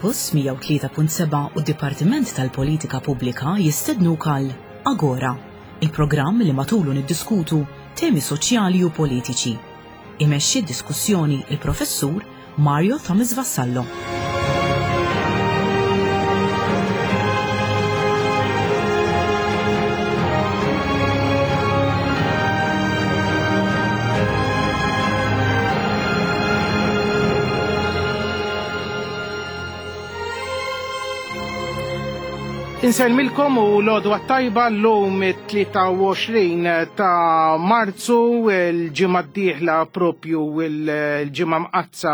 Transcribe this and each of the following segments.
Campus 103.7 u d-Dipartiment tal-Politika Pubblika jistednuk għal Agora, il-programm li matulu niddiskutu temi soċjali u politiċi. Imexxi d-diskussjoni il-Professur Mario Thomas Vassallo. Insellmilkom u l-għodwa tajba l-lum 23 ta' Marzu, l-ġimgħa d-dieħla propju l-ġimgħa mqazza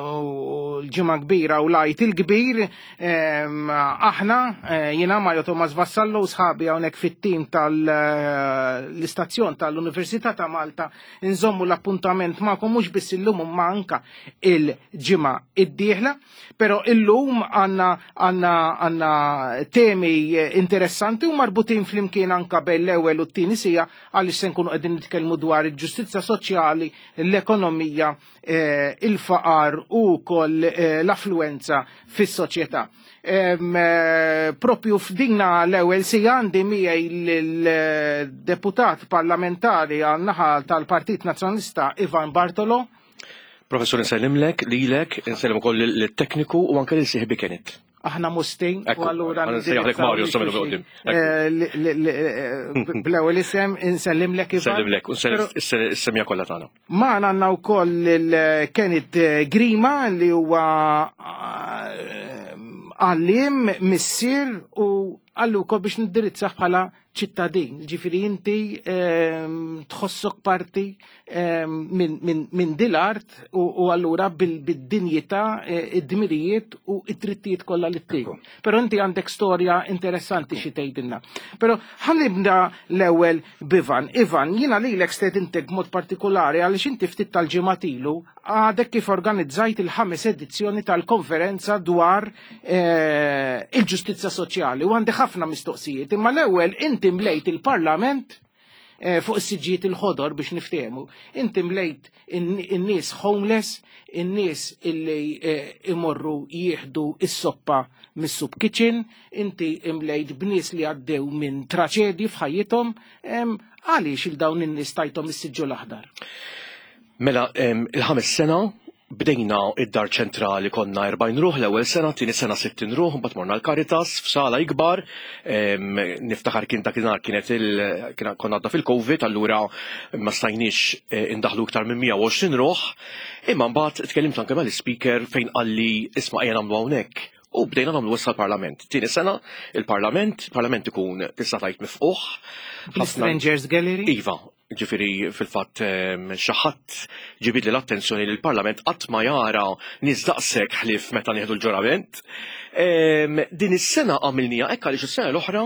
u l-ġimgħa kbira u lajt il-kbir. Aħna eh, jiena Mario Thomas Vassallo u sħabi hawnhekk fit-tim tal-istazzjon tal-Università ta' Malta nżommu l-appuntament magħkom mhux biss illum imma anka il-ġimgħa id-dieħla. Pero illum għanna għanna għanna temi interessanti u marbutin flimkien anka bejn l-ewwel u t-tieni sija għaliex se nkunu qegħdin nitkellmu dwar il-ġustizzja soċjali, l-ekonomija, eh, il-faqar u wkoll eh, l-affluenza fis-soċjetà. Eh, propju f'dinna l-ewwel sija għandi miegħi l-deputat parlamentari għan-naħa tal-Partit Nazzjonalista Ivan Bartolo. Professur nsellimlek, lilek, nsellem ukoll lit-tekniku u anke lil sieħbi Kenneth. Aħna mustin, u allura. Nsejjaħlek Mario, s qudiem. Eh, eh, bl-ewwel isem insellimlek Ivan. Nsellimlek, u s-semja kollha tagħna. Magħna għandna wkoll il-Kenneth Grima li huwa eh, għallim, missier u għallu wkoll biex nindirizzah bħala ċittadin, ġifiri inti ehm, tħossok parti ehm, minn dil-art u allura bil-dinjità, eh, id-dmirijiet u id-drittijiet kollha li ttik. Però inti għandek storja interessanti xi tgħidilna. Però ħanibda l-ewwel b'Ivan. Ivan, jiena lilek stedintek b'mod partikolari għaliex inti ftit tal-ġimgħat ilu għadek kif organizzajt il-ħames edizzjoni tal-konferenza dwar eh, il-ġustizza soċjali u għandi ħafna mistoqsijiet, imma l-ewwel inti mlejt il-Parlament eh, fuq is-siġġijiet il-ħodor biex niftehmu. Inti mlejt in-nies homeless, in-nies illi eh, imorru jieħdu is-soppa mis-soup kitchen, inti imlejt b'nies li għaddew minn traċedji f'ħajjithom, għaliex il-dawn in-nies tajthom is-siġġu l-aħdar? Mela, il-ħames sena bdejna id-dar ċentrali konna 40 ruħ l-ewwel sena, tieni sena 60 ruħ, mbagħad morna l-Caritas f'sala ikbar, niftakar kien dakinhar kienet il konna għadda fil-Covid, allura ma stajniex eh, indaħlu iktar minn 120 ruħ, imma mbagħad tkellimt anke mal-ispeaker fejn qalli isma' ejja nagħmlu hawnhekk. U bdejna nagħmlu issa l-Parlament. Tieni sena il-Parlament, il-Parlament ikun tista' tgħid mifquħ. Strangers Gallery? Iva, Ġifieri fil-fatt ehm, xi ħadd ġibidli l-attenzjoni li l-Parlament qatt ma jara nies daqshekk ħlief meta nieħdu l-ġurament. Ehm, din is-sena għamilnija hekk għaliex is-sena l-oħra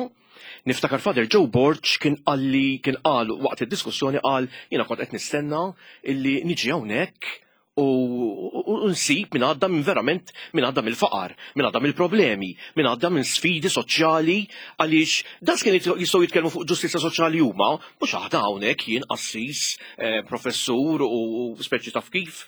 niftakar Father Joe Borg kien qalli kien qal waqt id-diskussjoni qal jiena kont qed nistenna illi niġi hawnhekk u nsib min għadda minn verament min għadda mill-faqar, min għadda mill-problemi, min għadda minn sfidi soċjali għaliex das kien jistgħu jitkellmu fuq ġustizzja soċjali huma, mhux aħna hawnhekk jien qassis, eh, professur u speċi taf kif.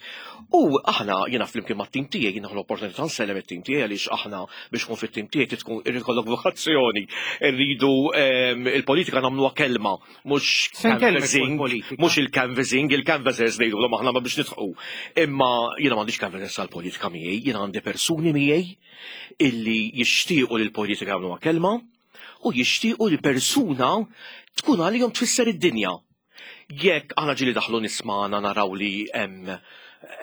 U aħna jiena flimkien mat-tim tiegħi jiena l-opportunità nsellem it-tim tiegħi għaliex aħna biex tkun fit-tim tiegħi tkun irid ikollok vokazzjoni, irridu ehm, il-politika nagħmluha kelma mhux canvassing, mhux il-canvassing, il-canvassers ngħidulhom aħna ma biex nidħqu. Imma jiena m'għandix canvassers għall-politika miegħi, jiena għandi persuni miegħi illi jixtiequ li l-politika jagħmluha kelma u jixtiequ li persuna tkun għalihom tfisser id-dinja. Jekk aħna ġieli daħlu nismana naraw li hemm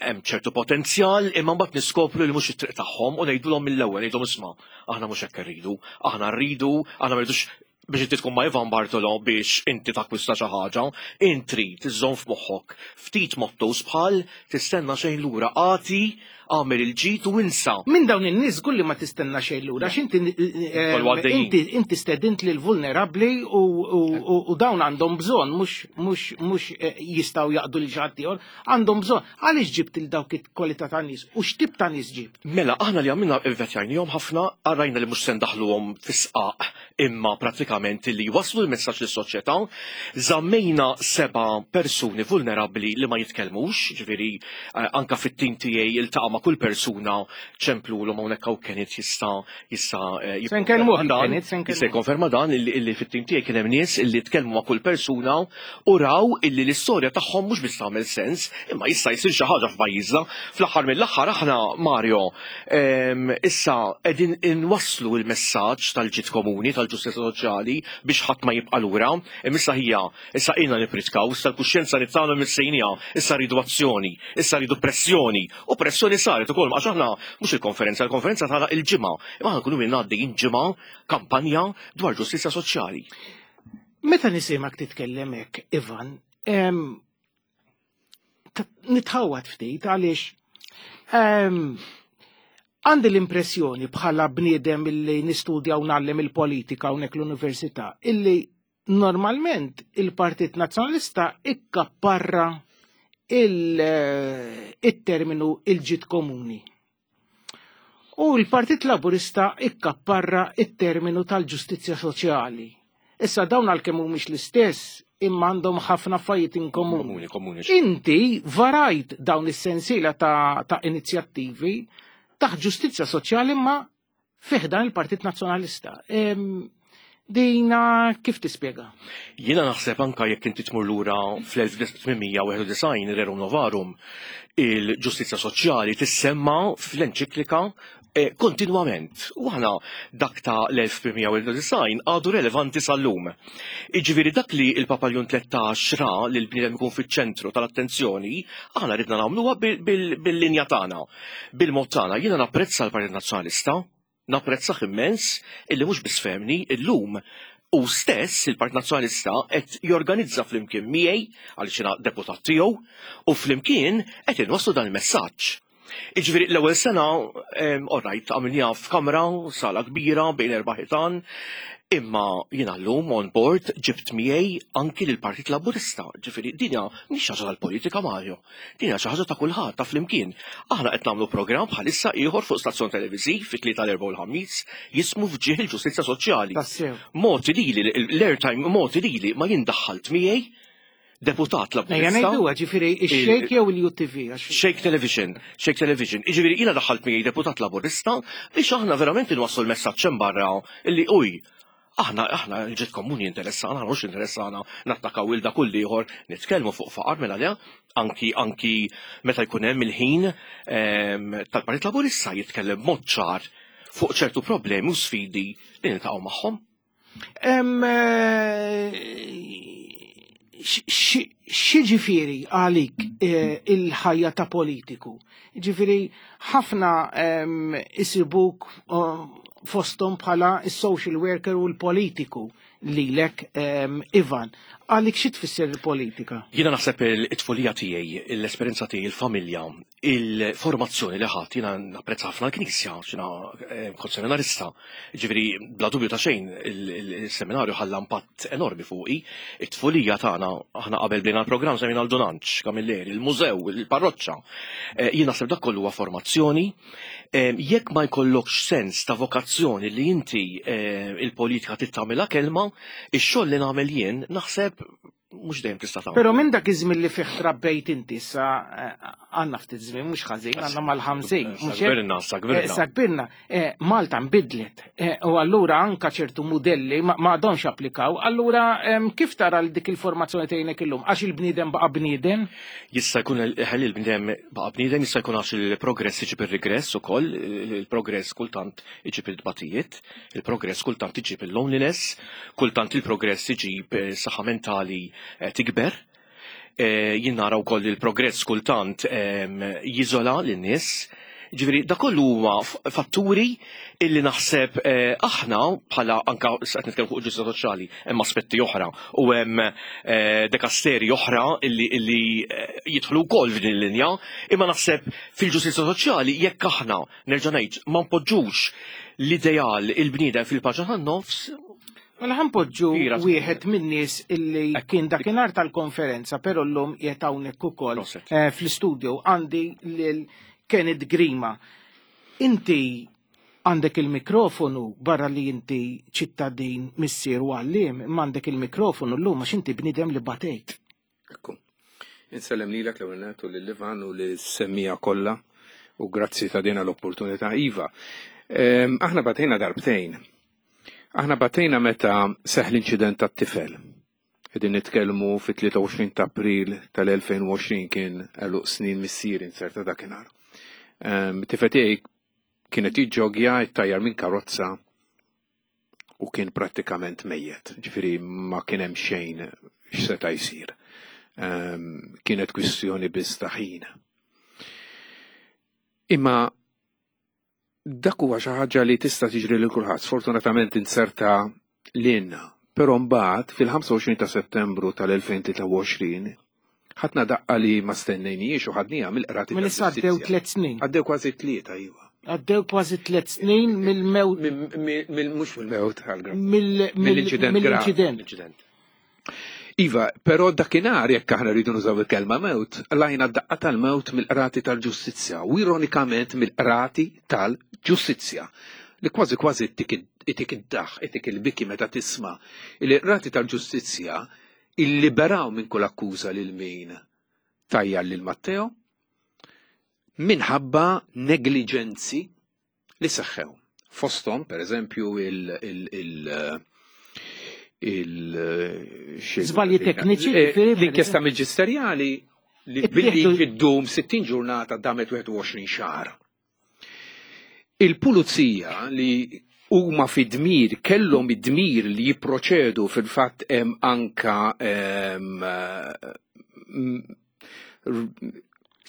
hemm ċertu potenzjal imma mbagħad niskopru li mhux it-triq tagħhom u ngħidulhom mill-ewwel ngħidulhom isma' aħna mhux hekk irridu, aħna rridu, aħna ma rridux. biex inti tkun ma' Ivan Bartolo biex inti takkwista xi ħaġa, int trid iżżomm f'moħħok ftit mottos bħal tistenna xejn lura, agħti, agħmel il-ġid u insa. Minn dawn in-nies żgur li ma tistenna xejn lura għax inti Kollu għaddejjin. inti inti stedint lil vulnerabbli u, u, u, u dawn għandhom bżonn mhux mhux mhux eh, jistgħu jaqdu lil xi ħadd ieħor, għandhom bżonn. Għaliex ġibt il dawk il-kwalità ta' nies u x'tip ta' nies ġibt? Mela, aħna li għamilna ivvetjajnihom ħafna, rajna li mhux se ndaħħluhom fis-sqaq imma prattikament li jwasslu l-messaġġ lis-soċjetà. Żammejna seba' persuni vulnerabbli li ma jitkellmux, ġifieri eh, anka fit-tim tiegħi iltaqa' ma' kull persuna ċemplulhom hawnhekk hawn Kenneth jista' jista' eh, Se nkellmuh jikkonferma dan, Kenneth, se nkellmuh. jista' jikkonferma dan illi illi fit-tim tiegħi kien hemm nies illi tkellmu ma' kull persuna u raw illi l-istorja tagħhom mhux biss tagħmel sens, imma jista' jsir xi ħaġa f'pajjiżna. Fl-aħħar mill-aħħar aħna Mario issa qegħdin inwasslu l-messaġġ tal-ġid komuni, tal-ġustizzja soċjali biex ħadd ma jibqa' lura. Imma issa hija, issa ilna nippritkaw, issa l-kuxjenza li tagħna missejniha, issa rridu azzjoni, issa rridu pressjoni. U pressjoni saret ukoll għax aħna mhux il-konferenza, il-konferenza tagħna il-ġimgħa, imma aħna nkunu ilna għaddejjin ġimgħa kampanja dwar ġustizzja soċjali. Meta nisimgħek titkellem hekk, Ivan, nitħawwad ftit għaliex għandi l-impressjoni bħala bniedem illi nistudja u ngħallem il-politika hawnhekk l-università illi normalment il-Partit Nazzjonalista ikkapparra il-terminu il-ġid komuni. U l-Partit Laburista ikkapparra it-terminu tal-ġustizzja soċjali. Issa dawn għalkemm mhumiex l-istess imma għandhom ħafna affarijiet in komuni. Komuni, komuni. Inti varajt dawn is-sensiela ta', ta inizjattivi taħt ġustizzja soċjali imma fih dan il-Partit Nazzjonalista. Dina kif tispjega? Jiena naħseb anka jekk inti tmur lura fl-1891 Rerum Novarum, il-ġustizzja soċjali tissemma fl-enċiklika eh, kontinwament. U aħna dak ta' l-1891 għadu relevanti sal-lum. Iġifieri dak li il-Papa Ljun 13 ra li l-bniedem ikun fiċ-ċentru tal-attenzjoni, aħna ridna nagħmluha bil-linja tagħna. Bil-mod tagħna jiena napprezza l-Partit Nazzjonalista, napprezzah immens illi mhux biss fehmni illum u stess il-Partit Nazzjonalista qed jorganizza flimkien miegħi għaliex jiena deputat tiegħu u flimkien qed inwasslu dan il-messaġġ. Iġifieri l-ewwel sena all right għamilniha f'kamra, sala kbira bejn erba' ħitan, imma jiena llum on board ġibt miegħi anki lill-Partit Laburista. Ġifieri din hija mhix xi ħaġa tal-politika Mario, din hija xi ħaġa ta' kulħadd ta' flimkien. Aħna qed nagħmlu programm bħalissa ieħor fuq stazzjon televiżiv fit-Tlieta l-Erbgħa u l-Ħamis jismu F'Ġieħ il-Ġustizzja Soċjali. Tassew. Mogħti lili l-airtime mogħti lili ma jien daħħalt miegħi deputat Ejja Laburista. ngħiduha ġifieri ix-Xejk jew il-UTV għax Xejk Television, Xejk Television. Jiġifieri jiena daħħalt miegħi deputat Laburista biex aħna verament inwasslu l-messaġġ hemm barra illi uj, aħna aħna l-ġid komuni interessana, aħna mhux interessana nattakaw il dak u l-ieħor, nitkellmu fuq faqar mela le, anki anki meta jkun hemm il-ħin ehm, tal-Partit Laburista jitkellem b'mod ċar fuq ċertu problemi u sfidi li niltaqgħu magħhom. X'jiġifieri għalik eh, il-ħajja ta' politiku? Ġifieri ħafna isibuk fosthom bħala is-social worker u l-politiku lilek Ivan. Għalik xi tfisser il-politika? Jiena naħseb it-tfulija tiegħi, l-esperjenza tiegħi, il-familja, il-formazzjoni li ħadd jiena napprezza ħafna l-Knisja, xina eh, kont seminarista. Ġifieri bla dubju ta' xejn il-seminarju ħalla impatt enormi fuqi. It-tfulija tagħna aħna qabel bdejna l-programm semmejna l-Dunanċ, Camilleri, il-mużew, il-parroċċa. Eh, jien naħseb dak kollu huwa formazzjoni. Eh, jekk ma jkollokx sens ta' vokazzjoni li inti il-politika tittamilha kelma, ix-xogħol li nagħmel jien naħseb mhux dejjem tista' tagħmel. Però minn dak iż-żmien li fih trabbejt inti issa eh, għandna ftit żmien mhux ħażin, għandna mal-50. Sa kbirna, sa kbirna. Eh, sa kbirna. Eh, Malta nbidlet u allura anka ċertu mudelli ma għadhomx applikaw. Allura kif tara l dik il-formazzjoni tgħinek illum? Għax il-bniedem baqa' bniedem? Jista' jkun ħalli l-bniedem baqa' bniedem, jista' jkun għax il-progress iġib ir-regress ukoll, il-progress kultant iġib il-tbatijiet. Il-progress kultant iġib il-loneliness, kultant il-progress iġib eh, saħħa mentali eh, tikber. Eh, jien nara wkoll il-progress kultant ehm, jiżola lin-nies. Ġifieri da kollu huma fatturi illi naħseb eh, aħna bħala anka qed nitkellmu fuq il-ġustizzja soċjali hemm aspetti oħra u hemm eh, dekasteri oħra illi illi eh, jidħlu wkoll f'din il-linja, imma naħseb fil-ġustizzja soċjali jekk aħna nerġa' ngħid ma npoġġux l-ideal il-bniedem fil-paġna tan-nofs Mela ħanpoġġu wieħed min-nies illi kien dakinhar tal-konferenza, però llum qiegħed hawnhekk ukoll eh, fl-istudio għandi lil Kenneth Grima. Inti għandek il-mikrofonu barra li inti ċittadin missier u għalliem, imma għandek il-mikrofonu llum għax inti bniedem li batejt. Ekku. Insellem lilek l-ewwel nett u lil Ivan u lis-semmija kollha u grazzi ta' dina l-opportunità. Iva, ehm, aħna batejna darbtejn. Aħna batejna meta seħ l-inċident tat-tifel. Qegħdin nitkellmu fit-23 ta' April tal-2020 kien għeluq snin missieri inserta dakinhar. Ehm, tifel tiegħi kienet jiġġogja jittajjar minn karozza u kien prattikament mejjet, ġifieri ma kien hemm xejn x'seta' jsir. Ehm, kienet kwistjoni biss ta' ħin. Imma dak huwa xi ħaġa li tista' tiġri lil kulħadd. Sfortunatament inserta lilna. Però mbagħad fil-25 ta' Settembru tal-2023 ħadna daqqa li ma stennejniex u ħadniha mill-qrati. Minn issa għaddew tliet snin. Għaddew kważi tlieta, iva. Għaddew kważi tliet snin mill-mewt. Mhux mill-mewt, mill-inċident. Mill-inċident. Iva, però dakinhar jekk aħna rridu nużaw il-kelma mewt, lajna daqqa tal-mewt mill-qrati tal-ġustizzja u ironikament mill-qrati tal-ġustizzja li kważi kważi itik id-daħ, itik il-biki meta tisma' li qrati tal-ġustizzja illiberaw minn kull akkuża lil min tajjar lil Matteo minħabba negliġenzi li seħħew. Fosthom, per eżempju, il- il- il Żbalji tekniċi, eh, l-inkjesta maġisterjali li billi ddum 60 ġurnata damet 21 xahar. Il-pulizija li huma fi dmir, kellhom id-dmir li jipproċedu fil-fatt hemm anka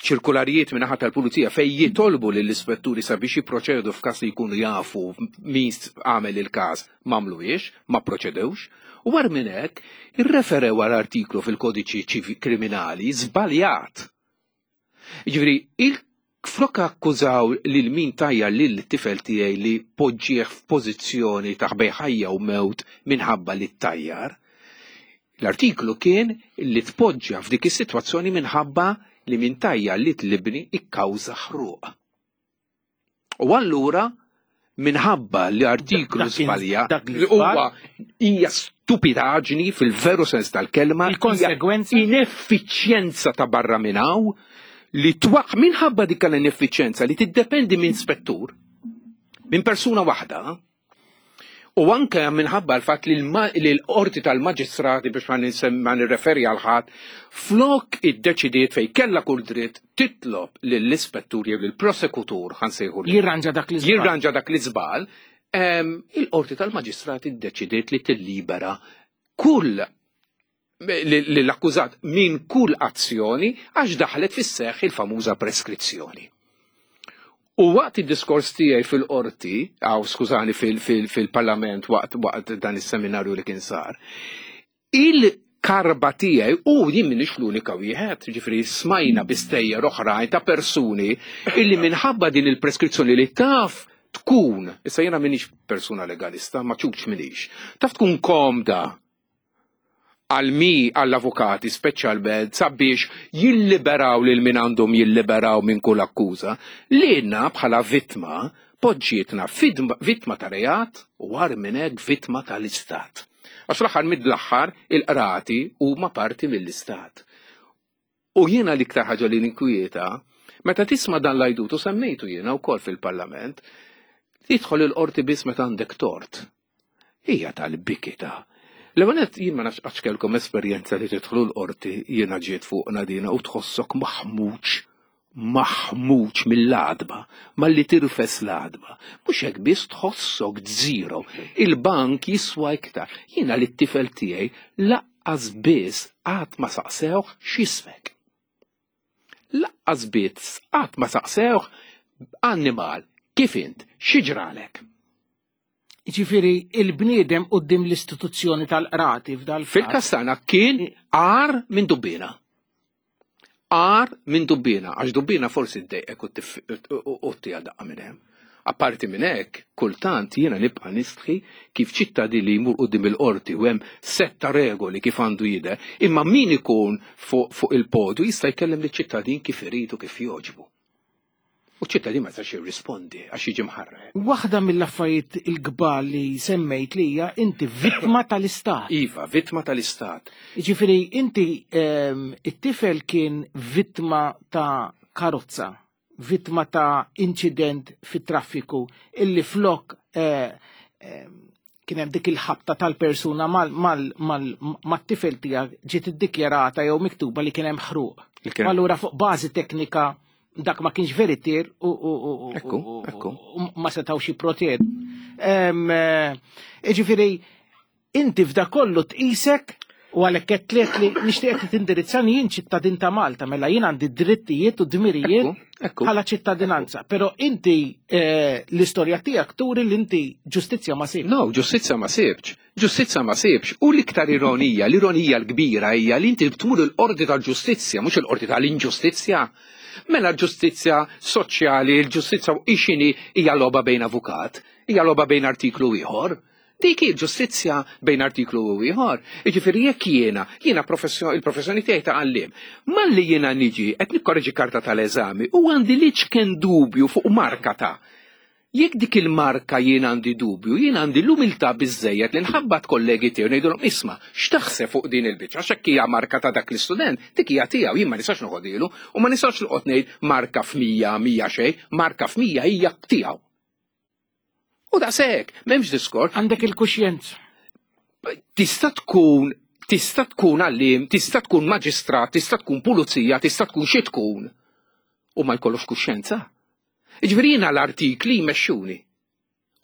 ċirkularijiet minn naħa tal-pulizija fej jitolbu lill-ispetturi sabiex jipproċedu f'każ li jkunu jafu min għamel il-każ m'għamluhiex, ma proċedewx, u war minn hekk irreferew għal artiklu fil-kodiċi kriminali żbaljat. Jiġifieri, flok akkużaw lil min tajjar lil tifel tiegħi li poġġieh f'pożizzjoni ta' bejn ħajja u mewt minħabba li ttajjar, L-artiklu kien li tpoġġa f'dik is-sitwazzjoni minħabba li min tajjar li tlibni ikkawża ħruq. U allura minħabba li artiklu żbalja li huwa hija stupidaġni fil-veru sens tal-kelma, il-konsegwenza ineffiċjenza ta' barra minn hawn li twaq minħabba dik l-ineffiċjenza li tiddependi minn spettur, minn persuna waħda, U anke minħabba l-fatt li l-qorti tal-maġistrati biex ma nirreferi għal ħadd, flok iddeċidiet fejn kellha kull dritt titlob lill-ispettur jew lill-prosekutur ħansejħu Jirranġa dak l-iżball. Jirranġa dak l-iżball, il-qorti tal-maġistrati ddeċidiet li tillibera kull l-akkużat minn kull azzjoni għax daħlet fis-seħħ il-famuża preskrizzjoni. U waqt id-diskors tiegħi fil-qorti, aw skużani fil-parlament waqt waqt dan is-seminarju li kien sar, il-karba tiegħi u jien minix l-unika wieħed, ġifieri smajna bistejjer oħrajn ta' persuni illi minħabba din il-preskrizzjoni li taf tkun, issa jiena minix persuna legalista, ma ċuċ minix, taf tkun komda għal mi għall-avukati speċjalment sabiex jilliberaw lil min għandhom jilliberaw minn kull akkuża, lilna bħala vittma poġġietna vittma ta' reat u agħar minn hekk vittma tal-istat. Għax fl-aħħar mill-aħħar il-qrati huma parti mill-istat. U jiena l-iktar ħaġa li ninkwieta, meta tisma' dan l-għajdut u semmejtu jiena wkoll fil-Parlament, tidħol il-qorti biss meta għandek tort. Hija tal-biki ta' L-ewwel nett jien ma nafx qattx kellkom esperjenza li tidħlu l-qorti jiena ġiet fuqna dina u tħossok maħmuġ maħmuġ mill-għadba, malli tirfes l-għadba. Mhux hekk biss tħossok zero. Il-bank jiswa iktar. Jiena li t-tifel tiegħi laqqas biss qatt ma saqsewh x'ismek. Laqqas biss qatt ma saqsewh annimal, kif int, xi ġralek? Ġifieri il-bniedem quddiem l-istituzzjoni tal-qrati f'dal Fil-każ tagħna kien agħar minn dubbina. Agħar minn dubbina, għax dubbina forsi ddejqek u ttiha daqqa minn hemm. Apparti minn hekk, kultant jiena nibqa' nistħi kif ċittadin li jmur quddiem il-qorti u hemm sett ta' regoli kif għandu jidher, imma min ikun fuq il-podju jista' jkellem liċ-ċittadin kif irid u kif jogħġbu. U ċittadin ma jistax jirrispondi għax jiġi mħarrek. Waħda mill-affarijiet il-kbar li semmejt li hija inti vittma tal-istat. Iva, vittma tal-istat. Jiġifieri inti it-tifel kien vittma ta' karozza, vittma ta' inċident fit-traffiku illi flok kien hemm dik il-ħabta tal-persuna mat-tifel tiegħek ġiet iddikjarata jew miktuba li kien hemm ħruq. Allura fuq bażi teknika dak ma kienx veritier u ma setgħux jipproteġu. Jiġifieri inti f'da kollu tqisek u għalhekk qed tliet li nixtieq li tindirizzani jien ċittadin ta' Malta, mela jien għandi drittijiet u dmirijiet bħala ċittadinanza. Però inti l-istorja tiegħek turi li inti ġustizzja ma sibx. No, ġustizzja ma sibx. Ġustizzja ma sibx. U l-iktar ironija, l-ironija l-kbira hija li inti tmur il-qorti tal-ġustizzja, mhux il-qorti tal-inġustizzja. Mela l-ġustizzja soċjali, l-ġustizzja ixini hija logħba bejn avukat, hija logħba bejn artiklu ieħor. Dik hi ġustizzja bejn artiklu u ieħor. Jiġifieri jekk jiena, jiena il-professjoni tiegħi ta' għalliem, malli jiena niġi qed nikkorreġi karta tal-eżami u għandi liċken dubju fuq marka ta' Jekk dik il-marka jien għandi dubju, jien għandi l-umiltà biżżejjed li nħabbat kollegi tiegħu ngħidulhom isma' x'taħseb fuq din il-biċċa għax hekk hija marka ta' dak l-istudent, dik hija tiegħu, jien ma nistax noħodilu u ma nistax noqgħod ngħid marka f'mija, mija xejn, marka f'mija hija tiegħu. U daqshekk, m'hemmx diskors. Għandek il-kuxjenza. Tista' tkun tista' tkun għalliem, tista' tkun maġistrat, tista' tkun pulizija, tista' tkun xi tkun u ma jkollokx kuxjenza. Jiġifieri jiena l-artikli jmexxuni.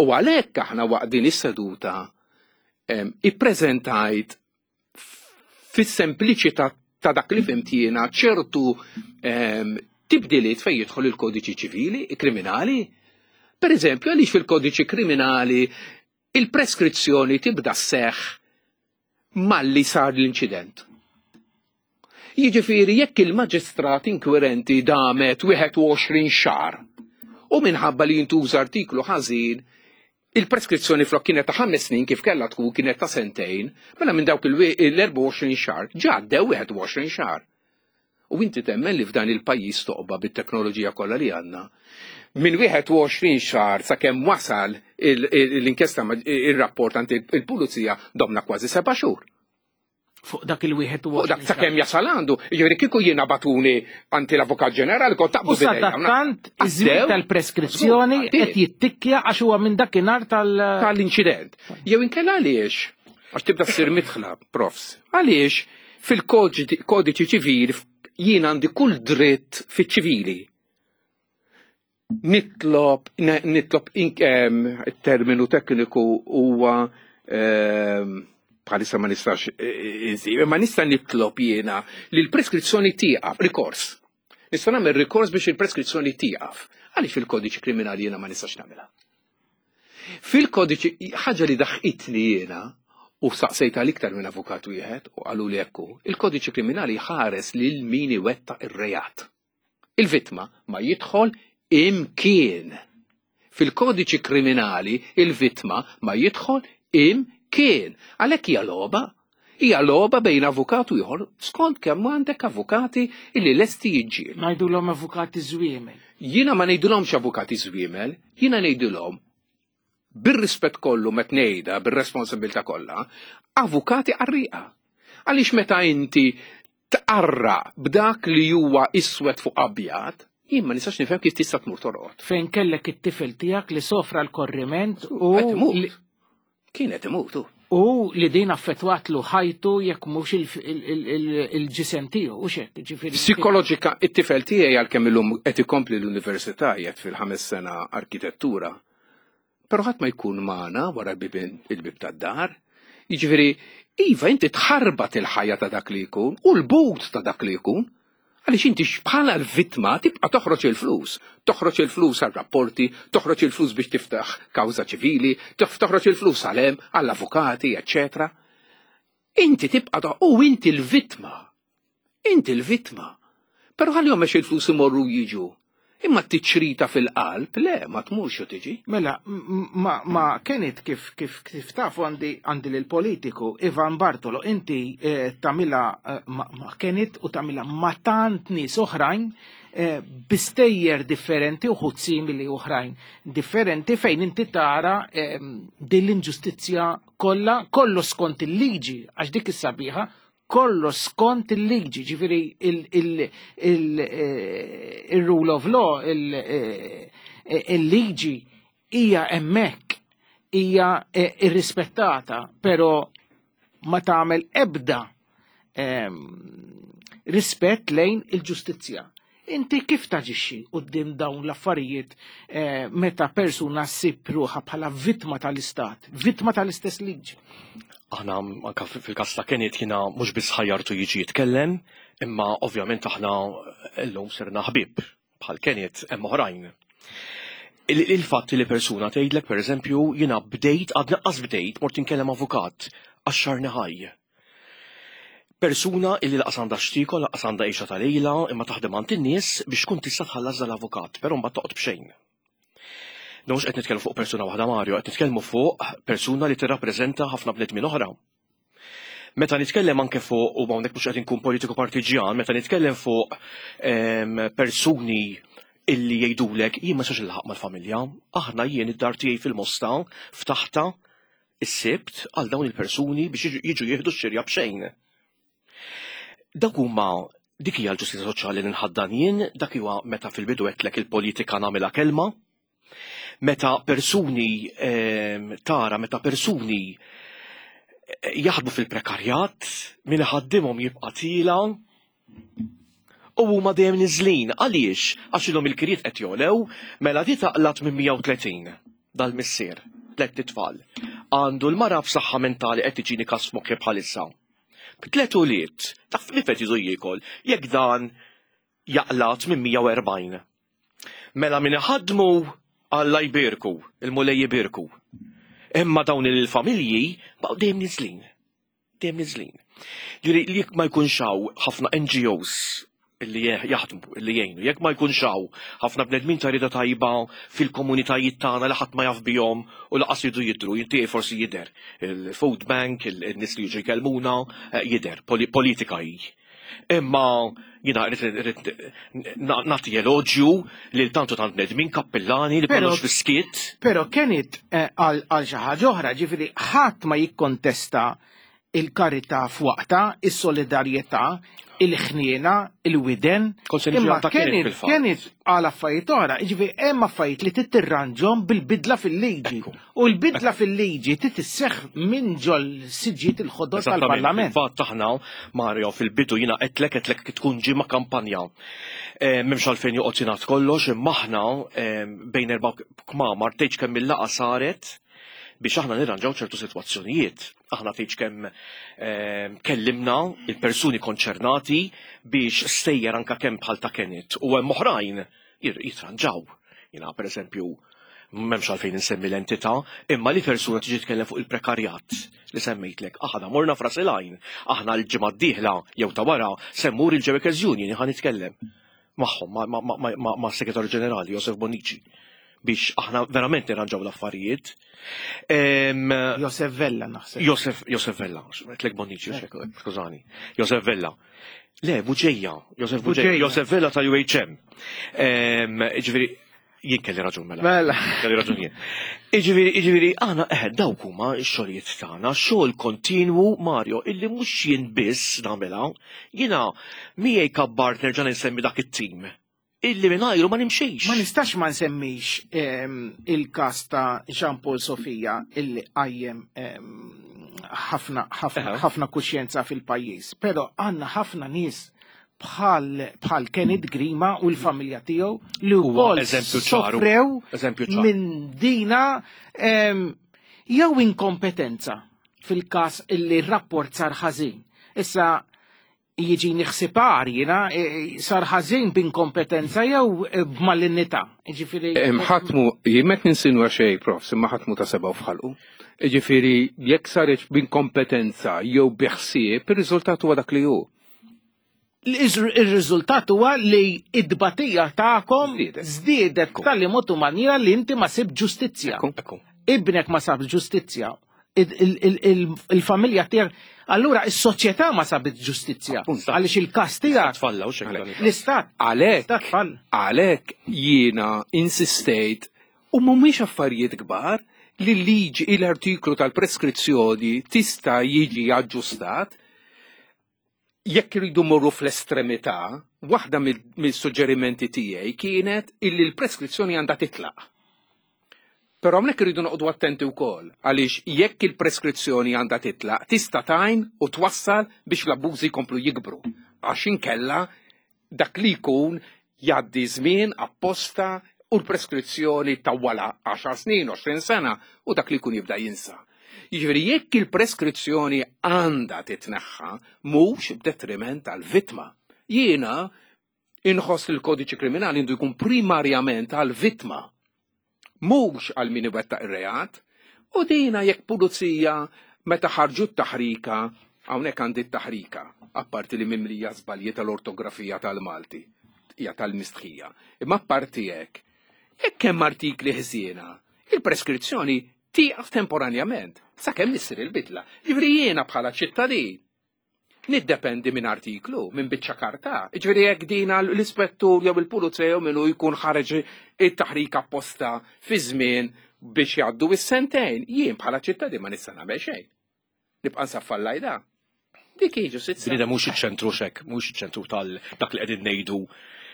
U għalhekk aħna waqt din is-seduta ippreżentajt fis-sempliċità ta' dak li fhimt jiena ċertu tibdiliet fejn jidħol il-kodiċi ċivili, kriminali. Per eżempju, għaliex fil-kodiċi kriminali il-preskrizzjoni tibda sseħħ malli sar l-inċident. Jiġifieri jekk il-maġistrat inkwirenti damet 21 xahar u minħabba li jintuża artiklu ħażin, il-preskrizzjoni flok kienet ta' 5 snin kif kellha tkun kienet ta' sentejn, mela minn dawk il-24 xahar ġa għaddew 21 xahar. U inti temmen li f'dan il-pajjiż toqba bit-teknoloġija kollha li għandna. Minn 21 xahar sakemm wasal l-inkjesta ir-rapport għand il-pulizija domna kważi 7 xhur. Fuq dak il-wieħed u Fuq dak sakemm jasal għandu, jiġifieri kieku jiena batuni għand l-Avukat Ġenerali kont taqbdu U sadattant iż-żmien tal-preskrizzjoni qed jittikkja għax huwa minn dakinhar tal- tal-inċident. Jew inkella għaliex, għax tibda ssir midħla, profs, għaliex fil-kodiċi ċivili jien għandi kull dritt fiċ-ċivili. Nitlob, nitlob terminu tekniku huwa bħalissa ma nistax insib, ma nista' nitlob jiena li l-preskrizzjoni tieqaf, rikors. Nista' nagħmel rikors biex il-preskrizzjoni tieqaf. Għaliex fil-kodiċi kriminali jiena ma nistax nagħmilha? Fil-kodiċi, ħaġa li daħqitni jiena, u saqsejta l-iktar minn avukat wieħed u qalu li ekku, il-kodiċi kriminali ħares lil min iwettaq ir-reat. Il-vittma ma jidħol imkien. Fil-kodiċi kriminali il-vittma ma jidħol imkien. Għalhekk hija logħba. Hija logħba bejn avukat u ieħor skont kemm għandek avukati illi lesti jiġġieldu. Ngħidulhom avukati żwiemel. Jiena ma ngħidulhomx avukati żwiemel, jiena ngħidulhom bir-rispett kollu met ngħidha, bir-responsabilità kollha, avukati qarrieqa. Għaliex meta inti tqarra b'dak li huwa iswed fuq abjad, jien ma nistax nifhem kif tista' tmur torqod. Fejn kellek it-tifel tiegħek li sofra l-korriment u Qed imut. Kienet imutu. U li din affettwatlu ħajtu jekk mhux il-ġisem tiegħu u xek, ġifieri. Psikoloġika, it-tifel tiegħi għalkemm illum qed ikompli l-università qiegħed fil-ħames sena arkitettura. Però ħadd ma jkun magħna wara il-bib tad-dar. Jiġifieri, iva inti tħarbat il-ħajja ta' dak li jkun u l-but ta' dak li jkun. Għaliex inti bħala l-vittma tibqa' toħroġ il-flus. Toħroġ il-flus għal rapporti, toħroġ il-flus biex tiftaħ kawża ċivili, toħroġ il-flus għal hemm, għall-avukati, eċċetera. Inti tibqa' u inti l-vittma. Inti l-vittma. Però ħallihom għax il-flus imorru jiġu. Imma t-tiċrita fil-qalb, le, ma tmurx u tiġi. Mela, ma, ma kienet kif, kif, kif tafu għandi għandi l-politiku Ivan Bartolo, inti eh, tamila eh, ma, ma kienet u tamila ma tant nies oħrajn eh, bistejjer differenti u simili oħrajn differenti fejn inti tara eh, din l-inġustizzja kollha kollu skont il-liġi għax dik is-sabiħa kollox skont il-liġi, ġifiri il-rule of law, eh, il-liġi hija hemmhekk, hija eh, irrispettata, pero ma tagħmel ebda ehm, rispett lejn il-ġustizzja. Inti kif taġixxi quddiem dawn l-affarijiet eh, meta persuna ssib ruħha bħala vittma tal-istat, vittma tal-istess liġi? Aħna anka fil-każ ta' Kenneth jiena mhux biss ħajjartu jiġi jitkellem, imma ovvjament aħna llum sirna ħbieb bħal Kenneth hemm oħrajn. Il-fatt li persuna tgħidlek pereżempju jiena bdejt għad naqqas bdejt mort inkellem avukat għax xarni ħaj. Persuna illi laqas għandha x'tiekol, laqas għandha għixha ta' lejla, imma taħdem għand in-nies biex tkun tista' tħallas dal-avukat, però mbagħad toqgħod b'xejn. Mhux qed nitkellmu fuq persuna waħda Mario, qed nitkellmu fuq persuna li tirrappreżenta ħafna bnedmin oħra. Meta nitkellem anke fuq, u hawnhekk mhux qed inkun politiku partiġjan, meta nitkellem fuq ehm, persuni illi jgħidulek jien ma sax il-ħaq mal-familja, aħna jien id-dar tiegħi fil-Mosta ftaħta is-Sibt għal dawn il-persuni biex jiġu jieħdu x-xirja b'xejn. Dak huma dik hija l-ġustizzja soċjali li nħaddan jien, dak huwa meta fil-bidu għedtlek il-politika nagħmilha kelma. Meta persuni ehm, tara, meta persuni eh, jaħdmu fil-prekarjat, min iħaddimhom jibqa' tila, U huma dejjem niżlin. Għaliex? Għax ilhom il-kirjiet qed jogħlew, mela di taqla' 830 dal-missier, tlett itfal. Għandu l-mara b'saħħa mentali qed tiġini każ f'moħħi bħalissa. B'tliet ulied, taf li qed jiżu jiekol, jekk dan jaqla' 840. Mela min iħaddmu Alla jbierku, il-Mulej ibierku. Imma dawn il-familji baqgħu dejjem niżlin. dejjem niżlin. Ġifieri li jekk ma jkunx hawn ħafna NGOs li jaħdmu, li jgħinu, jekk ma jkunx hawn ħafna bnedmin ta' rieda tajba fil-komunitajiet tagħna li ħadd ma jaf bihom u laqas jridu jidhru, inti forsi jidher il-food bank, il-nies li jiġu jkellmuna, eh, jidher, politika hi. Imma jina rrid nagħti eloġju lil tantu tant bnedmin kappillani li kollox fiskiet. Però kienet eh, għal xi ħaġa oħra, ġifieri ħadd ma jikkontesta il-karità f'waqta, is-solidarjetà, il-ħniena, il-widen. Imma kienet għal affarijiet oħra, ġifieri hemm affarijiet li titirranġhom bil-bidla fil-liġi. U l-bidla fil-liġi trid isseħħ minn ġol siġġiet il-ħodor tal-Parlament. Fatt aħna, Mario, fil-bidu jiena qedlek qedlek tkun ġimgħa kampanja. Eh, m'hemmx għalfejn joqgħod jingħad kollox, imma aħna eh, bejn erba' kmamar tgħidx kemm il-laqgħa saret biex aħna nirranġaw ċertu sitwazzjonijiet. Aħna tgħidx kemm eh, kellimna il-persuni konċernati biex stejjer anka kemm bħal ta' Kenneth u hemm oħrajn jitranġaw. Jiena pereżempju m'hemmx għalfejn insemmi l-entità, imma li persuna tiġi tkellem fuq il-prekarjat li semmejtlek. Aħna morna fras il-għajn, aħna l-ġimgħa d-dieħla jew ta' wara se mmur il-Workers Union ħa nitkellem magħhom ma' segretarju ġenerali Josef Bonnici biex aħna verament nirranġaw l-affarijiet. Josef Vella naħseb. Josef, Josef Vella, tlek Bonnici, skużani. Josef Vella. Le, Buġeja, Josef Buġeja, Josef Vella tal-UHM. Ġifieri, jien kelli raġun mela. Mela. Kelli raġun jien. Iġifieri, iġifieri, aħna eħe dawk huma x-xogħlijiet tagħna, xogħol kontinwu Mario, illi mhux jien biss nagħmilha, jiena miegħi kabbart nerġa' nsemmi dak it-tim illi mingħajru ma nimxix. Ma nistax ma nsemmix ehm, il-każ ta' Jean Paul Sofia illi qajjem ehm, ħafna ħafna ħafna kuxjenza fil-pajjiż, però għandna ħafna nies bħal bħal Kenneth Grima u l-familja tiegħu li wkoll sofrew minn dina ehm, jew inkompetenza fil-każ illi r-rapport sar ħażin. Issa. Jiġini ħsieb agħar jiena, sar ħażin b'inkompetenza jew b'malinnità. Jiġifieri. Ħadd mhu, jien m'qed ninsinwa xejn, Profs, imma ħadd mhu ta' sebgħu f'ħalqu. Jiġifieri jekk saret b'inkompetenza jew bi ħsieb, ir-riżultat huwa dak li hu. Ir-riżultat huwa li t-tbatija tagħkom żdiedet b'tali mod u manjiera li inti ma sibt ġustizzja. Ibnek ma sab ġustizzja. Il-familja tiegħek, allura is-soċjetà ma sabit ġustizzja. Għaliex il-każ tiegħek. Tfalla u xejn. L-istat. Għalhekk. Għalhekk jiena insistejt u mhumiex affarijiet kbar li l-liġi l-artiklu tal-preskrizzjoni tista' jiġi aġġustat Jekk iridu mmorru fl-estremità, waħda mill-suġġerimenti tiegħi kienet illi l-preskrizzjoni għandha titlaq. Però hawnhekk irridu noqogħdu attenti wkoll għaliex jekk il-preskrizzjoni għandha titlaq tista' tgħin u twassal biex l-abbużi jkomplu jikbru għax inkella dak li jkun jgħaddi żmien apposta u l-preskrizzjoni tawwalha għaxar snin, 20 sena u dak li jkun jibda jinsa. Jiġifieri jekk il-preskrizzjoni għandha titneħħa mhux b'detriment għall-vittma. Jiena inħoss li l-kodiċi kriminali għandu jkun primarjament għall-vittma mhux għal min iwettaq ir-reat, u dina jekk pulizija meta ħarġu t-taħrika, hawnhekk għandi t-taħrika, apparti li mimlija żbalji tal-ortografija tal-Malti, hija tal-mistħija. Imma apparti hekk, jekk hemm artikli ħżiena, il-preskrizzjoni tieqaf temporanjament sakemm issir il-bidla. Jiġifieri jiena bħala ċittadin Niddependi minn artiklu, minn biċċa karta. Jiġifieri jekk din l-ispettur jew il-pulizija jew min hu jkun ħareġ it-taħrik apposta fi żmien biex jgħaddu is-sentejn, jien bħala ċittadin ma nista' nagħmel xejn. Nibqa' nsaffa l-lajda. Dik hi ġustizzja. Bniedem mhux iċ-ċentru x'hekk, mhux iċ-ċentru tal dak li qegħdin ngħidu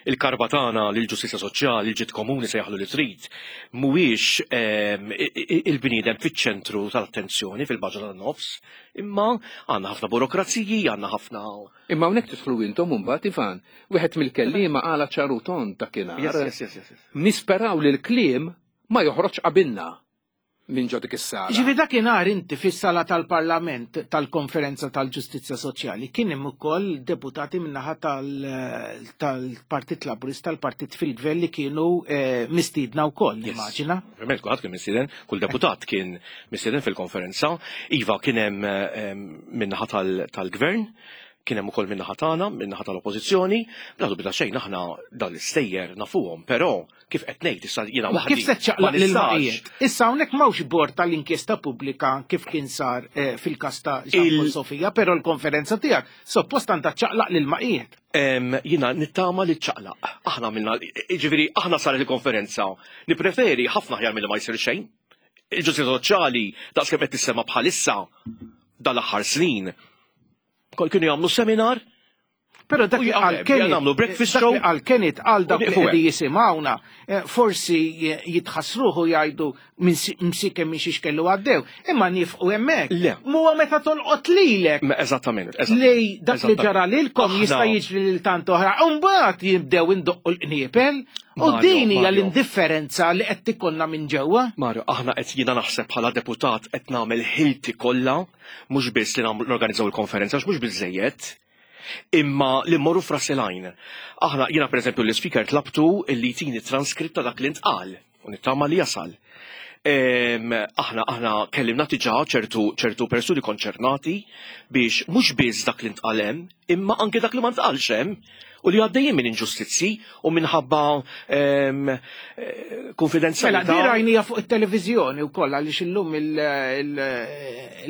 il-karba tagħna lill-ġustizzja soċjali, il-ġid komuni sejjaħlu li trid, mhuwiex ehm, il-bniedem fiċ-ċentru tal-attenzjoni fil-baġa tan-nofs, Imma għandna ħafna burokraziji, għandna ħafna. Imma hawnhekk tidħlu intom imbagħad Ivan, wieħed mill-kelliema qala ċar u tond dakinhar. Yes, yes, yes, yes. Nisperaw li l-kliem ma joħroġx qabilna minn ġo dik is-sala. Ġifieri dakinhar inti fis-sala tal-Parlament tal-Konferenza tal-Ġustizzja Soċjali kien hemm ukoll deputati min-naħa tal-Partit Laburista, tal-Partit fil-Gvern li kienu eh, mistiedna wkoll, nimmaġina. Ovvjament kulħadd kien mistieden, kull deputat kien mistieden fil-konferenza. Iva kien hemm ehm, min-naħa tal-gvern, kien hemm ukoll min-naħa tagħna, min-naħa tal-oppożizzjoni, bla dubju ta' xejn aħna dan l-istejjer nafuhom, però kif qed ngħid issa jiena waħdi. Kif se ċċaqlaq lil Issa hawnhekk m'hawnx bord tal-inkjesta pubblika kif kien sar eh, fil-każ ta' Jean Sofija, però l-konferenza tiegħek suppost għandha ċċaqlaq lil maqiet. Jiena nittama li ċċaqlaq. Aħna għamilna, jiġifieri aħna saret il-konferenza. Nippreferi ħafna aħjar milli ma jsir xejn. Il-ġustizzja soċjali daqs kemm qed tissema bħalissa dal-aħħar snin. Kol kienu jagħmlu seminar Pero dak li għal Kenneth, nagħmlu breakfast show. Għal Kenneth għal dak li qegħdi jisimgħuna, eh, forsi jitħassruħu jgħidu msikem minn xiex kellu għaddew, imma nifqu hemmhekk. Le. Muwa meta tolqot lilek. Eżattament. Li dak li ġara lilkom jista' jiġri lil tant oħra. Imbagħad jibdew indoqqu l-qniepel. U din hija l-indifferenza li qed tikonna minn ġewwa. Mario, aħna qed jiena naħseb bħala deputat qed nagħmel ħilti kollha mhux biss li norganizzaw il-konferenza għax mhux biżejjed imma li mmorru f'ras il-għajn. Aħna jiena pereżempju l-ispeaker tlabtu li jtini transkritt ta' dak li ntqal u nittama li jasal. Aħna aħna kellimna diġà ċertu ċertu persuni konċernati biex mhux biss dak li ntqal hemm, imma anke dak li ma ntqalx hemm u li għaddejjin minn inġustizzji u minħabba eh, konfidenzjalità. Mela, di rajnija fuq it-televiżjoni wkoll għaliex illum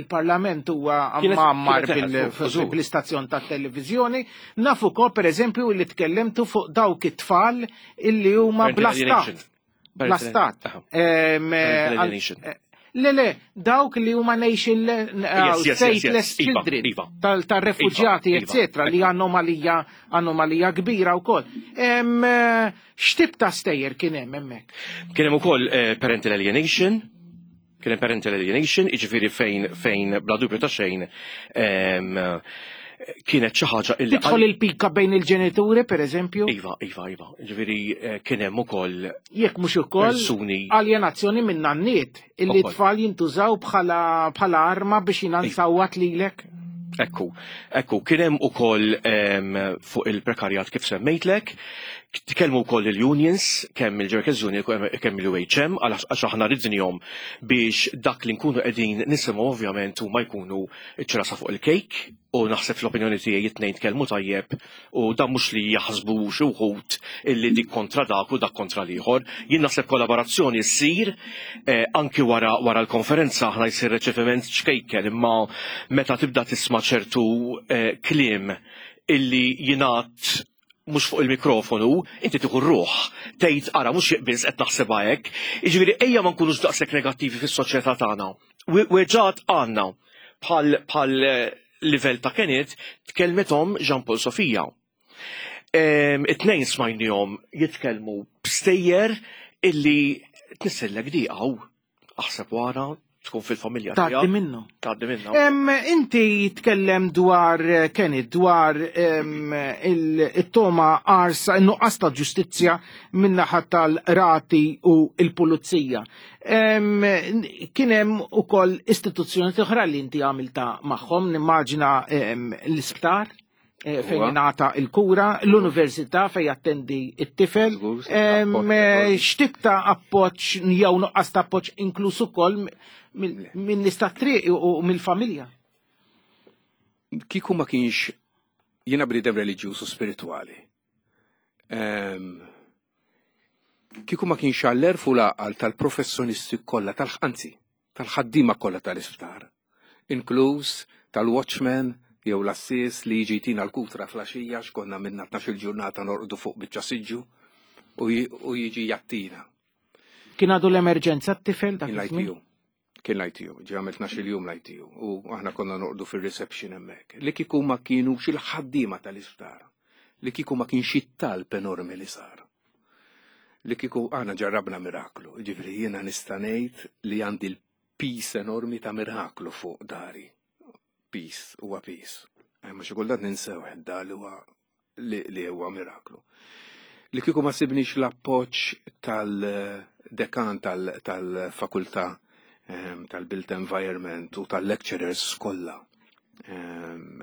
il-Parlament huwa mgħammar bil-istazzjon tat-televiżjoni. Naf ukoll pereżempju li tkellimtu fuq dawk it-tfal illi huma bla stat. Bla stat. Eh, le, le, dawk li huma nation eh, stateless iva, children iva. tal-refuġjati, iva, eccetera, li anomalija anomalija kbira wkoll. Eh, x'tip ta' stejjer kien hemm hemmhekk? Kien hemm ukoll parental alienation, Kien hemm parental alienation, jiġifieri fejn fejn bla dubju ta' xejn kienet xi ħaġa illi. Tidħol il-pika bejn il-ġenituri, per eżempju? Iva, iva, iva. Ġifieri eh, kien hemm ukoll. Jekk mhux ukoll persuni. Aljenazzjoni minn nanniet illi tfal jintużaw bħala arma biex jinansawat lilek. Ekku, ekku, kien hemm ukoll fuq il-prekarjat kif semmejtlek, tkellmu wkoll il-unions, kemm il-Workers Union kemm il-UHM, għax aħna ridnihom biex dak li nkunu qegħdin nisimgħu ovvjament huma jkunu ċ-ċirasa fuq il-kejk u naħseb fl-opinjoni tiegħi it-tnejn tkellmu tajjeb u dan mhux li jaħsbu xi wħud illi dik kontra dak u dak kontra l-ieħor. Jien naħseb kollaborazzjoni ssir eh, anki wara wara l-konferenza aħna jsir reċeviment ċkejken imma meta tibda tisma' ċertu eh, kliem illi jingħad mhux fuq il-mikrofonu, inti tieħu r-ruħ, tgħid ara mhux biss qed naħsebha hekk. Jiġifieri ejja ma nkunux daqshekk negattivi fis-soċjetà tagħna. Weġgħat għandna bħal bħal eh, livell ta' Kenneth tkellmet omm Jean Paul Sofia. It-tnejn smajnihom jitkellmu b'stejjer illi tnissellek diqa u aħseb wara tkun fil-familja tiegħek. Tgħaddi minnu. Tgħaddi minnu. Inti tkellem dwar eh, Kenny dwar il-toma arsa in-nuqqas ta' ġustizzja min-naħa tal-rati u l-pulizija. Kien hemm ukoll istituzzjoni oħra li inti għamilta magħhom, nimmaġina l-isptar eh, fejn ingħata il-kura, l-università fejn jattendi it-tifel, eh, x'tip ta' appoġġ jew nuqqas ta' appoġġ inkluż ukoll minn nies tat-triq u mill-familja. Kieku ma kienx jiena bniedem reliġjuż u spiritwali. Kieku ma kienx għall-għerf u l-għaqal tal-professjonisti kollha, anzi, tal-ħaddiema kollha tal-isptar, inkluż tal-watchman jew l-għassies li jiġi jtina l-kutra fl-għaxija għax konna minna tnax-il ġurnata norqdu fuq biċċa siġġu u jiġi jgħattina. Kien għadu l-emerġenza t-tifel dak iż-żmien? Kien l-ITU, ġie għamel 12 jum l-ITU u aħna konna noqdu fir-reception hemmhekk. Li kieku ma kienux il-ħaddiema tal-isptar, li kieku ma kienx it-talb enormi li sar. Li kieku aħna ġarrabna miraklu, ġifieri jiena nista' ngħid li għandi l-pis enormi ta' miraklu fuq dari. Pis, huwa pis. Eh, ma xi kultant ninsew da li huwa li huwa miraklu. Li kieku ma sibniex l-appoġġ tal-dekan tal-fakultà ehm, tal-built environment u tal-lecturers kollha. Ehm,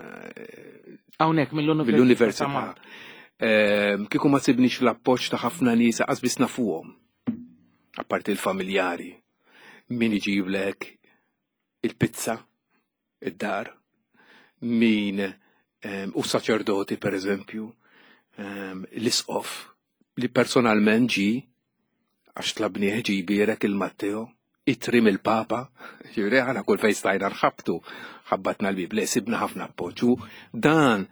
Hawnhekk mill-università. Ehm, kieku ma sibniex l-appoġġ ta' ħafna nies qas biss nafuhom. Apparti l-familjari. Min iġiblek il-pizza id-dar, min ehm, u saċerdoti per eżempju, ehm, l-isqof li personalment ġi għax tlabnieh ġi jbierek il-Matteo, itri mill-Papa, ġifieri aħna kull fejn stajna nħabtu, ħabbatna l-bib, le sibna ħafna appoġġ u dan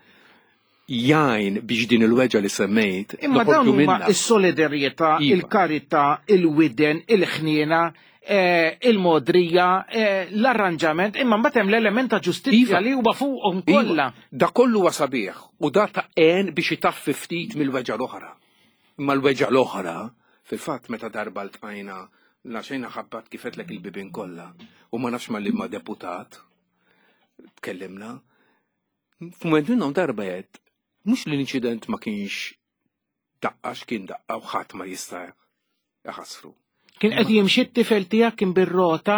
jgħin biex din il-weġa li semmejt. Imma dawn huma is-solidarjetà, iva. il-karità, il-widen, il-ħniena, eh, il-modrija, eh, l-arranġament, imma mbagħad hemm l-element ta' ġustizzja iva. li huwa fuqhom iva. kollha. Da kollu huwa sabiħ u da ta' għen biex itaffi ftit mill-weġa l-oħra. Imma l-weġa l-oħra, fil-fatt meta darba ltqajna laxejna ħabbat kifetlek il-bibin kollha u ma nafx ma li ma deputat tkellimna F'mument minnhom darba għedt, mhux li l-inċident ma kienx daqqa x'kien daqqa u ħadd ma jista' iħassru. Kien qed jimxi t-tifel tiegħek kien bir-rota,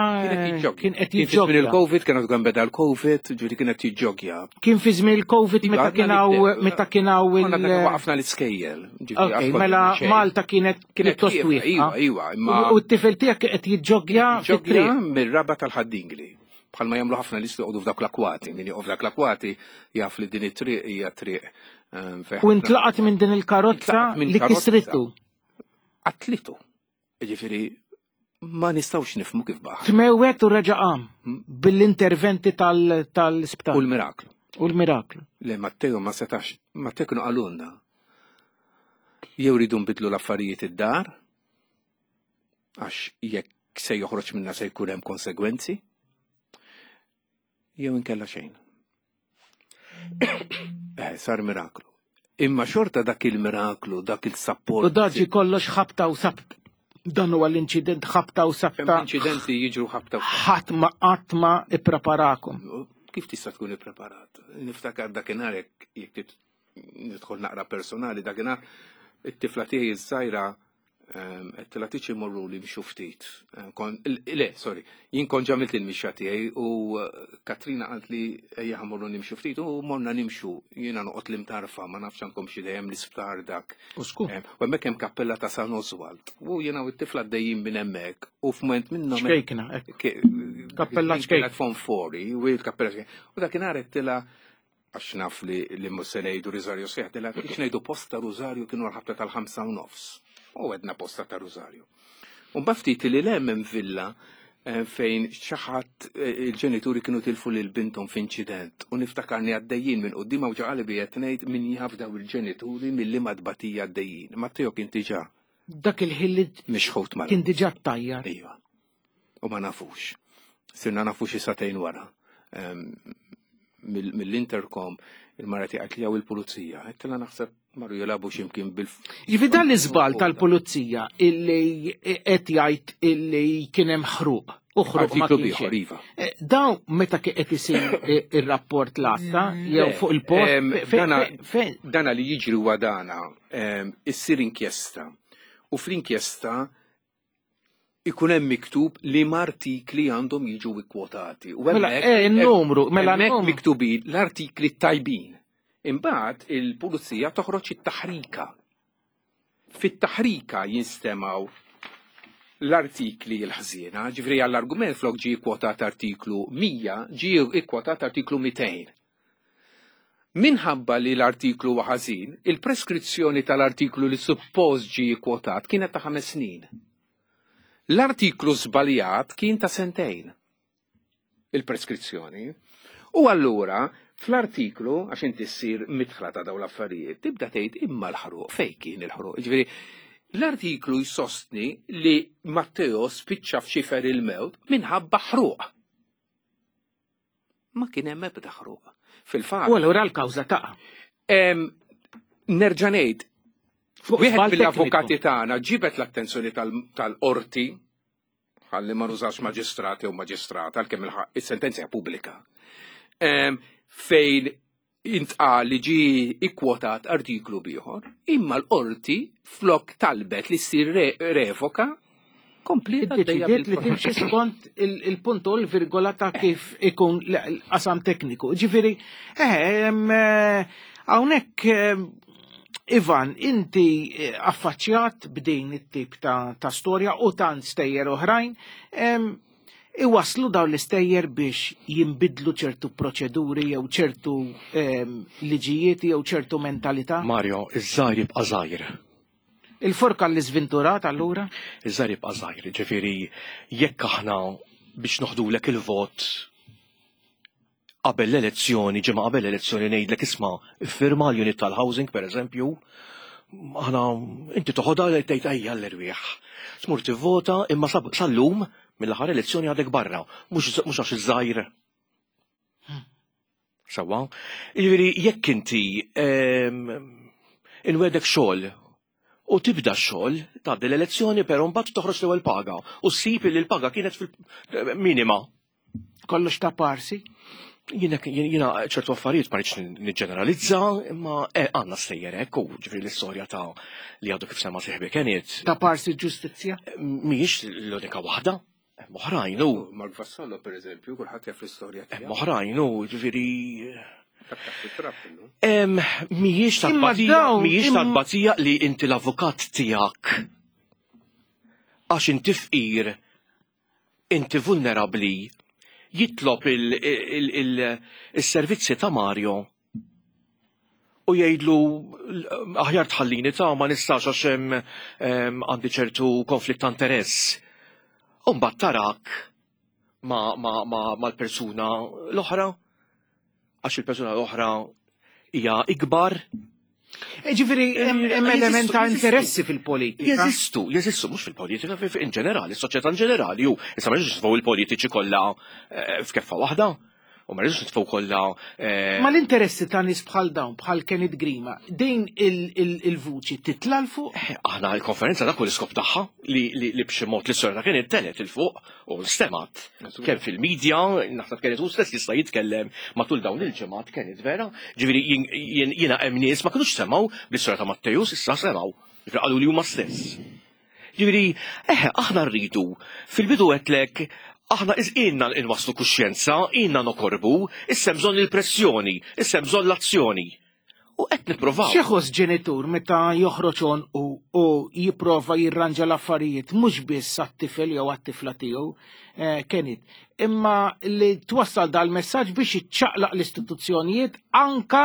kien qed jiġġogja. il-Covid, kien għadu beda l-Covid, ġifieri kien qed jiġġogja. Kien fi żmien il-Covid meta kien hawn meta kien hawn il- Waqafna l-iskejjel. Ok, mela Malta kienet pjuttost wieqfa. Iva, iva, imma. U t-tifel tiegħek qed jiġġogja fit-triq. Mir-raba tal-Ħaddingli. Bħalma jagħmlu ħafna nies li joqogħdu f'dawk l-akwati, min joqgħod f'dak l-akwati jaf li din it-triq hija triq ehm, U intlaqat minn din il-karozza li kisritu. Qatlitu. Jiġifieri ma nistgħux nifhmu kif baħ. Tmewwet u reġa' qam hmm? bil-interventi tal-isptar. U l-miraklu. U l-miraklu. Le Matteo ma setax, Matteo kienu qalulna. Jew ridu nbidlu l-affarijiet id-dar, Għax jekk se joħroġ minna se jkun hemm konsegwenzi, jew inkella xejn. Eh, sar miraklu. Imma xorta dak il-miraklu, dak il-sapport. U daġi kollox ħabta u sabt. Dan huwa l-inċident ħabta u sabta. Inċidenti jiġru ħabta u Ħadd ma qatt ma ippreparakom. Kif tista' tkun ippreparat? Niftakar dakinhar jekk nidħol naqra personali dakinhar it-tifla tiegħi iż-żgħira. Għedtilha tiġi morru li mxu ftit. Le, sorry, jien kont ġamilt il-mixja tiegħi u eh, Katrina qalt li ejja ħamorru nimxu ftit u morna nimxu. Jiena noqgħod l-imtarfa, ma nafx għandkom xi dejjem l-isptar dak. U sku. U hemmhekk hemm kappella ta' San Oswald. U jiena u t-tifla għaddejjin minn hemmhekk u f'mument minnhom. Ċkejkna, Kappella ċkejkna. Fonfori, u l-kappella ċkejkna. U dakinhar għedtilha għax naf li li mhux se ngħidu Rużarju sħiħ, dela biex ngħidu posta Rużarju kienu l-ħabta tal-5 u nofs. U għedna posta ta' Rużarju. U mbagħad ftit li lem hemm villa eh, fejn xi ħadd eh, il-ġenituri kienu tilfu lil binthom f'inċident u niftakarni għaddejjin minn quddiem u ġaqali bi qed ngħid min jaf daw il-ġenituri milli madbatija għaddejjin. Matteo kien diġà Dak il-ħin li mixħut mal kien diġà ttajjar. Iva. U ma nafux. Sirna nafu xi satejn wara. Mill-intercom il-mara tiegħek li il-pulizija. Għedtilha naħseb marru jilagħbu x'imkien bil. Jiġifieri dan l-iżball tal-pulizija illi qed jgħid illi kien hemm ħruq. U ħruq ma kienx. Iva. Eh, dawn meta qed isir eh, ir-rapport l-asta jew fuq il-post. Dana li jiġri huwa dana issir inkjesta. U fl-inkjesta ikun hemm miktub li artikli għandhom jiġu ikkwotati. U mela, eh, il-numru, mela hemmhekk miktubin l-artikli tajbin. Imbagħad il-pulizija toħroġ it-taħrika. Fit-taħrika jinstemaw l-artikli l-ħżiena, ġifri għall-argument flok ġie kwotat artiklu 100, ġie ikkwotat artiklu 200. Minħabba li l-artiklu huwa ħażin, il-preskrizzjoni tal-artiklu li suppost ġie kkwotat kienet ta' ħames snin. L-artiklu żbaljat kien ta' sentejn. Il-preskrizzjoni. U allura, fl-artiklu, għax inti ssir midħla ta' dawn l-affarijiet, tibda tgħid imma l-ħruq, fejn kien il-ħruq? Ġifieri, l-artiklu jsostni li Matteo spiċċa f'xifer il-mewt minħabba ħruq. Ma kien hemm ebda ħruq. Fil-fatt. U allura l-kawża taqa'. Nerġa' ngħid, wieħed mill-avukati tagħna ġibet l-attenzjoni tal-qorti ħalli ma nużax maġistrat jew maġistrata għalkemm is-sentenza hija pubblika. Fejn intqal li ġie ikkwotat artiklu bieħor, imma l-qorti flok talbet li ssir revoka kompliet Iddeċidiet li timxi skont il-punt u l-virgola ta' kif ikun l-qasam tekniku. Ġifieri, eh, eh, hawnhekk eh, Ivan, inti affaċċjat b'din it-tip ta', ta storja u tant stejjer oħrajn, Iwasslu dawn l-istejjer biex jinbidlu ċertu proċeduri jew ċertu ehm, liġijiet jew ċertu mentalità? Mario, iż-żgħir jibqa' żgħir. Il-forka l-iżventurat allura? Iż-żgħir jibqa' żgħir, ġifieri jekk aħna biex noħdulek il-vot qabel l-elezzjoni, ġimgħa qabel l-elezzjoni ngħidlek isma' iffirma l-unit tal-housing pereżempju, aħna inti toħodha li tgħid ejja l-erwieħ. Tmur tivvota imma sal-lum mill-aħħar elezzjoni għadek barra, mhux għax iż-żgħir. Sewwa. Jiġifieri jekk inti ehm, inwedek xogħol u tibda x-xogħol, tgħaddi l-elezzjoni però mbagħad toħroġ l-ewwel paga u ssib li l-paga kienet fil-minima. Kollox ta' parsi? Jiena ċertu affarijiet ma rridx niġġeneralizza, imma eh, għandna stejjer hekk u ġifieri l-istorja ta' li għadu kif sema sieħbi Kenneth. Ta' parsi ġustizzja? Mhijiex l-unika waħda. Hemm oħrajn u. Mark Vassallo pereżempju, kulħadd jaf l-istorja tiegħu. Hemm oħrajn u ġifieri. Mhijiex ta' tbatija, mhijiex ta' tbatija li inti l-avukat tiegħek għax inti fqir inti vulnerabbli jitlob il-servizzi ta' Mario u jgħidlu aħjar tħallini ta' ma nistax għax hemm għandi ċertu konflitt ta' interess. U mbagħad tarak mal-persuna l-oħra għax il-persuna l-oħra hija ikbar. E ġifieri hemm element ta' interessi fil-politika. Jeżistu, jeżistu mhux fil-politika, in ġenerali, s-soċjetà in ġenerali, u issa ma nitfgħu il-politiċi kollha eh, f'keffa waħda. U ma rridux nitfgħu kollha. Eh, ma l-interessi ta' nies bħal dawn, bħal Kenneth Grima, din il-vuċi titla' l fuq? Eh, aħna l-konferenza dak l-iskop tagħha li b'xi mod l-istorja ta' Kenneth telet il fuq U stemat, kemm fil-medja, naħseb Kenneth hu stess jista' jitkellem matul dawn il-ġimgħat Kenneth vera, ġifieri jiena hemm nies ma kinux semgħu bl-istorja ta' Matteus, issa semgħu. Ġifieri qalu li huma stess. Ġifieri, eħe, aħna rridu. Fil-bidu għedtlek, aħna ilna nwasslu kuxjenza, ilna nokorbu, issa hemm bżonn il-pressjoni, issa hemm bżonn l-azzjoni. U qed nipprovaw. X'iħoss ġenitur meta joħroġ għonqu u jipprova jirranġa l-affarijiet mhux biss għat-tifel jew għat-tifla tiegħu, eh, Kenneth, imma li twassal dal-messaġġ biex iċċaqlaq l-istituzzjonijiet anka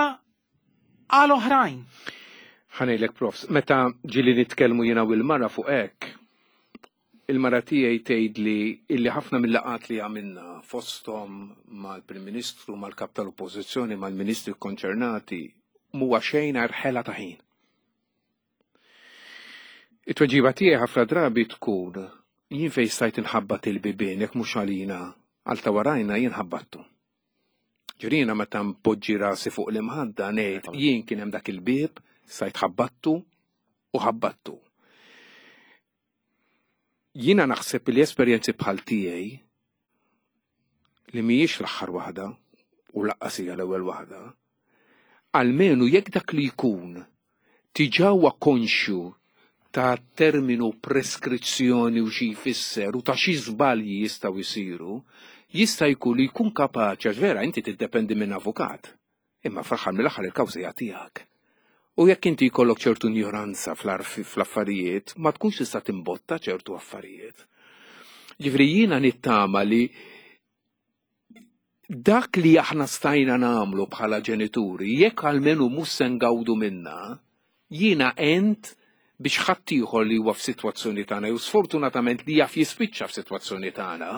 għal oħrajn. Ħa ngħidlek profs, meta ġieli nitkellmu jiena u l-mara fuq hekk, il-mara tiegħi tgħidli illi ħafna mill-laqgħat li għamilna fosthom mal-Prim Ministru, mal-Kap tal-Oppożizzjoni, mal-Ministri konċernati, m'huwa xejn għajr ħela ta' ħin. It-tweġiba tiegħi ħafna drabi tkun jien fejn stajt inħabbat il-bibien jekk mhux għalina għal ta' warajna jien ħabbattu. Ġifieri jiena meta npoġġi rasi fuq l-imħadda ngħid jien kien hemm dak il-bieb stajt ħabbattu u ħabbattu. Jiena naħseb li esperjenzi bħal tiegħi li mhijiex l-aħħar waħda u laqqas hija l-ewwel waħda, almenu jekk dak li jkun diġà huwa konxju ta' terminu preskrizzjoni u xi jfisser u ta' xi żbalji jistgħu jsiru, jista' jkun li jkun kapaċi għax vera inti tiddependi minn avukat. Imma fl-aħħar mill-aħħar il-kawża hija tiegħek. U jekk inti jkollok ċertu injoranza fl-affarijiet, ma tkunx tista' timbotta ċertu affarijiet. Ġifieri jiena nittama li dak li aħna stajna nagħmlu bħala ġenituri, jekk almenu mhux se ngawdu minna, jiena għent biex ħaddieħor li huwa f'sitwazzjoni tagħna jew sfortunatament li jaf jispiċċa f'sitwazzjoni tagħna,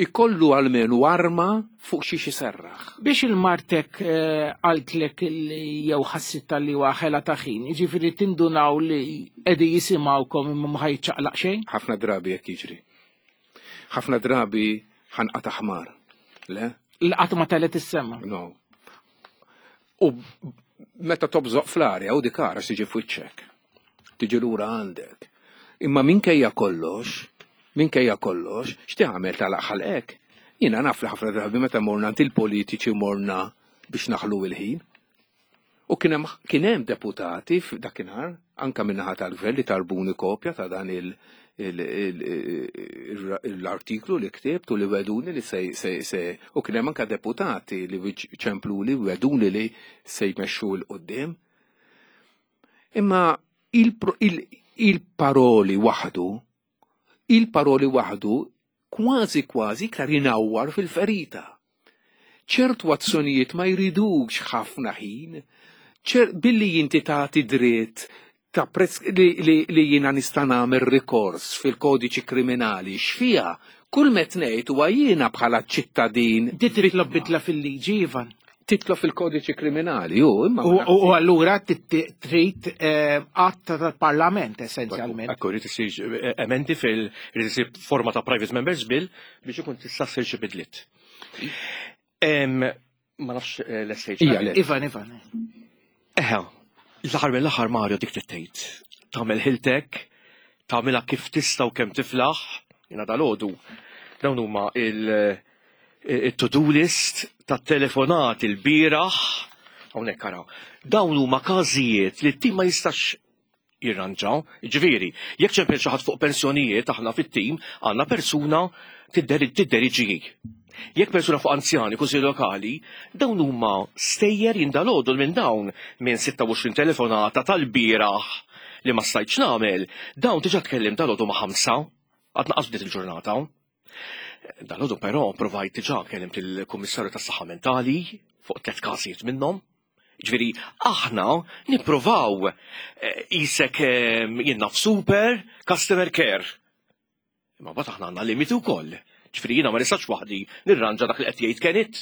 ikollu almenu arma fuq xiex iserraħ. Biex il-martek eh, qaltlek li jew ħassitha li huwa ħela ta' ħin, jiġifieri tindunaw li qegħdin jisimgħukom imma ma ħajċaqlaq xejn? Ħafna drabi hekk jiġri. Ħafna drabi ħanqata' ħmar. Le? Il-qatt ma telet is-sema. No. U meta tobżoq fl-arja u dik ara tiġi f'wiċċek. Tiġi lura għandek. Imma minkejja kollox, minkejja kollox, x'tagħmel tagħlaq ħalqek? Jiena naf li ħafna drabi meta morna għand il-politiċi morna biex naħlu il-ħin. U kien hemm kien hemm deputati f'dakinhar anka min-naħa tal-gvern li talbuni kopja ta' dan l-artiklu li ktibt u li weduni li se se u kien hemm anka deputati li ċempluli u weduni li se jmexxu 'l quddiem. Imma il-paroli waħdu, il-paroli waħdu kważi kważi iktar inawwar fil-ferita. Ċertu azzjonijiet ma jridux ħafna ħin, billi inti tagħti dritt ta' prezz li, li, li jiena nista' nagħmel rikors fil-kodiċi kriminali x'fiha kull met ngħid huwa jiena bħala ċittadin. Di titlob bidla fil-liġi, Ivan. Titlob fil-kodiċi kriminali, ju, imma. U allura trid eh, att tal-Parlament essenzjalment. Ekku, rrid isir eh, emendi fil rrid isir forma ta' private members bill biex ikun tista' ssir xi bidliet. Ma nafx eh, l-SH. Ivan, Ivan. Eħe, l-aħħar mill-aħħar Mario dik trid Tagħmel ħiltek, tagħmilha kif tista' u kemm tiflaħ, jiena dalgħodu. Dawn huma il-to-do list tat-telefonati l-bieraħ, hawnhekk ara. Dawn huma każijiet li t-tim ma jistax jirranġa. Ġifieri, jekk ċempel xi ħadd fuq pensjonijiet aħna fit-tim għandna persuna tidderiġi. Jekk persuna fuq anzjani kunsilli lokali, dawn huma stejjer jindalodu minn dawn minn 26 telefonata tal-bieraħ li ma stajtx nagħmel, dawn diġà tkellim dalodu ma' ħamsa, għad naqas bdiet il-ġurnata. Dalodu però provajt diġà kellimt il-Kummissarju tas-Saħħa Mentali fuq tliet każijiet minnhom. Ġifieri aħna nippruvaw eh, isek eh, jien naf super customer care. Imma mbagħad aħna għandna limiti wkoll. Ġifieri jiena ma nistax waħdi nirranġa dak li qed jgħid Kenneth.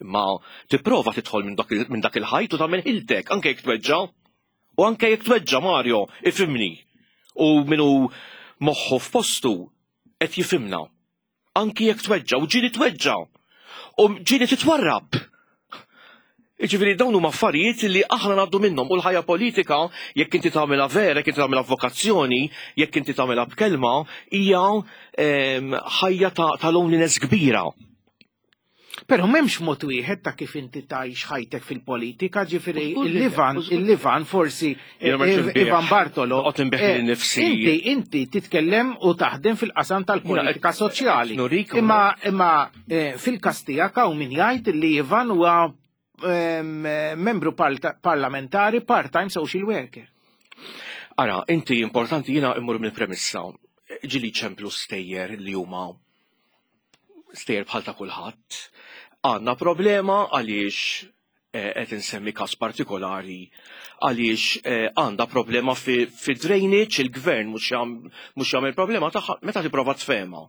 Imma tipprova tidħol minn dak il-ħajt u tagħmel ħiltek anke jekk tweġġa'. U anke jekk tweġġa' Mario, ifhimni. U min hu moħħu f'postu qed jifhimna. Anki jekk tweġġa' u ġieli tweġġa' u ġieli titwarrab. Jiġifieri dawn huma affarijiet li aħna ngħaddu minnhom u l-ħajja politika jekk inti tagħmilha vera, jekk inti tagħmilha vokazzjoni, jekk inti tagħmilha b'kelma, hija ehm, ħajja ta' loneliness kbira. Però m'hemmx mod wieħed ta' kif inti tgħix ħajtek fil-politika, ġifieri il-Ivan, il-Ivan forsi Ivan Bartolo. Eh, nifsi. Inti inti titkellem u taħdem fil-qasam tal-politika soċjali. Imma imma eh, fil-każ tiegħek hawn min jgħid li Ivan huwa membru parlamentari part-time social worker. Ara, inti importanti jiena immur mill-premissa ġili ċemplu stejjer li huma stejjer bħal ta' kulħadd. Għandna problema għaliex eh, qed insemmi każ partikolari għaliex eh, għandha problema fi drainage il-gvern mhux jagħmel problema tagħha meta tipprova tfehma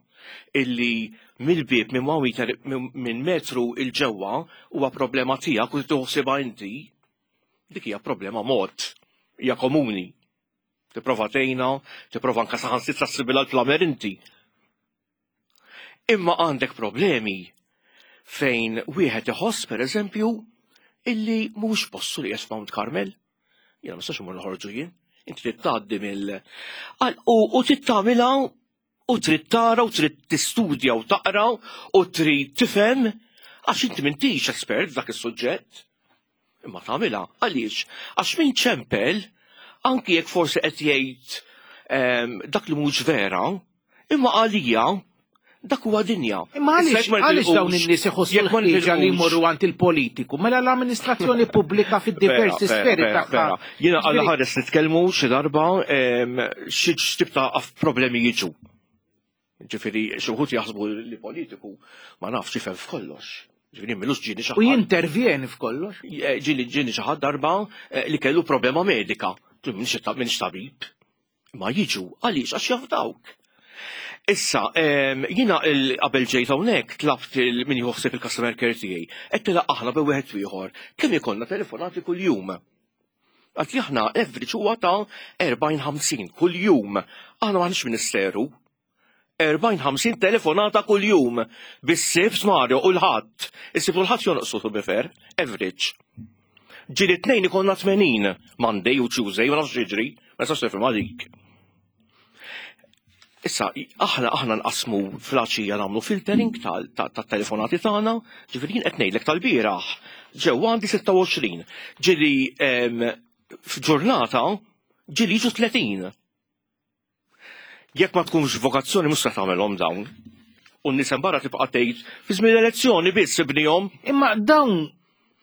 illi mill-bieb minn one minn metru il ġewwa huwa problema tiegħek u tħossibha inti, dik hija problema mod, hija komuni. Tipprova tgħinha, tipprova anke saħansitra ssibilha l-plamer inti. Imma għandek problemi fejn wieħed iħoss pereżempju illi mhux postu li qiegħed Mount Carmel. Jiena ma nistax imur noħorġu jien. Inti trid tgħaddi mill u trid tagħmilha u trid tara u trid tistudja u taqra u trid tifhem għax inti m'intix espert f'dak is-suġġett. Imma tagħmilha għaliex? Għax min ċempel anki jekk forsi qed jgħid ehm, dak li mhux vera, imma għalija dak huwa dinja. Imma għaliex għaliex dawn in-nies iħossu l-ħtieġa li jmorru għand il-politiku? Mela l-amministrazzjoni pubblika fid-diversi sferi tagħha. Jiena għal ħares nitkellmu xi darba ehm, xi tip ta' problemi jiġu. Ġifieri xi wħud jaħsbu li politiku ma nafx jifhem f'kollox. Ġifieri milux ġieni xi U jintervjeni f'kollox. Eh, ġieli ġieni xi ħadd darba eh, li kellu problema medika. Minix tabib. Ma jiġu għaliex għax jafdawk. Issa, jiena qabel ġejt hawnhekk tlabt min jħossib il-customer care tiegħi. Qed tilaq aħna bi wieħed ieħor kemm ikollna telefonati kuljum. Għat li aħna average huwa ta' 40-50 kuljum. Aħna m'aħniex ministeru. 40-50 telefonata kuljum bis-sibt Mario u l-ħadd. Is-sibt u l-ħadd jonqsu to be fair, average. Ġieli tnejn ikollna 80 Monday u Tuesday, ma nafx jiġri, ma nistax nifhem għalik. Issa, aħna aħna nqasmu fl-għaxija nagħmlu filtering tat-telefonati tagħna, ġifieri jien qed ngħidlek tal-bieraħ. Ġew għandi 26, ġieli f'ġurnata ġieli jiġu 30. Jekk ma tkunx vokazzjoni mhux se tagħmelhom dawn. U n-nies hemm barra tibqa' tgħid fi żmien l-elezzjoni biss ibnihom. Imma dawn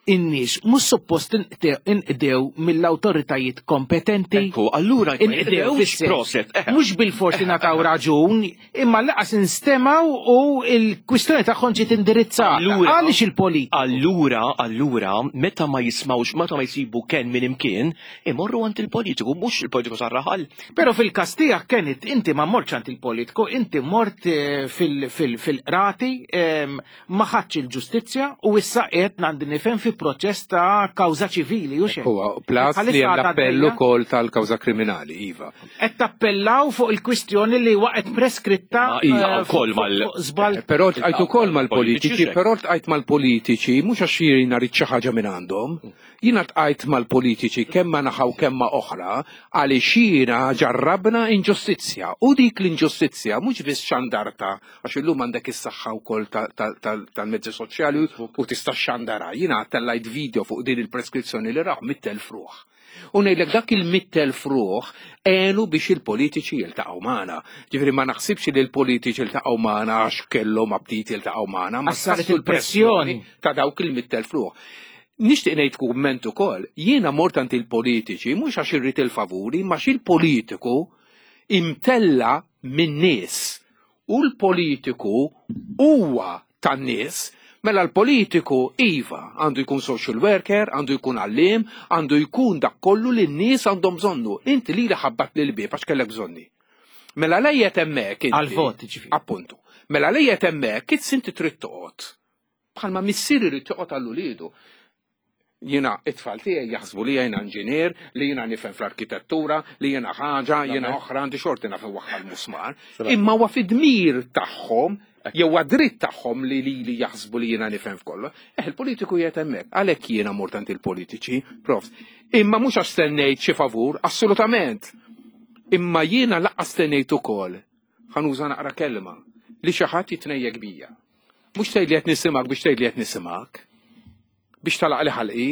in-nies mhux suppost inqdew mill-awtoritajiet kompetenti. Ekku, allura inqdew proset. Eh. Mhux bil-forsi nataw raġun, imma laqas instemaw u l-kwistjoni tagħhom ġiet indirizzata. Għaliex il-politika? Allura, allura, meta ma jismawx, meta ma jsibu ken minn imkien, imorru għand il-politiku, mhux il-politiku sar-raħal. Pero fil-kas tiegħek Kenneth, inti ma mortx għand il-politiku, inti mort eh, fil-qrati, ma ħadx il-ġustizzja u issa qed għandi nifhem fi proċess ta' kawża ċivili u xejn. Huwa plus li hemm l-appell ukoll tal-kawża kriminali, iva. Qed tappellaw fuq il-kwistjoni li waqgħet preskritta iva, eh, wkoll mal żball. Eh, però tqajt ukoll mal-politiċi, però tqajt mal-politiċi mhux għax jiena rrid xi ħaġa minn għandhom. Jiena ltqajt mal-politiċi kemm ma' naħa u kemm ma' oħra għaliex jiena ġarrabna inġustizzja u dik l-inġustizzja mhux biss xandartha għax illum għandek is-saħħa wkoll tal-mezzi soċjali u tista' xxandarha. Jiena tellajt video fuq din il-preskrizzjoni li raw 100,000 ruħ. U ngħidlek dak il-100,000 ruħ għenu biex il-politiċi jiltaqgħu magħna. Ġifieri ma naħsibx li l-politiċi ltaqgħu magħna għax kellhom aptit jiltaqgħu magħna, ma saret il-pressjoni ta' dawk il-100,000 ruħ. Nixtieq ngħid kumment ukoll, jiena mort għand il-politiċi mhux għax irrid il-favuri, imma għax il-politiku imtella' min-nies u l-politiku huwa tan-nies, mela l-politiku iva għandu jkun social worker, għandu jkun għalliem, għandu jkun dak kollu li n-nies għandhom bżonnu. Inti lili ħabbatli l-bieb għax kellek bżonni. Mela lejjet hemmhekk inti. Għall-vot, ġifieri. Appuntu. Mela lejjet hemmhekk inti trid toqgħod. Bħalma missier irid joqgħod għal uliedu. Jiena it-tfal tiegħi jaħsbu li jiena inġinier, li jiena nifhem fl-arkitettura, li jiena ħaġa, jiena oħra għandi xorti naf inwaħħal musmar. Imma huwa fid-dmir tagħhom jew huwa dritt tagħhom li lili jaħsbu li jiena nifhem f'kollox. Eh, il-politiku qiegħed hemmhekk. Għalhekk jiena mort għand il-politiċi, profs. Imma mhux għax stennejt xi favur, assolutament. Imma jiena lanqas stennejt ukoll, ħa nuża naqra kelma, li xi ħadd jitnejjek bija. Mhux tgħid li qed nisimgħek biex tgħid li qed nisimgħek. Biex talaq li ħalqi.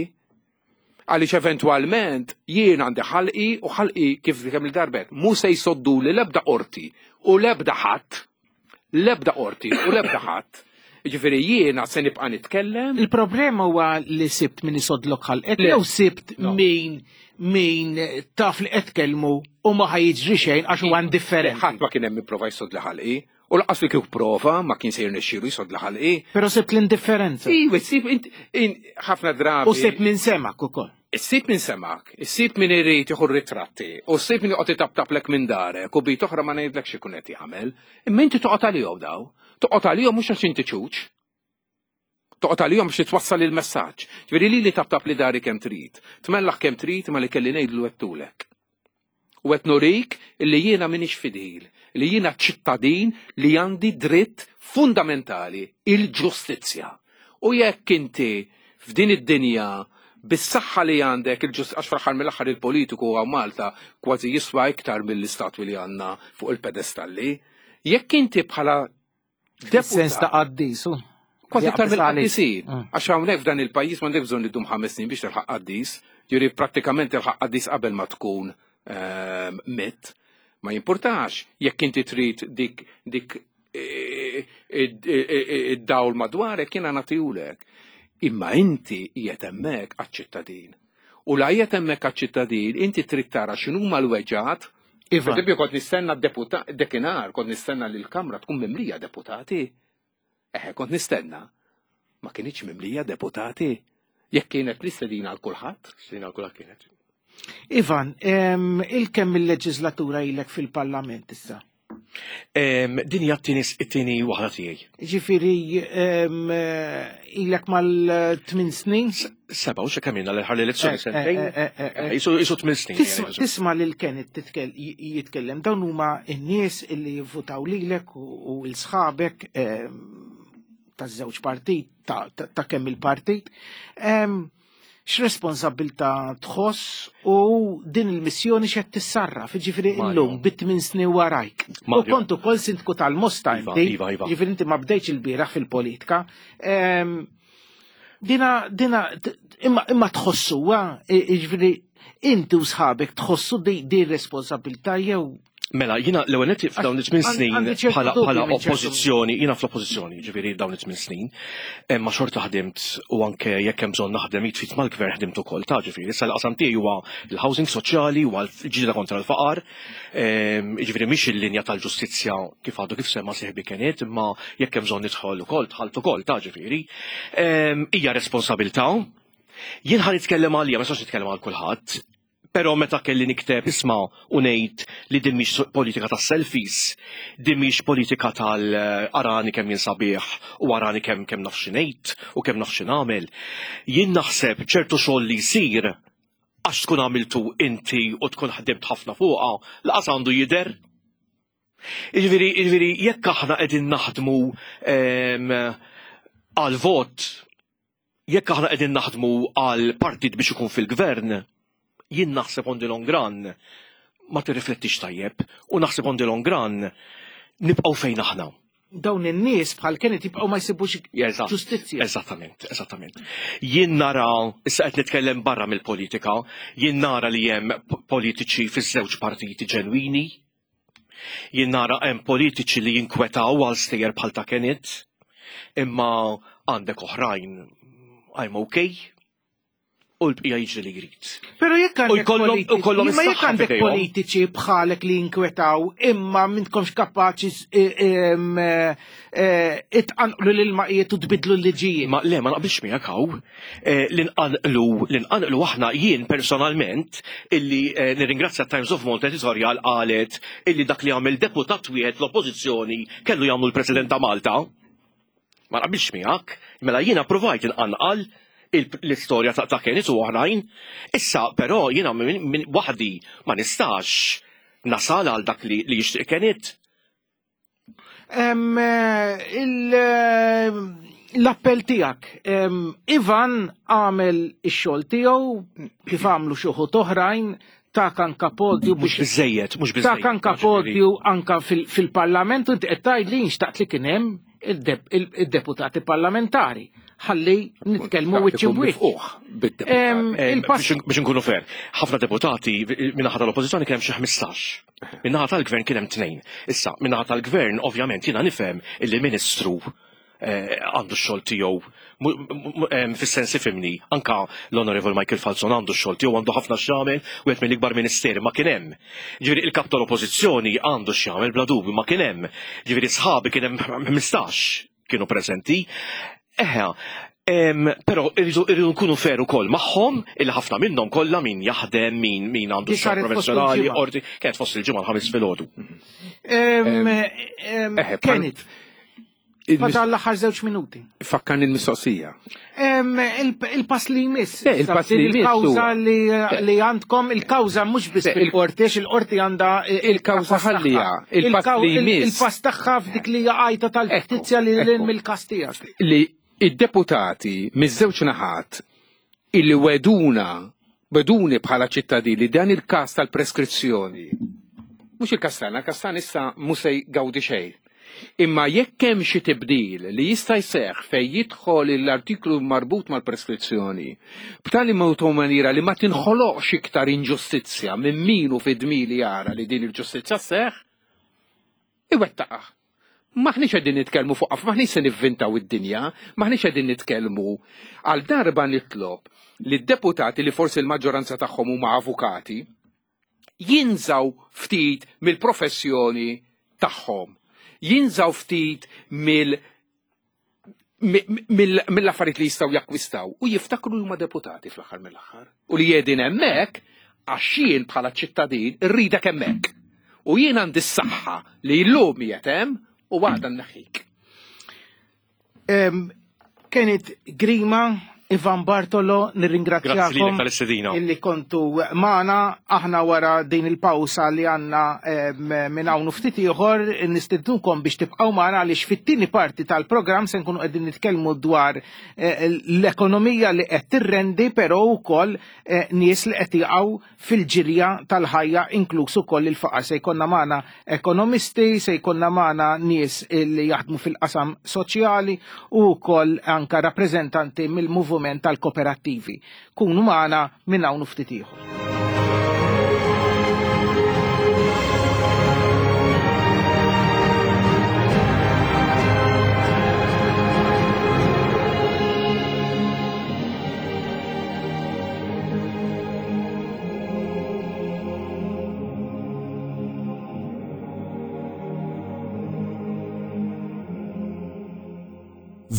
Għaliex eventwalment jien għandi ħalqi u ħalqi kif kemm il-darbet mhu se jsoddu li l-ebda qorti u l-ebda ħadd, l-ebda qorti u l-ebda ħadd. Ġifieri jiena se nibqa' nitkellem. Il-problema huwa li sibt min isodlok ħalqek jew sibt min min taf li qed tkellmu u ma ħajġri xejn għax huwa indifferenti. Ħadd ma kien hemm ipprova jsodli ħalqi. U laqas li kieku prova ma kien se jirnexxielu jsodli ħalqi. Però sibt l-indifferenza. Iva, sib ħafna drabi. U sibt min semak ukoll. Issib min semak, issib min irid jieħu ritratti, u ssib min joqgħod itaptaplek minn darek u bit oħra ma ngħidlek x'ikun qed jagħmel. Imma inti toqgħod għalihom daw. Toqgħod għalihom mhux għax inti ċuċ. Toqgħod għalihom biex twassal il-messaġġ. Ġifieri lili taptap li dari kemm trid. Tmellaħ kemm trid ma li kelli ngħidlu għedtulek. U qed nurik li jiena m'iniex fidil, li jiena ċittadin li għandi dritt fundamentali, il-ġustizzja. U jekk inti f'din id-dinja bis-saħħa li għandek il-ġust għax fl-aħħar mill-aħħar il-politiku hawn Malta kważi jiswa iktar mill-istatwi li għandna fuq il-pedestalli. Jekk inti bħala Sens ta' qaddis, u. Kważi iktar mill-qaddisin. Għax hawnhekk f'dan il-pajjiż m'għandek bżonn idum 5 snin biex tilħaq qaddis. Ġifieri prattikament tilħaq qaddis qabel ma tkun mitt. Ma jimpurtax jekk inti trid dik dik id-dawl madwarek jiena nagħtihulek. Imma inti qiegħed hemmhekk għaċ-ċittadin. U la qiegħed hemmhekk għaċ-ċittadin, inti trid tara x'inhuma l-weġgħat. Iva. Per kont nistenna deputat, dekinar, kont nistenna li l-Kamra tkun mimlija deputati. Eħe, kont nistenna. Ma kienx mimlija deputati. Jekk kienet l-istedina għal kulħadd. Stedina għal kulħadd kienet. Ivan, il-kemm il-leġislatura ilek fil-Parlament issa? Din hija t-tieni waħda tiegħi. Ġifieri ilek mal-8 snin? Seba' u kemm ilna l-ħar l-elezzjoni sentejn. Isu 8 snin. Tisma' lil Kenneth jitkellem dawn huma n-nies illi jivvutaw lilek u l-sħabek taż-żewġ partit ta' kemm il-partit. X'responsabbiltà tħoss u din il-missjoni x'qed tissarraf, jiġifieri illum bit-tmien snin warajk. U kont ukoll sindku tal-Mosta iva, inti, iva, iva. jiġifieri inti ma bdejtx ilbieraħ fil-politika. Dina, dina, imma, imma tħossuha, jiġifieri inti u sħabek tħossu di, di responsabilità jew Mela, jina l-ewwel nett f'dawn it-tmien snin Għandi ċertu bħala dubji bħala minn ċertu oppożizzjoni, jina fl-oppożizzjoni, ġifieri dawn it-tmien snin, ma xorta ħdimt u anke jekk hemm bżonn naħdem jitfit mal-gvern ħdimt ukoll ta' ġifieri. Issa l-qasam tiegħi huwa l-housing soċjali, huwa l-ġlieda kontra l-faqar, ġifieri mhix il-linja tal-ġustizzja kif għadu kif sema sieħbi Kenneth, imma jekk hemm bżonn nidħol ukoll, dħalt ukoll ta' ġifieri. Hija responsabilità. Jien ħa nitkellem għalija, ma nistax nitkellem għal kulħadd. Però meta kelli nikteb isma' u ngħid li din mhix politika tas-selfies, din mhix politika tal-arani kemm jien sabiħ u arani kemm kemm naf xi ngħid u kemm naf xi nagħmel. Jien naħseb ċertu xogħol li jsir għax tkun għamiltu inti u tkun ħdimt ħafna fuqha, laqas għandu jidher. Jiġifieri, jiġifieri jekk aħna qegħdin naħdmu għal vot, Jekk aħna qegħdin naħdmu għal partit biex ikun fil-gvern, jien naħseb on the long run ma tirriflettix tajjeb u naħseb on the long run nibqgħu fejn aħna. Dawn in-nies bħal Kenneth jibqgħu ma jsibux ġustizzja. Eżattament, eżattament. Jien nara, issa qed nitkellem barra mill-politika, jien nara li hemm politiċi fiż-żewġ partiti ġenwini, Jien nara hemm politiċi li jinkwetaw għal stejjer bħal ta' Kenneth, imma għandek oħrajn I'm okay u l-bqija jiġri li jrid. Pero jekk għandek U jkollhom imma jekk is-saħħa għandek f'idejhom. politiċi bħalek li jinkwetaw imma m'intkomx kapaċi itqanqlu l-ilmaqijiet u tbidlu l-liġijiet. Ma le, ma naqbilx miegħek hawn. Li nqanqlu aħna jien personalment illi nirringrazzja Times of Malta editorial qalet illi dak li għamel deputat wieħed l-oppożizzjoni kellu jagħmlu l-President ta' Malta. Ma naqbilx miegħek, mela jiena provajt inqanqal l-istorja ta' Kenneth u oħrajn. Issa però jiena minn waħdi ma nistax nasal għal dak li jixtieq Kenneth. L-appell tiegħek, Ivan għamel ix-xogħol tiegħu kif għamlu xi wħud oħrajn ta' anka podju Mhux biex biżejjed, mhux biżejjed. ta' anka podju anka fil-parlament u inti qed tgħid li nxtaqt li kien hemm il-deputati parlamentari ħalli nitkellmu wiċċ wiċċ. Biex nkunu fair, ħafna deputati minnaħa tal-oppożizzjoni kien hemm xi 15. Minnaħa tal-gvern kien hemm tnejn. Issa, minnaħa tal-gvern ovvjament jiena nifhem illi ministru eh, għandu x-xogħol tiegħu fis-sens ifimni, anka l-Onorevol Michael Falzon għandu x-xogħol tiegħu għandu ħafna x'jagħmel u qed mill-ikbar ministeri ma kien hemm. Ġifieri il-kap tal-Oppożizzjoni għandu x'jagħmel bla dubju ma kien hemm. Ġifieri sħabi kien hemm 15 kienu preżenti. Eħe, Pero irridu nkunu fair ukoll magħhom illi ħafna minnhom kollha min jaħdem, min min għandu xogħol professjonali, qorti, kienet fost il-ġimgħa l-ħamis filgħodu. Kienet. Fadal l-aħħar żewġ minuti. Fakkan il-mistoqsija. Il-pass li jmiss. Il-pass li jmiss. Il-kawża li għandkom, il-kawża mhux biss fil-qorti, il-qorti għandha il-kawża ħallija. Il-pass li jmiss. Il-pass tagħha f'dik li għajta tal-ġustizzja li l mill-każ tiegħek. Li id-deputati miż-żewġ naħat illi weduna weduni bħala ċittadini li dan il-każ tal-preskrizzjoni mhux il-każ tagħna, il-każ tagħna issa mhux se jgawdi xejn. Imma jekk hemm xi tibdil li jista' jseħħ fejn jidħol l-artiklu marbut mal-preskrizzjoni b'tali mod u maniera li ma tinħoloqx iktar inġustizzja minn min hu fid-dmir li jara li din il-ġustizzja sseħħ, iwettaqha. M'aħniex qegħdin nitkellmu fuq m'aħniex se nivvintaw id-dinja, m'aħniex qegħdin nitkellmu. Għal darba nitlob li d-deputati li forsi l-maġġoranza tagħhom huma avukati, jinżaw ftit mill-professjoni tagħhom. Jinżaw ftit mill mill-affarijiet li jistgħu jakkwistaw u jiftakru li huma deputati fl-aħħar mill-aħħar. U li jedin hemmhekk għax jien bħala ċittadin irridek hemmhekk. U jien għandi s-saħħa li llum qiegħed hemm u għada nneħħik. Kienet Grima, Ivan Bartolo, nirringrazzjakom illi kontu magħna aħna wara din il-pawsa li għandna minn hawn ftit ieħor nistednukom biex tibqgħu magħna għaliex fit-tieni parti tal-programm se nkunu qegħdin nitkellmu dwar eh, l-ekonomija li qed tirrendi però wkoll eh, nies li qed jaqgħu fil-ġirja tal-ħajja inkluż ukoll il-faqar. Se jkollna magħna ekonomisti, se jkollna magħna nies li jaħdmu fil-qasam soċjali u wkoll anka rappreżentanti mill-moviment tal-kooperattivi. Kunu magħna minn hawn ftit ieħor.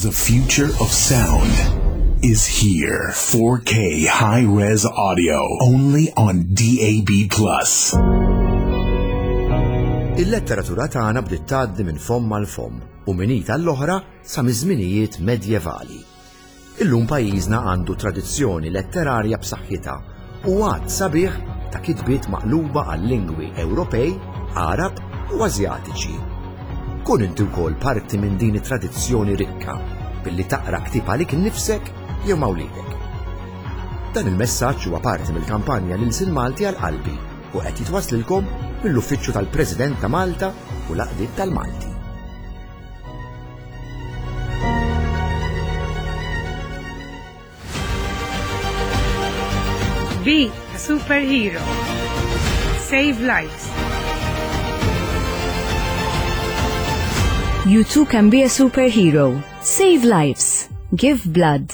The future of sound is here. 4K high-res audio only on DAB+. Il-letteratura tagħna bdiet tgħaddi minn fomm għal fomm u minn id għall-oħra sa miż-żminijiet medjevali. Illum pajjiżna għandu tradizzjoni letterarja b'saħħitha u għadd sabiħ ta' kitbiet maqluba għal lingwi Ewropej, Għarab u Asjatiċi. Kun inti wkoll parti minn din it-tradizzjoni rikka billi taqra ktieb għalik innifsek jew ma' wliedek. Dan il-messaġġ huwa parti mill-kampanja L-Ilsien Malti għal Qalbi u qed jitwasslilkom mill-Uffiċċju tal-President ta' Malta u l-Għaqdiet tal-Malti. Be a superhero. Save lives. You too can be a superhero. Save lives. Give blood.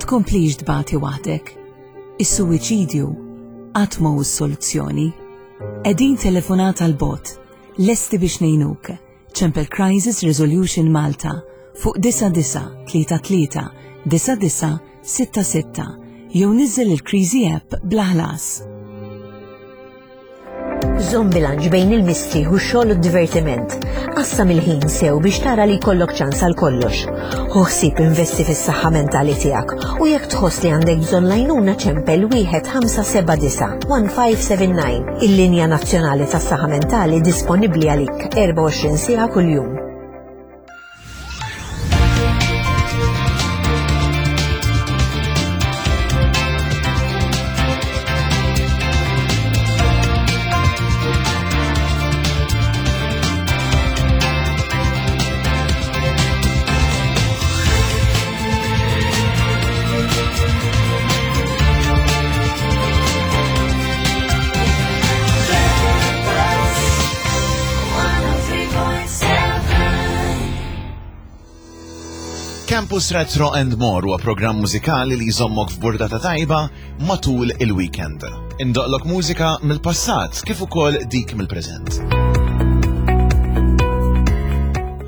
Tkomplix tbati waħdek. Is-suwiċidju qatt ma hu s-soluzzjoni. Qegħdin telefonata 'l bogħod, lesti biex ngħinuk. Ċempel Crisis Resolution Malta fuq 9933 9966 jew niżżel il-Kriżi App bla ħlas. Żomm bilanċ bejn il-mistrieħ u x-xogħol u d-divertiment. Qassam il-ħin sew biex tara li jkollok ċans għal kollox. Ħu ħsieb investi fis-saħħa mentali tiegħek u jekk tħoss li għandek bżonn l-għajnuna ċempel 1579 1579 il-linja nazzjonali tas-saħħa mentali disponibbli għalik 24 siegħa kuljum. Campus Retro and More huwa programm mużikali li jżommok f'burdata tajba matul il-weekend. Indoqlok mużika mill-passat kif ukoll dik mill-preżent.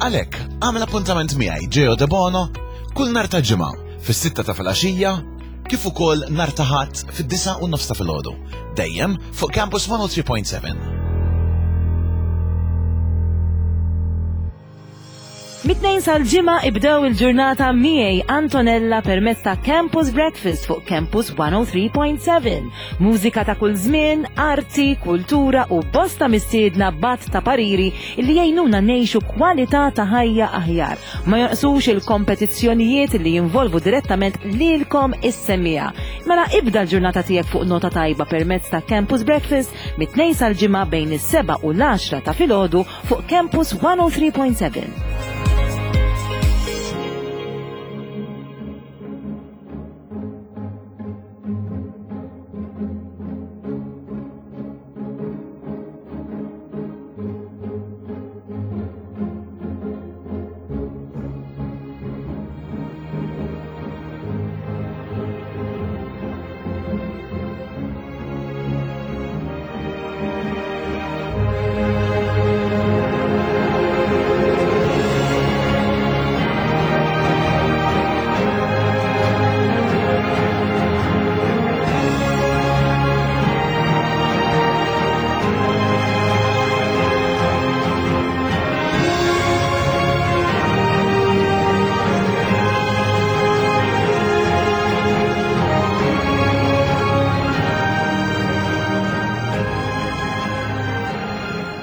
Għalhekk, għamel appuntament miegħi Geo De Bono kull nhar ta' ġimgħa fis-sitta ta' filgħaxija kif ukoll nhar ta' Ħadd fid-disgħa u nofs ta' filgħodu. Dejjem fuq Campus 103.7. Mit-Tnejn sal-Ġimgħa ibdew il-ġurnata miegħi Antonella permezz ta' Campus Breakfast fuq Campus 103.7. Mużika ta' kull żmien, arti, kultura u bosta mistiedna b'għadd ta' pariri li jgħinuna ngħixu kwalità ta' ħajja aħjar. Ma jonqsux il-kompetizzjonijiet li jinvolvu direttament lilkom is-semmiegħa. Mela ibda l-ġurnata tiegħek fuq nota tajba permezz ta' Campus Breakfast mit-Tnejn sal-Ġimgħa bejn is-7 u l-għaxra ta' filgħodu fuq Campus 103.7.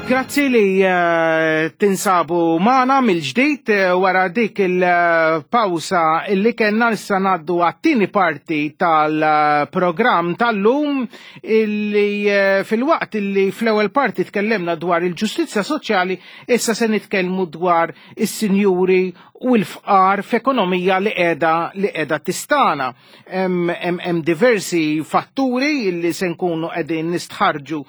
Grazzi li eh, tinsabu maħna mill-ġdid eh, wara dik il-pawsa illi kellna issa ngħaddu għat-tieni parti tal-programm tal-lum illi eh, fil-waqt illi fl-ewwel parti tkellimna dwar il-ġustizzja soċjali issa se nitkellmu dwar is-sinjuri u l-fqar f'ekonomija li qiegħda li qiegħda tistana. Hemm diversi fatturi li se nkunu qegħdin nistħarġu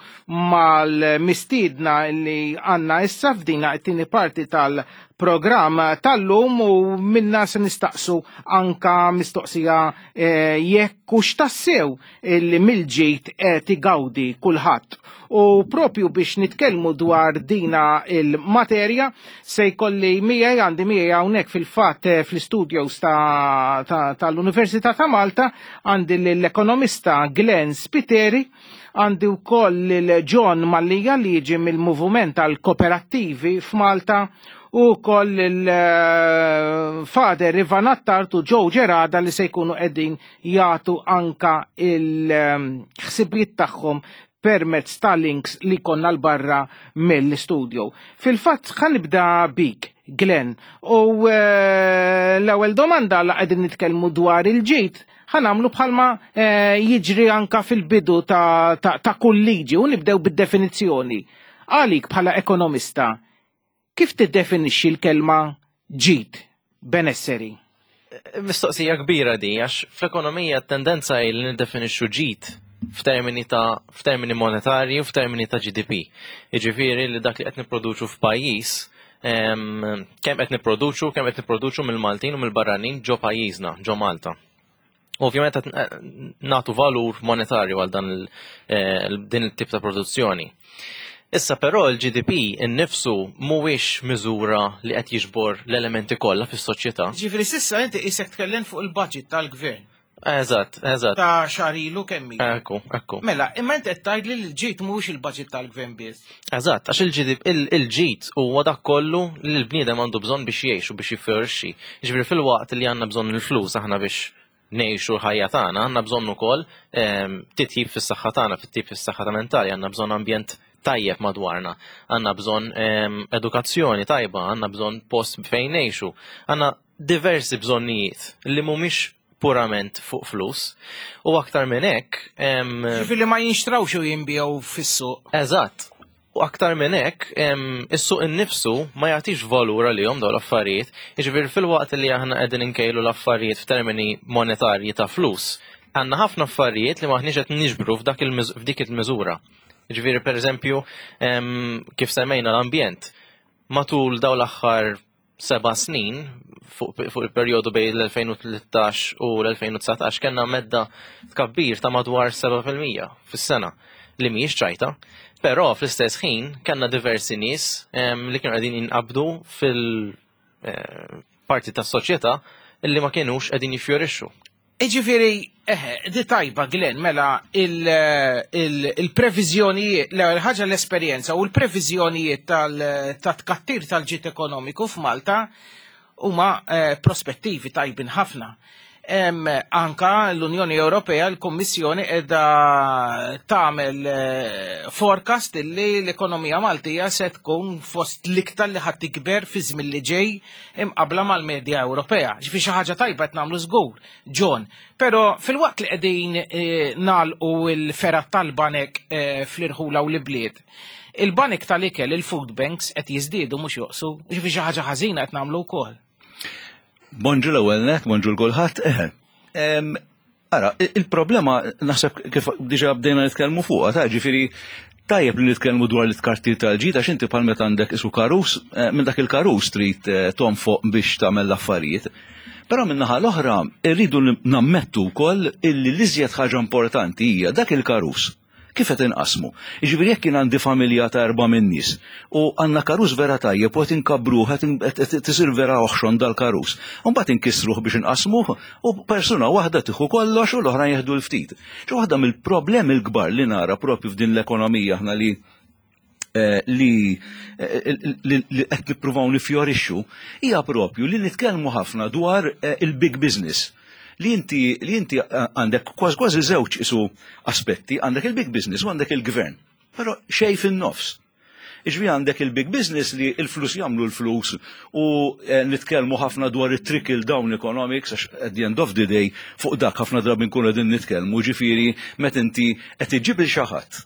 mal-mistiedna li għandna issa f'dina t-tieni parti tal-programm tal-lum u minna se nistaqsu anka mistoqsija eh, jekk hux tassew li mill-ġid qed igawdi kulħadd. U propju biex nitkellmu dwar dina il-materja se jkolli miegħi għandi miegħi hawnhekk fil-fatt eh, fl-studios tal-Università ta' Malta għandi l-ekonomista Glenn Spiteri, għandi wkoll lil John Mallia li jiġi mill-Moviment tal-Kooperattivi f'Malta u wkoll il-Fader eh, Ivan Attard u Joe Gerada li se jkunu qegħdin jagħtu anka il-ħsibijiet tagħhom permezz ta' links li konna l-barra mill-studio. Fil-fatt ħanibda bik, Glenn, u eh, l-ewwel domanda la qegħdin nitkellmu dwar il-ġid, ħanamlu bħalma eh, jiġri anka fil-bidu ta', ta, ta kull liġi u nibdew bid-definizzjoni. Għalik bħala ekonomista, Kif tiddefinixxi l-kelma ġid, benesseri? Mistoqsija kbira di, għax fl-ekonomija t-tendenza hi li niddefinixxu ġid f'termini ta' f'termini monetarji u f'termini ta' GDP. Jiġifieri li dak li qed nipproduċu f'pajjiż kemm qed nipproduċu, kemm qed nipproduċu mill-Maltin u mill-barranin ġo pajjiżna, ġo Malta. Ovvjament qed eh, nagħtu valur monetarju għal dan eh, din il-tip ta' produzzjoni. Issa però l-GDP innifsu mhuwiex miżura li qed jiġbor l-elementi kollha fis-soċjetà. Ġifieri sissa inti qisek tkellem fuq il-budget tal-gvern. Eżatt, eżatt. Ta' xahar ilu kemm ilu. Ekku, ekku. Mela, imma inti qed tgħidli li l-ġid mhuwiex il-budget tal-gvern biss. Eżatt, għax il-GDP il-ġid huwa dak kollu li l-bniedem għandu bżonn biex jgħix u biex jiffjorixxi. Jiġifieri filwaqt li għandna bżonn il-flus aħna biex ngħixu l-ħajja tagħna, għandna bżonn ukoll ehm, titjib fis-saħħa tagħna, fit-tip fis-saħħa ta' mentali, għandna bżonn ambjent tajjeb madwarna, għandna bżonn ehm, edukazzjoni tajba, għandna bżonn post fejn ngħixu, għandna diversi bżonnijiet li mhumiex purament fuq flus. U aktar minn hekk. Ġifieri ma jinxtrawx u jinbiegħu fis-suq. Eżatt. U aktar minn hekk, is-suq innifsu ma jagħtix valur għalihom dawn l-affarijiet. Jiġifieri fil-waqt li aħna qegħdin inkejlu l-affarijiet f'termini monetarji ta' flus, għandna ħafna affarijiet li maħniex qed niġbru f'dik il-miżura. Jiġifieri pereżempju, kif semmejna l-ambjent, matul dawn l-aħħar seba' snin fuq il-perjodu bejn l-2013 u l-2019 kellna medda tkabbir ta' madwar 7% fis-sena li mhijiex ċajta. Però fl-istess ħin kellna diversi nies li kienu qegħdin jinqabdu fil-parti eh, tas-soċjetà li ma kienux qegħdin jiffjorixxu. Iġifieri, eħe, di tajba Glenn, mela il-previżjonijiet, l-ewwel ħaġa l-esperjenza u l-previżjonijiet tal-tkattir tal-ġid ekonomiku f'Malta huma eh, prospettivi tajbin ħafna. Anka l-Unjoni Ewropea, l-Kummissjoni qiegħda tagħmel eh, forecast illi l-ekonomija Maltija se tkun fost l-iktar li ħadd tikber fi żmien li ġej imqabla mal-medja Ewropea. Ġifi xi ħaġa tajba qed nagħmlu żgur. John, pero fil-waqt li qegħdin eh, nagħlqu l-fergħat tal-banek eh, fl-irħula u l-bliet, il-banek tal-ikel, il-food banks qed jiżdiedu mhux joqsu, ġifi xi ħaġa ħażina qed nagħmlu wkoll. Bonġu l-ewwel net, bonġu l-kulħadd. Eh, ara, il-problema naħseb kif diġà bdejna nitkellmu fuqha, ta' ġifieri tajjeb li nitkellmu dwar l-tkartir tal-ġid għax inti bħal meta għandek isu karus, eh, minn dak il-karus trid eh, tonfoq biex tagħmel l-affarijiet. Però min-naħa l-oħra rridu nammettu wkoll illi l-iżjed ħaġa importanti hija dak il-karus kif qed inqasmu. Jiġifieri jekk jien għandi familja ta' erba' min-nies u għandna karus vera tajjeb u qed inkabbruh qed tisir vera oħxon dal-karus. U mbagħad inkissruh biex inqasmuh u persuna waħda tieħu kollox u l-oħrajn jieħdu l-ftit. Xi waħda mill-problemi l-kbar li nara propju f'din l-ekonomija aħna li eh, li eh, li qed nippruvaw nifjorixxu hija propju li nitkellmu ħafna dwar eh, il-big business li inti li inti għandek kważi kważi żewġ isu aspetti, għandek il-big business u għandek il-gvern. Però xejn fin-nofs. Iġvi għandek il-big business li il-flus jagħmlu l-flus u nitkellmu ħafna dwar it-trickle down economics għax at the end of the day fuq dak ħafna drabi nkunu qegħdin nitkellmu ġifieri meta inti qed iġġib il xi ħadd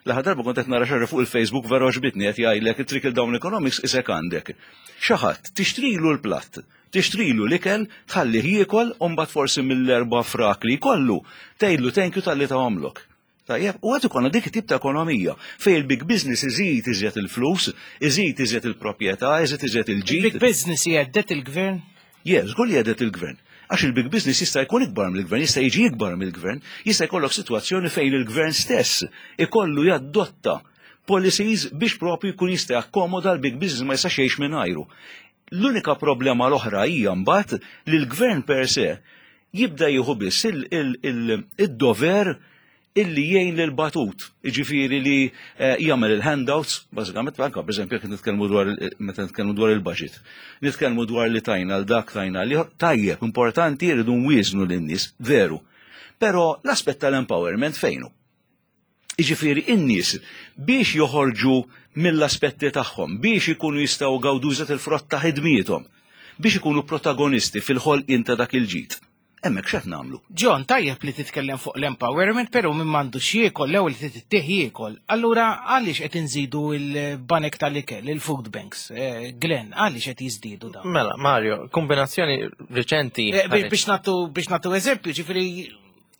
L-aħħar darba kont qed nara xi fuq il-Facebook vera għoġbitni qed jgħidlek it-trickle down economics isek għandek. Xi ħadd tixtrilu l-platt, tixtrilu l-ikel, tħallih jiekol u mbagħad forsi mill-erba' frak li jkollu tgħidlu thank you talli tahomlok. Tajjeb, u għad ikollna dik it-tip ta' ekonomija fejn il-big business iżid iżjed il-flus, iżid iżjed il-proprjetà, iżid iżjed il-ġid. Il-big business jgħeddet il-gvern? Je, żgur li jgħedet il-gvern. Għax il-big business jista' jkun ikbar mill-gvern, jista' jiġi ikbar mill-gvern, jista' jkollok sitwazzjoni fejn il-gvern stess ikollu jaddotta policies biex propju jkun jista' jakkomoda l-big business ma jistax jgħix mingħajru. L-unika problema l-oħra hija mbagħad li l-gvern per se jibda jieħu biss il-dover illi jgħin lil batut, jiġifieri li eh, jagħmel il-handouts, bażikament anke pereżempju jekk nitkellmu dwar meta nitkellmu dwar il-budget. Nitkellmu dwar li tajna l dak tajna li tajjeb, importanti jridu nwieżnu lin-nies, veru. Però l-aspett tal-empowerment fejnu? Jiġifieri in-nies biex joħorġu mill-aspetti tagħhom, biex ikunu jistgħu gawdu il-frott ta' ħidmiethom, biex ikunu protagonisti fil-ħolqien ta' dak il-ġid. Hemmhekk x'qed nagħmlu? John, tajjeb li titkellem fuq l-empowerment, però min m'għandux jiekol l-ewwel trid ittih jiekol. Allura għaliex qed inżidu l-banek tal-ikel, il-food banks? Eh, Glenn, għaliex qed jiżdiedu dawn? Mela, Mario, kombinazzjoni riċenti. Eh, biex nagħtu biex nagħtu eżempju, ġifieri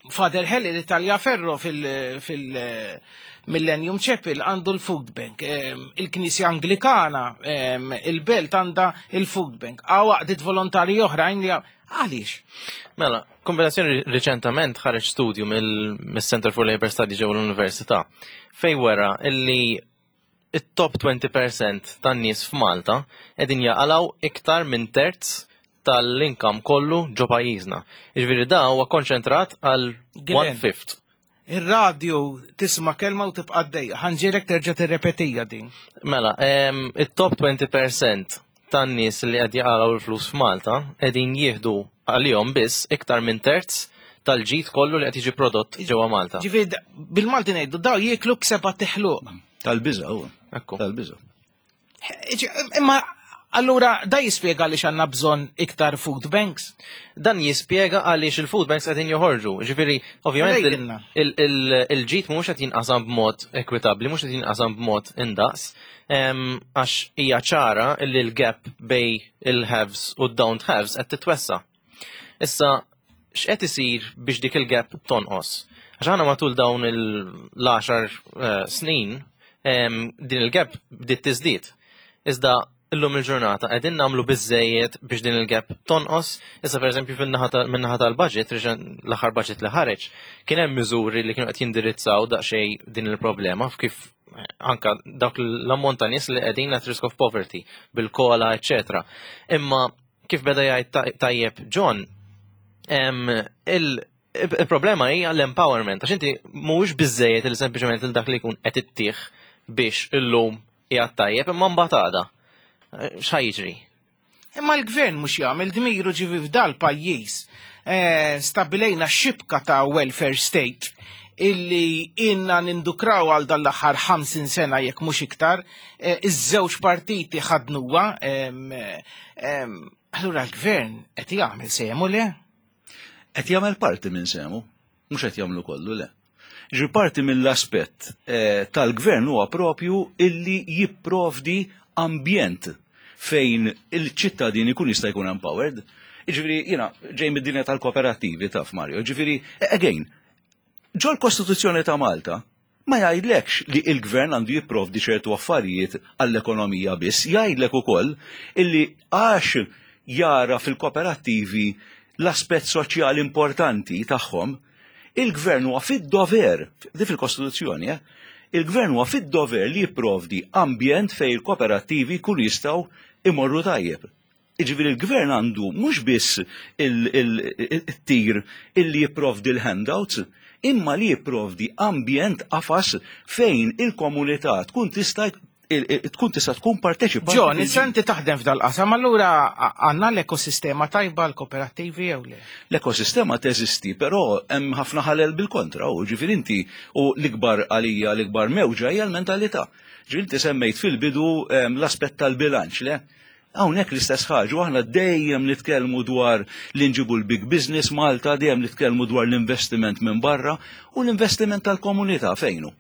Father Helly li Ferro fil-Millennium Chapel għandu l-food bank, il-Knisja Anglikana, il-Belt għandha il-food bank, għaw għaqdiet volontarji oħrajn li għaliex? Mela, kombinazzjoni riċentament ħareġ studju mill-Center for Labor Studies ġewwa l-Università fej wera illi it-top 20% tan-nies f'Malta qegħdin jaqalgħu iktar minn terz tal-income kollu ġo pajjiżna. Jiġifieri da huwa konċentrat għal one fifth. Ir-radju tisma' kelma u tibqa' għaddejja. Ħanġielek terġa' tirrepetija din. Mela, it-top 20% tan-nies li qed jaqalgħu l-flus f'Malta qegħdin jieħdu għalihom biss iktar minn terz tal-ġid kollu li qed jiġi prodott ġewwa Malta. Ġifieri bil-Malti ngħidu daw jieklu b'seba' teħluq. Tal-biża' huwa. Ekku. Tal-biża'. Imma allura da jispjega għaliex għandna bżonn iktar food banks? Dan jispjega għaliex il-food banks qegħdin joħorġu. Ġifieri, ovvjament il-ġid mhux qed jinqasam b'mod ekwitabbli, mhux qed jinqasam b'mod indaqs, għax hija ċara li l-gap bej il-haves u d-don't haves qed titwessa. Issa, x'qed isir biex dik il-gap tonqos? Għax aħna matul dawn l-10 eh, snin din il-gap bdiet tiżdied. Iżda Illum il-ġurnata qegħdin nagħmlu biżejjed biex din il-gap tonqos. Issa pereżempju fin-naħa min-naħa tal-budget, l-aħħar budget li ħareġ, kien hemm miżuri li kienu qed jindirizzaw daqsxejn din il-problema kif anka dawk l-ammont ta' nies li qegħdin at risk of poverty bil-kola, eċetera. Imma kif beda jgħid tajjeb John, il-problema hija l-empowerment, għax inti mhuwiex biżejjed li sempliċement il dak li jkun qed ittih biex illum qiegħed tajjeb imma mbagħad għada. X'ħa jiġri? Imma l-gvern mhux jagħmel dmiru ġivi f'dal pajjiż. Eh, stabilejna xibka ta' welfare state illi inna nindukraw għal dan l-aħħar 50 sena jekk mhux iktar, eh, iż-żewġ partiti ħadnuha. Allura l-gvern qed jagħmel sehmu le? Qed jagħmel parti minn sehmu, mhux qed jagħmlu kollu le. Ġi parti mill-aspett eh, tal-gvern huwa propju illi jipprovdi ambjent fejn il-ċittadin ikun jista' jkun empowered. Ġifieri, jiena ġej mid-dinja tal-kooperattivi taf Mario, ġifieri, again, ġol kostituzzjoni ta' Malta ma jgħidlekx li il-gvern għandu jipprovdi ċertu affarijiet għall-ekonomija biss, jgħidlek ukoll illi għax jara fil-kooperattivi l-aspett soċjali importanti tagħhom, il-gvern huwa fid-dover, di fil-Kostituzzjoni, eh, il-gvern huwa fid-dover li jipprovdi ambjent fejn il-kooperattivi jkunu jistgħu imorru tajjeb. Jiġifieri l-gvern għandu mhux biss it-tir illi jipprovdi l-handouts, imma li jipprovdi ambjent qafas fejn il-komunità tkun tista' tkun tista' tkun parteċipanti. John, issa inti taħdem f'dal-qasam, allura għandna l-ekosistema tajba l-kooperattivi jew le? L-ekosistema teżisti, però hemm ħafna ħalel bil-kontra, u ġifieri inti u l-ikbar għalija l-ikbar mewġa hija l-mentalità. Ġifieri inti semmejt fil-bidu ehm, l-aspett tal-bilanċ, le? Hawnhekk l-istess ħaġa, u aħna dejjem nitkellmu dwar li nġibu l-big business Malta, dejjem nitkellmu dwar l-investiment minn barra u l-investiment tal-komunità fejnu.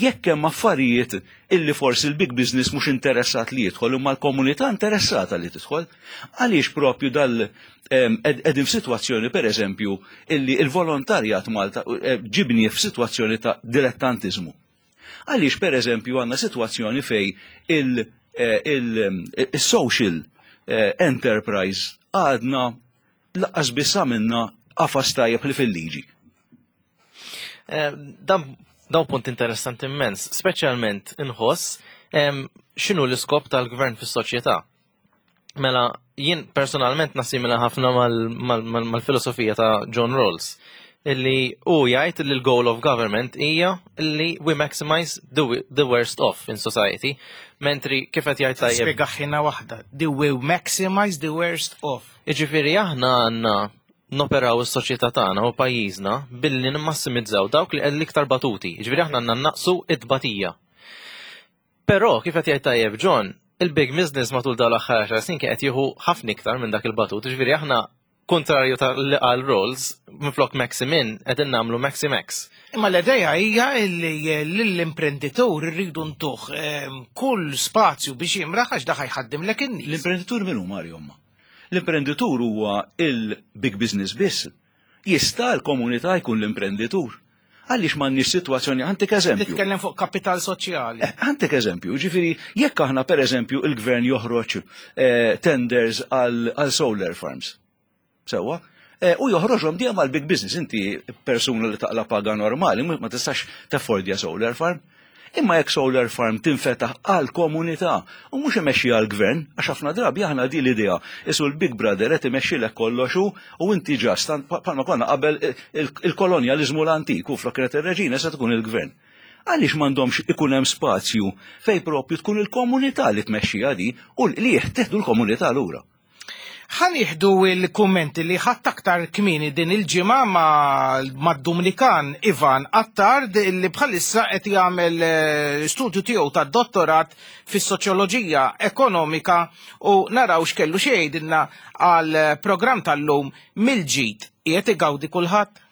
Jekk hemm affarijiet illi forsi l-big business mhux interessat li jidħol imma l-komunità interessata li tidħol, għaliex propju dal qegħdin f'sitwazzjoni pereżempju illi l-volontarjat Malta eh, ġibni f'sitwazzjoni ta' dilettantiżmu. Għaliex per eżempju għandna sitwazzjoni fej il-social eh, eh, enterprise għadna laqqas biss għamilna qafas tajjeb li fil-liġi. Eh, dan dawn punt interessanti immens, speċjalment inħoss x'inhu l-iskop tal-gvern fis-soċjetà. Mela, jien personalment nassimila ħafna mal-filosofija ta' John Rawls illi u jgħid li l-goal of government hija li we maximize the, the worst off in society. Mentri kif qed jgħid tajjeb. Spjegaħħina waħda. The we maximize the worst off. Jiġifieri aħna għandna noperaw is-soċjetà tagħna u pajjiżna billi nimmassimizzaw dawk li l-iktar batuti. Jiġifieri aħna għandna naqsu it-tbatija. Però kif qed jgħid tajjeb John, il-big business matul dawn l-aħħar 10 snin kien qed jieħu ħafna iktar minn dak il-batut, ġifieri aħna kontrarju ta' li qal Rolls, minflok Maximin qegħdin nagħmlu Maximax. Imma l-idea hija li lill-imprenditur irridu ntuh ehm, kull spazju biex jimraħ għax daħ jħaddimlek in-nies. L-imprenditur min hu Mario imma? L-imprenditur huwa il-big business biss. Jista' l-komunità jkun l-imprenditur. Għaliex m'għandniex sitwazzjoni, għantik eżempju. Titkellem fuq kapital soċjali. Eh, għantik eżempju, ġifieri jekk aħna pereżempju il-gvern joħroġ eh, tenders għal solar farms. Sewwa? Eh, u joħroġhom dejjem għal big business, inti persuna li taqla paga normali, ma tistax taffordja solar farm. Imma jekk solar farm tinfetaħ għal komunità u mhux imexxi għal gvern, għax ħafna drabi aħna di l-idea isu l-Big Brother qed imexxilek kollox hu u inti ġast bħalma konna qabel il-kolonjaliżmu l-antik u flok kienet ir-reġina se tkun il-gvern. Għaliex m'għandhomx ikun hemm spazju fejn propju tkun il-komunità li tmexxiha di u l-qligħ teħdu l-komunità lura. Ħa nieħdu l-kummenti li ħadt aktar kmieni din il-ġimgħa mad-Dumnikan Ivan Attard li bħalissa qed jagħmel eh, studju tiegħu tad-dottorat fis-soċjoloġija ekonomika u naraw x'kellu xi jgħidilna għal programm tal-lum mill-ġid qiegħed igawdi kulħadd.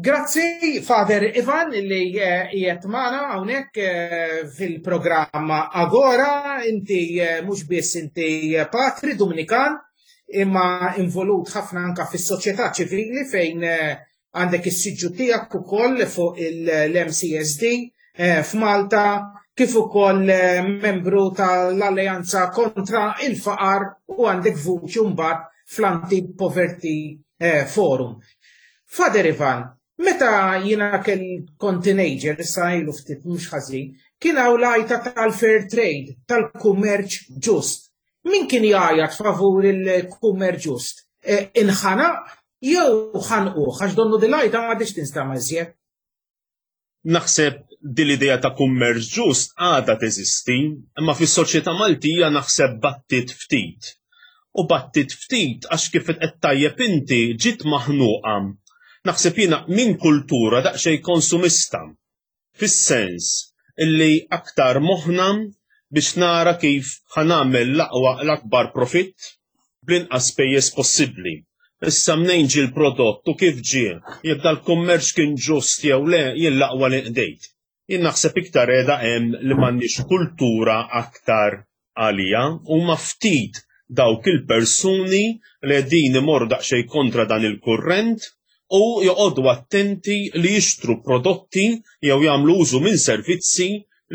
Grazzi, Father Ivan, li eh, qiegħed magħna hawnhekk eh, fil-programm Agora, inti eh, mhux biss inti patri Dominikan, imma involut ħafna anka fis-soċjetà ċivili fejn għandek is-siġġu tiegħek ukoll fuq l-MCSD f'Malta, kif ukoll membru tal-Alleanza kontra il-Faqar u għandek vuċi mbagħad fl-Anti-Poverty Forum. Father Ivan, meta jiena kell kont teenager, issa ilu ftit mhux ħażin, kien hawn l-għajta tal-fair trade, tal-kummerċ ġust. Min kien jgħajat favur il-kummerċ ġust? E, inħanaq jew ħanquh għax donnu dil-għajta m'għadix tinstama' iżjed. Naħseb din l-idea ta' kummerċ ġust għadha teżisti, imma fis-soċjetà Maltija naħseb battiet ftit. U battiet ftit għax kif qed tajjeb inti ġiet maħnuqa, naħseb jiena minn kultura daqsxejn konsumista. Fis-sens illi aktar moħħna biex nara kif ħa nagħmel l-aqwa l-akbar profitt bl-inqas spejjeż possibbli. Issa mnejn ġie l-prodott u kif ġie, jekk dal-kummerċ kien ġust jew le, jien l-aqwa li nqdejt. Jien naħseb iktar qiegħda hemm li m'għandniex kultura aktar għaliha. Huma ftit dawk il-persuni li qegħdin imorru daqsxejn kontra dan il-kurrent u joqogħdu attenti li jixtru prodotti jew jagħmlu użu minn servizzi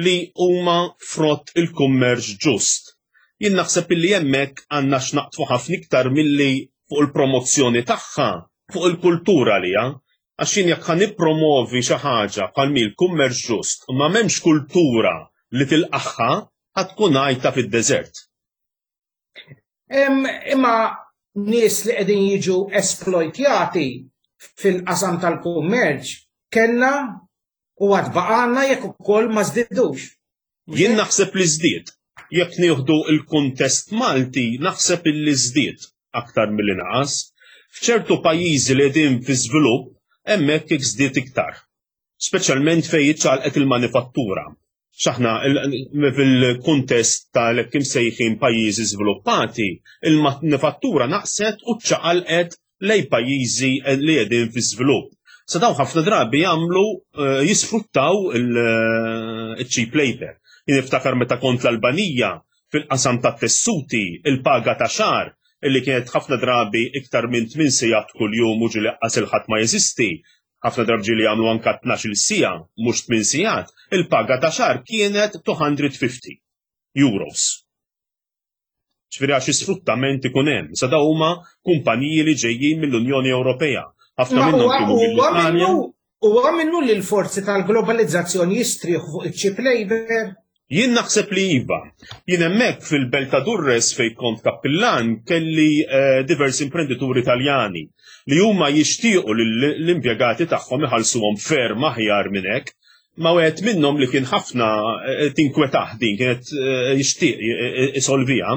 li huma frott il-kummerċ ġust. Jien naħseb illi hemmhekk għandna x'naqdfu ħafna iktar milli fuq il-promozzjoni tagħha, fuq il-kultura għaliha. Għax jien jekk ħa nippromovi xi ħaġa bħal mhi l-kummerċ ġust u ma m'hemmx kultura li tilqagħha, ħa tkun għajta fid-deżert. Imma nies li qegħdin jiġu esplojtjati fil-qasam tal-kummerċ kellna u għad baqgħalna jekk ukoll ma żdidux. Jien naħseb li żdied. Jekk nieħdu l-kuntest Malti, naħseb illi żdied aktar milli naqas. F'ċertu pajjiżi li qegħdin fi żvilupp, hemmhekk żdied iktar. Speċjalment fejn iċċaqalqet il-manifattura. X'aħna fil-kuntest tal-hekk imsejħin pajjiżi żviluppati, il-manifattura naqset u ċċaqalqet lejn pajjiżi li qegħdin fi żvilupp. Sa dawn ħafna drabi jagħmlu eh, jisfruttaw il-cheap eh, labor. Jien niftakar meta kont l-Albanija fil-qasam ta' tessuti il-paga ta' xahar illi kienet ħafna drabi iktar minn 8 sigħat kuljum u ġieli qas il-ħadd ma jeżisti, ħafna drabi ġieli jagħmlu anka 12-il siegħa mhux 8 sigħat, il-paga ta' xahar kienet 250 euros. Ġifieri għax sfruttament ikun hemm. Sa daw huma kumpaniji li ġejjin mill-Unjoni Ewropea. Ħafna minnhom kienu mill-Italja. Huwa minnu li l-forzi tal-globalizzazzjoni jistrieħu fuq iċ-cheap labor? Jien naħseb li iva. Jien hemmhekk fil-belt ta' Durres fejn kont kappillan kelli eh, diversi imprendituri Taljani li huma jixtiequ li l-impjegati tagħhom iħallsuhom ferm aħjar minn hekk. Ma wieħed minnhom li kien ħafna eh, tinkwetah din kienet eh, jixtieq eh, isolviha,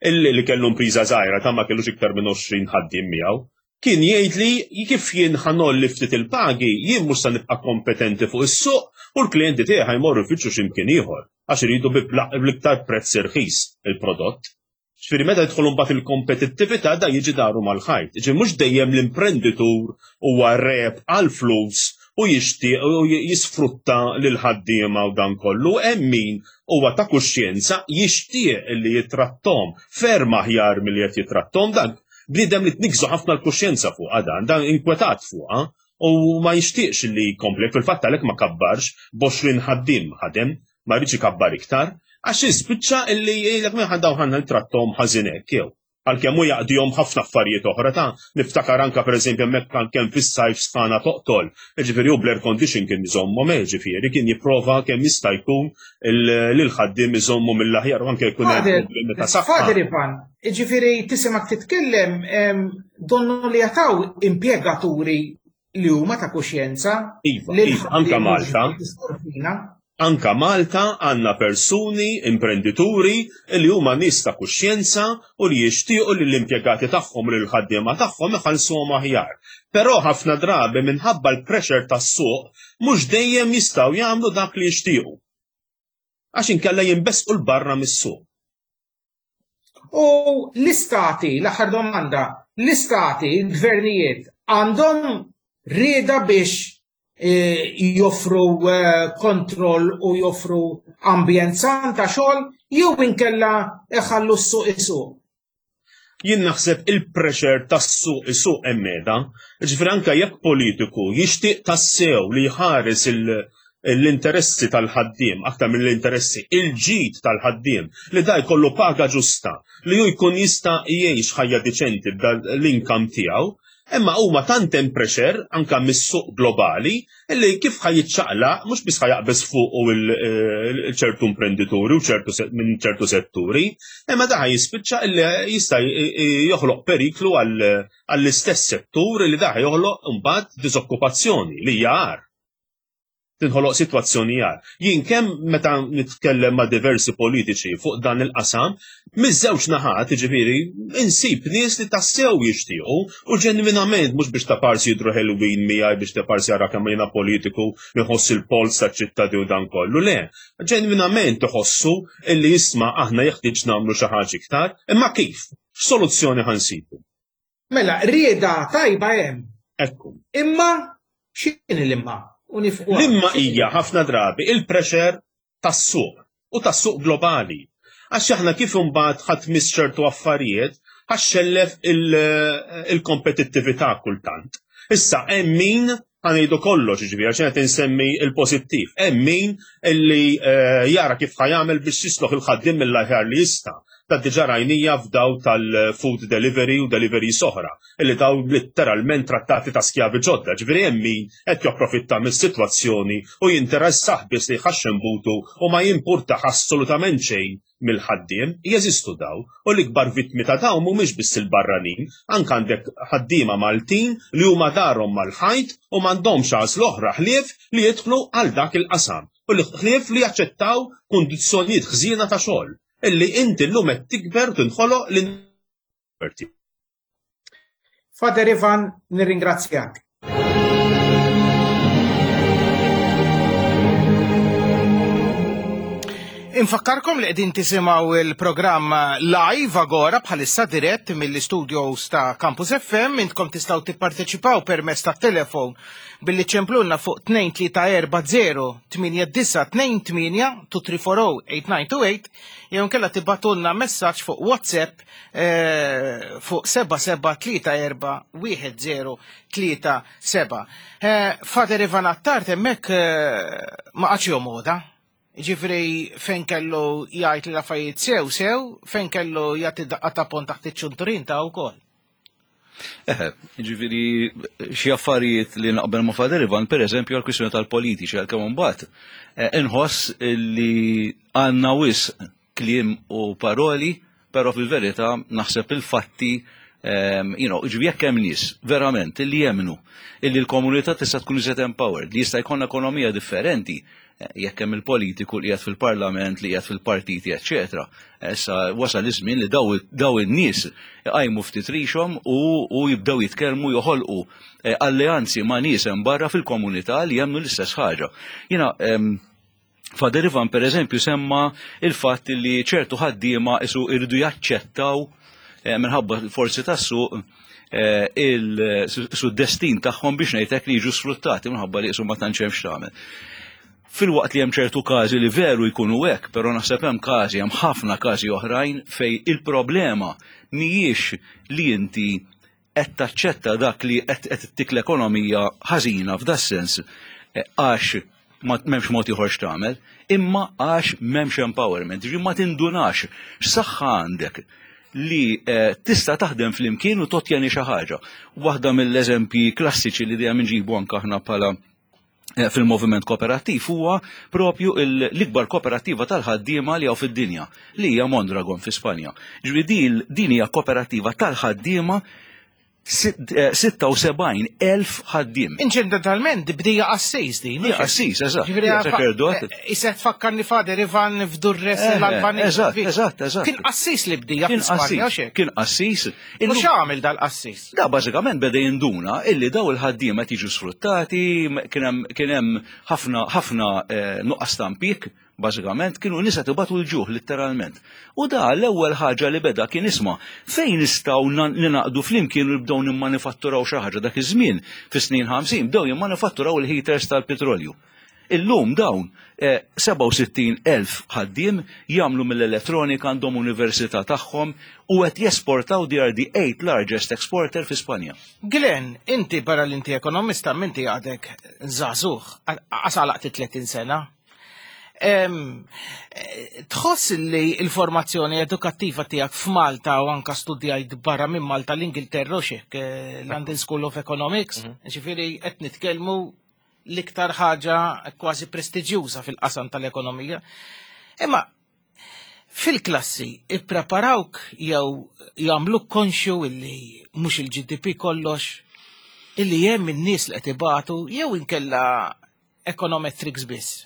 illi li kellu impriża żgħira ta' ma kellux iktar minn 20 ħaddiem miegħu, kien jgħidli kif jien ħanolli ftit il-pagi, jien mhux se nibqa' kompetenti fuq is-suq u l-klijenti tiegħi ħajmorru jfittxu x'imkien ieħor għax iridu bl-iktar prezz irħis il-prodott. Ġifieri meta jidħol imbagħad il-kompetittività da jiġi daru mal-ħajt. Ġifieri mhux dejjem l-imprenditur huwa reb għall-flus u jixtieq u jisfrutta lil ħaddiema u dan kollu, hemm min huwa ta' kuxjenza jixtieq li jitrattom ferm aħjar milli qed jitrattom dan bniedem li tniggżu ħafna l-kuxjenza fuqha dan, dan inkwetat fuqha u ma jixtieqx li jkompli fil-fatt għalhekk ma kabbarx b'għoxrin ħaddiem ħadem ma rridx ikabbar iktar, għax jispiċċa illi jgħidlek minn ħandaw ħanna nitrattom ħażin hekk jew. Għalkemm hu jaqdihom ħafna affarijiet oħra ta' niftakar anka pereżempju hemmhekk kan kemm fis-sajf sħana toqtol, jiġifieri hu bl-air condition kien iżommhom eh, ġifieri kien jipprova kemm jista' jkun lil ħaddiem iżommu mill-aħjar u anke jkun hemm problemi ta' saħħa. Father Ivan, jiġifieri tisimgħek titkellem donnu li jataw impjegaturi li huma ta' kuxjenza. Iva, iva, anka Malta. Anka Malta għandna persuni, imprendituri, li huma nies ta' kuxjenza u li jixtiequ li l-impjegati tagħhom u l-ħaddiema tagħhom iħallsuhom aħjar. Però ħafna drabi minħabba l-pressure tas-suq mhux dejjem jistgħu jagħmlu dak li jixtiequ. Għax inkella jinbesqu l-barra mis-suq. U l-istati, l-aħħar domanda, l-istati, l-gvernijiet għandhom Rieda biex eh, joffru eh, kontroll u joffru ambjent san ta' xogħol jew inkella iħallu s-suq isuq. Jien naħseb il-pressure tas-suq isuq hemm qiegħda. Ġifieri anke jekk politiku jixtieq tassew li jħares l-interessi tal-ħaddiem, aktar mill-interessi, il-ġid tal-ħaddiem, li da jkollu paga ġusta, li hu jkun jista' jgħix ħajja diċenti b'dan l-income tiegħu, Imma huma tant hemm pressure anke mis-suq globali illi kif ħa jiċċaqlaq mhux biss ħa jaqbeż fuqu ċertu imprendituri u ċertu minn ċertu setturi, imma da ħa jispiċċa illi jista' joħloq periklu għall-istess settur illi da ħa joħloq imbagħad diżokkupazzjoni li hija agħar. tinħoloq sitwazzjoni agħar. Jien kemm meta nitkellem ma' diversi politiċi fuq dan il-qasam, miż-żewġ naħat, jiġifieri, insib nies li tassew jixtiequ u ġenwinament mhux biex ta' parsi jidhru ħelwin miegħi biex ta' parsi jara kemm jiena politiku li nħoss il-polz taċ-ċittadin u dan kollu. Le, ġenwinament iħossu illi isma' aħna jeħtieġ nagħmlu xi ħaġa iktar, imma kif? X'soluzzjoni ħa nsibu? Mela, rieda tajba hemm. Ekku. Imma x'inhi l-imma? L-imma hija ħafna drabi il-pressure tas-suq u tas-suq globali. Għax aħna kif imbagħad ħadd miss ċertu affarijiet ħaxxellef il-kompetittività kultant. Issa hemm min ħanejdu kollox, ġifieri għax qed insemmi l-pożittiv. Hemm min illi eh, jara kif ħajamel biex jisloħ il-ħaddiem mill-aħjar li jista' ta' diġà rajnija f'daw tal-food delivery u delivery soħra, illi daw letteralment trattati ta' skjavi ġodda, ġifieri hemm min qed japprofitta mis-sitwazzjoni u jinteressah biss li jħaxxen butu u ma jimpurtah assolutament xejn mill-ħaddiem, jeżistu daw, u l-ikbar vittmi ta' dawn mhumiex biss il-barranin, anke għandek ħaddiema Maltin li huma darhom mal-ħajt u m'għandhomx għażla oħra ħlief li jidħlu għal dak il-qasam u li ħlief li jaċċettaw kundizzjonijiet ħżiena ta' xogħol illi inti llum qed tikber u tinħoloq l Father Ivan, nirringrazzjak. Infakkarkom li qegħdin tisimgħu il-programm live Agora bħalissa dirett mill-istudios ta' Campus FM. Intkom tistgħu tipparteċipaw permezz ta' telefon billi ċemplunna fuq 2340 8928 2340 8928 jew inkella tibgħatulna messaġġ fuq WhatsApp eh, fuq 77341037. Eh, Father Ivan Attard hemmhekk eh, ma qatx jomoda. Ġifri fejn kellu jgħid li l-affarijiet sew sew, fejn kellu jagħti daqqa ta' pont taħt iċ-ċunturin ta' wkoll. Eħe, ġifiri, xi affarijiet li naqbel ma' Father Ivan, per eżempju, għal-kwistjoni tal-politiċi, għal-kemm imbagħad, inħoss li għandna wisq kliem u paroli, però fil-verità naħseb il-fatti ehm, you know, ġivi jekk hemm nies verament illi jemnu illi l-komunità tista' tkun iżjed empowered, li jista' jkollna ekonomija differenti, eh, jekk hemm il-politiku li qiegħed fil-parlament, li qiegħed fil-partiti, eċċetera. Issa wasal iż-żmien li daw in-nies iqajmu ftit rixhom u, u jibdew jitkellmu joħolqu eh, alleanzi ma' nies hemm barra fil-komunità li jemnu l-istess ħaġa. Jiena ehm, Father Ivan per eżempju semma il-fatt li ċertu ħaddiema isu irridu jaċċettaw eh, minħabba l-forzi tas-suq eh, il-destin tagħhom biex ngħidlek li jiġu sfruttati minħabba li isu ma tantx hemm x'tagħmel. Filwaqt li hemm ċertu każi li veru jkunu hekk, però naħseb hemm każi, hemm ħafna każi oħrajn fej il-problema mhijiex li inti qed taċċetta dak li qed ittik l-ekonomija ħażina f'das-sens eh, għax m'hemmx mod ieħor x'tagħmel, imma għax m'hemmx empowerment, ġifieri ma tindunax x'saħħa għandek li eh, tista' taħdem flimkien u totjeni xi ħaġa. Waħda mill-eżempji klassiċi li dejjem inġibu anke aħna bħala Eh, fil-moviment kooperattiv huwa propju l-ikbar kooperattiva tal-ħaddiema li hawn fid-dinja, li hija Mondragon fi Spanja. Ġifieri din hija kooperattiva tal-ħaddiema 76,000 eh, ħaddiem. Inċidentalment bdija qassis din. Hija qassis, eżatt. Ġifieri eh, Isek tfakkarni Fader Ivan f'Durres l-Albanija. Eżatt, eżatt, eżatt. Kien qassis li bdija fi Spanja, Kien qassis. U x'għamel dal-qassis? Da bażikament beda jinduna illi daw il-ħaddiema qed jiġu sfruttati, kien hemm ħafna ħafna eh, nuqqas ta' impjieg. Bażikament kienu nisa tibatu l-ġuħ litteralment. U da l-ewwel ħaġa li beda kien isma' fejn nistgħu ninaqdu flimkien u nibdew nimmanifatturaw xi ħaġa dak iż-żmien fis-snin 50 bdew jimmanifatturaw il-heaters tal-petrolju. Illum dawn 67,000 eh, ħaddiem jagħmlu mill-elettronika għandhom università tagħhom u qed jesportaw they are the eighth largest exporter fi Spanja. Glenn, inti barra l-inti ekonomista minti għadek żagħżugħ, għasalaqt 30 sena. Tħoss li l-formazzjoni edukattiva tiegħek f'Malta u anka studjajt barra minn Malta l-Ingilterra u xek, eh, London School of Economics, mhm. ġifieri qed nitkellmu l-iktar ħaġa kważi prestiġjuża fil-qasam tal-ekonomija. Imma fil-klassi ippreparawk jew jagħmluk konxju illi mhux il-GDP kollox, illi hemm in-nies li qed ibatu jew inkella econometrics biss.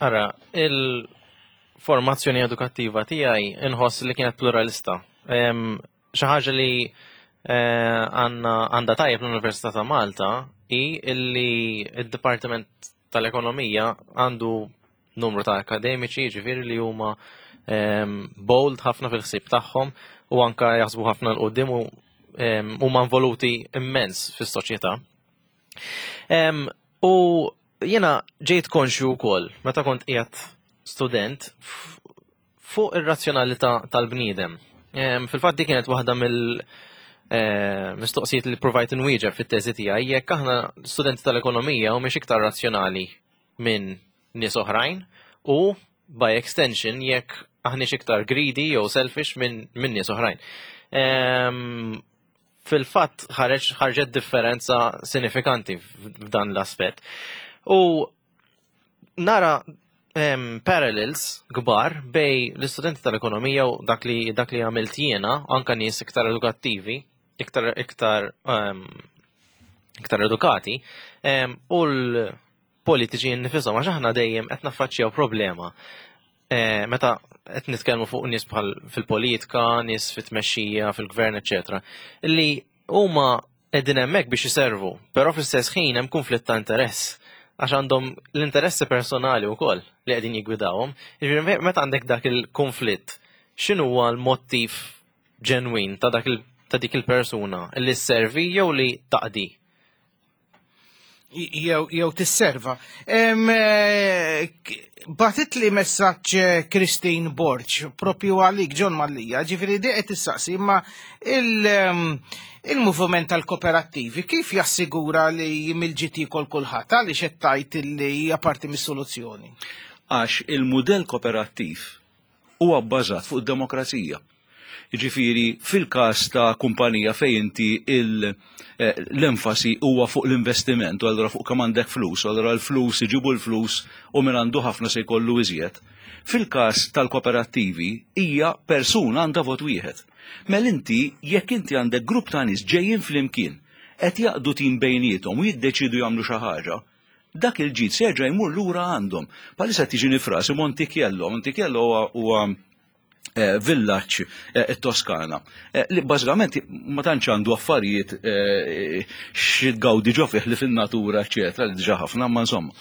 Ara, il-formazzjoni edukattiva tiegħi inħoss li kienet pluralista. Xi ħaġa li eh, għandha tajjeb l-Università ta' Malta hi illi id-Dipartiment tal-Ekonomija għandu numru ta' akademiċi, ġifieri li huma bold ħafna fil-ħsieb tagħhom u anka jaħsbu ħafna l-qudiem u huma involuti immens fis-soċjetà. U jiena ġejt konxju wkoll meta kont qiegħed student fuq ir-razzjonalità tal-bniedem. Fil-fatt di kienet waħda mill eh, mistoqsijiet li provajt inwieġeb fit-teżi tiegħi jekk aħna studenti tal-ekonomija u mhix iktar razzjonali minn nies oħrajn u by extension jekk aħniex iktar greedy jew selfish minn min nies oħrajn. Fil-fatt ħareġ ħarġet differenza sinifikanti f'dan l-aspett. U nara um, parallels kbar bej l-istudenti tal-ekonomija u dak li dak li għamilt jiena, anka nies iktar edukattivi, iktar iktar um, iktar edukati, um, u l-politiċi nnifisom għax aħna dejjem qed naffaċċjaw problema Eh, meta qed nitkellmu fuq nies bħal fil-politika, nies fit-tmexxija, fil-gvern, eċetera, li huma qegħdin hemmhekk biex iservu, però fl-istess ħin hemm konflitt ta' interess għax għandhom l-interessi personali wkoll li qegħdin jiggwidawhom. Jiġifieri meta għandek dak il-konflitt, x'inhu huwa l-mottiv ġenwin ta' dak ta' dik il-persuna li sservi jew li taqdi? jew tisserva. Eh, batit li messaġġ eh, Christine Borg, propju għalik John Mallia, ġifiri di qed tissaqsi imma il-moviment tal-kooperattivi kif jassigura li mill-ġiti kol kulħadd għaliex qed tgħid li hija parti mis-soluzzjoni? Għax il-mudell kooperattiv huwa bbażat fuq id-demokrazija. Jiġifieri fil-każ ta' kumpanija fejn inti eh, l-enfasi huwa fuq l-investiment u allura fuq kemm għandek flus, u allura l-flus iġibu l-flus u min għandu ħafna se jkollu iżjed. Fil-każ tal-kooperattivi hija persuna għandha vot wieħed. Mela inti jekk inti għandek grupp ta' nies ġejjin flimkien qed jaqdu tim bejniethom u jiddeċidu jagħmlu xi ħaġa, dak il-ġid se jerġa' jmur lura għandhom. Bħalissa tiġini frasi Montichiello, Montichiello huwa eh, villaġġ eh, it-Toskana. Eh, li bażikament ma tantx għandu affarijiet xi tgawdi ġo fih li fin-natura, eċetera, li diġà ħafna, ma insomma.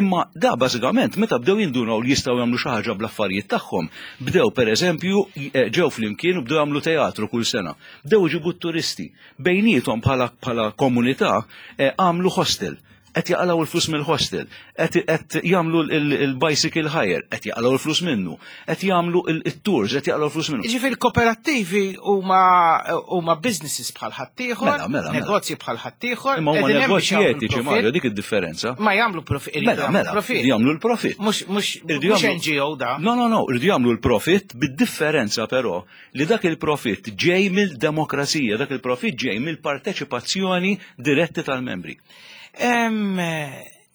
Imma da bażikament meta bdew jindunaw li jistgħu jagħmlu xi ħaġa bl-affarijiet tagħhom, bdew pereżempju ġew flimkien u bdew jagħmlu teatru kull sena. Bdew iġibu t-turisti. Bejniethom bħala komunità għamlu hostel qed jaqalgħu l-flus mill-hostel, qed jagħmlu l-bicycle hire, qed jaqalgħu l-flus minnu, qed jagħmlu il-tours, qed jaqalgħu l-flus minnu. Ġifieri kooperattivi huma businesses bħal ħaddieħor, mela, mela, mela. negozji bħal ħaddieħor. Imma huma negozji etiċi Mario, dik id-differenza. Ma jagħmlu profit. Mela, mela, jagħmlu l-profit. Mhux NGO da. No, no, no, irridu jagħmlu l-profit bid-differenza però li dak il-profit ġej mill-demokrazija, dak il-profit ġej mill-parteċipazzjoni diretti tal-membri.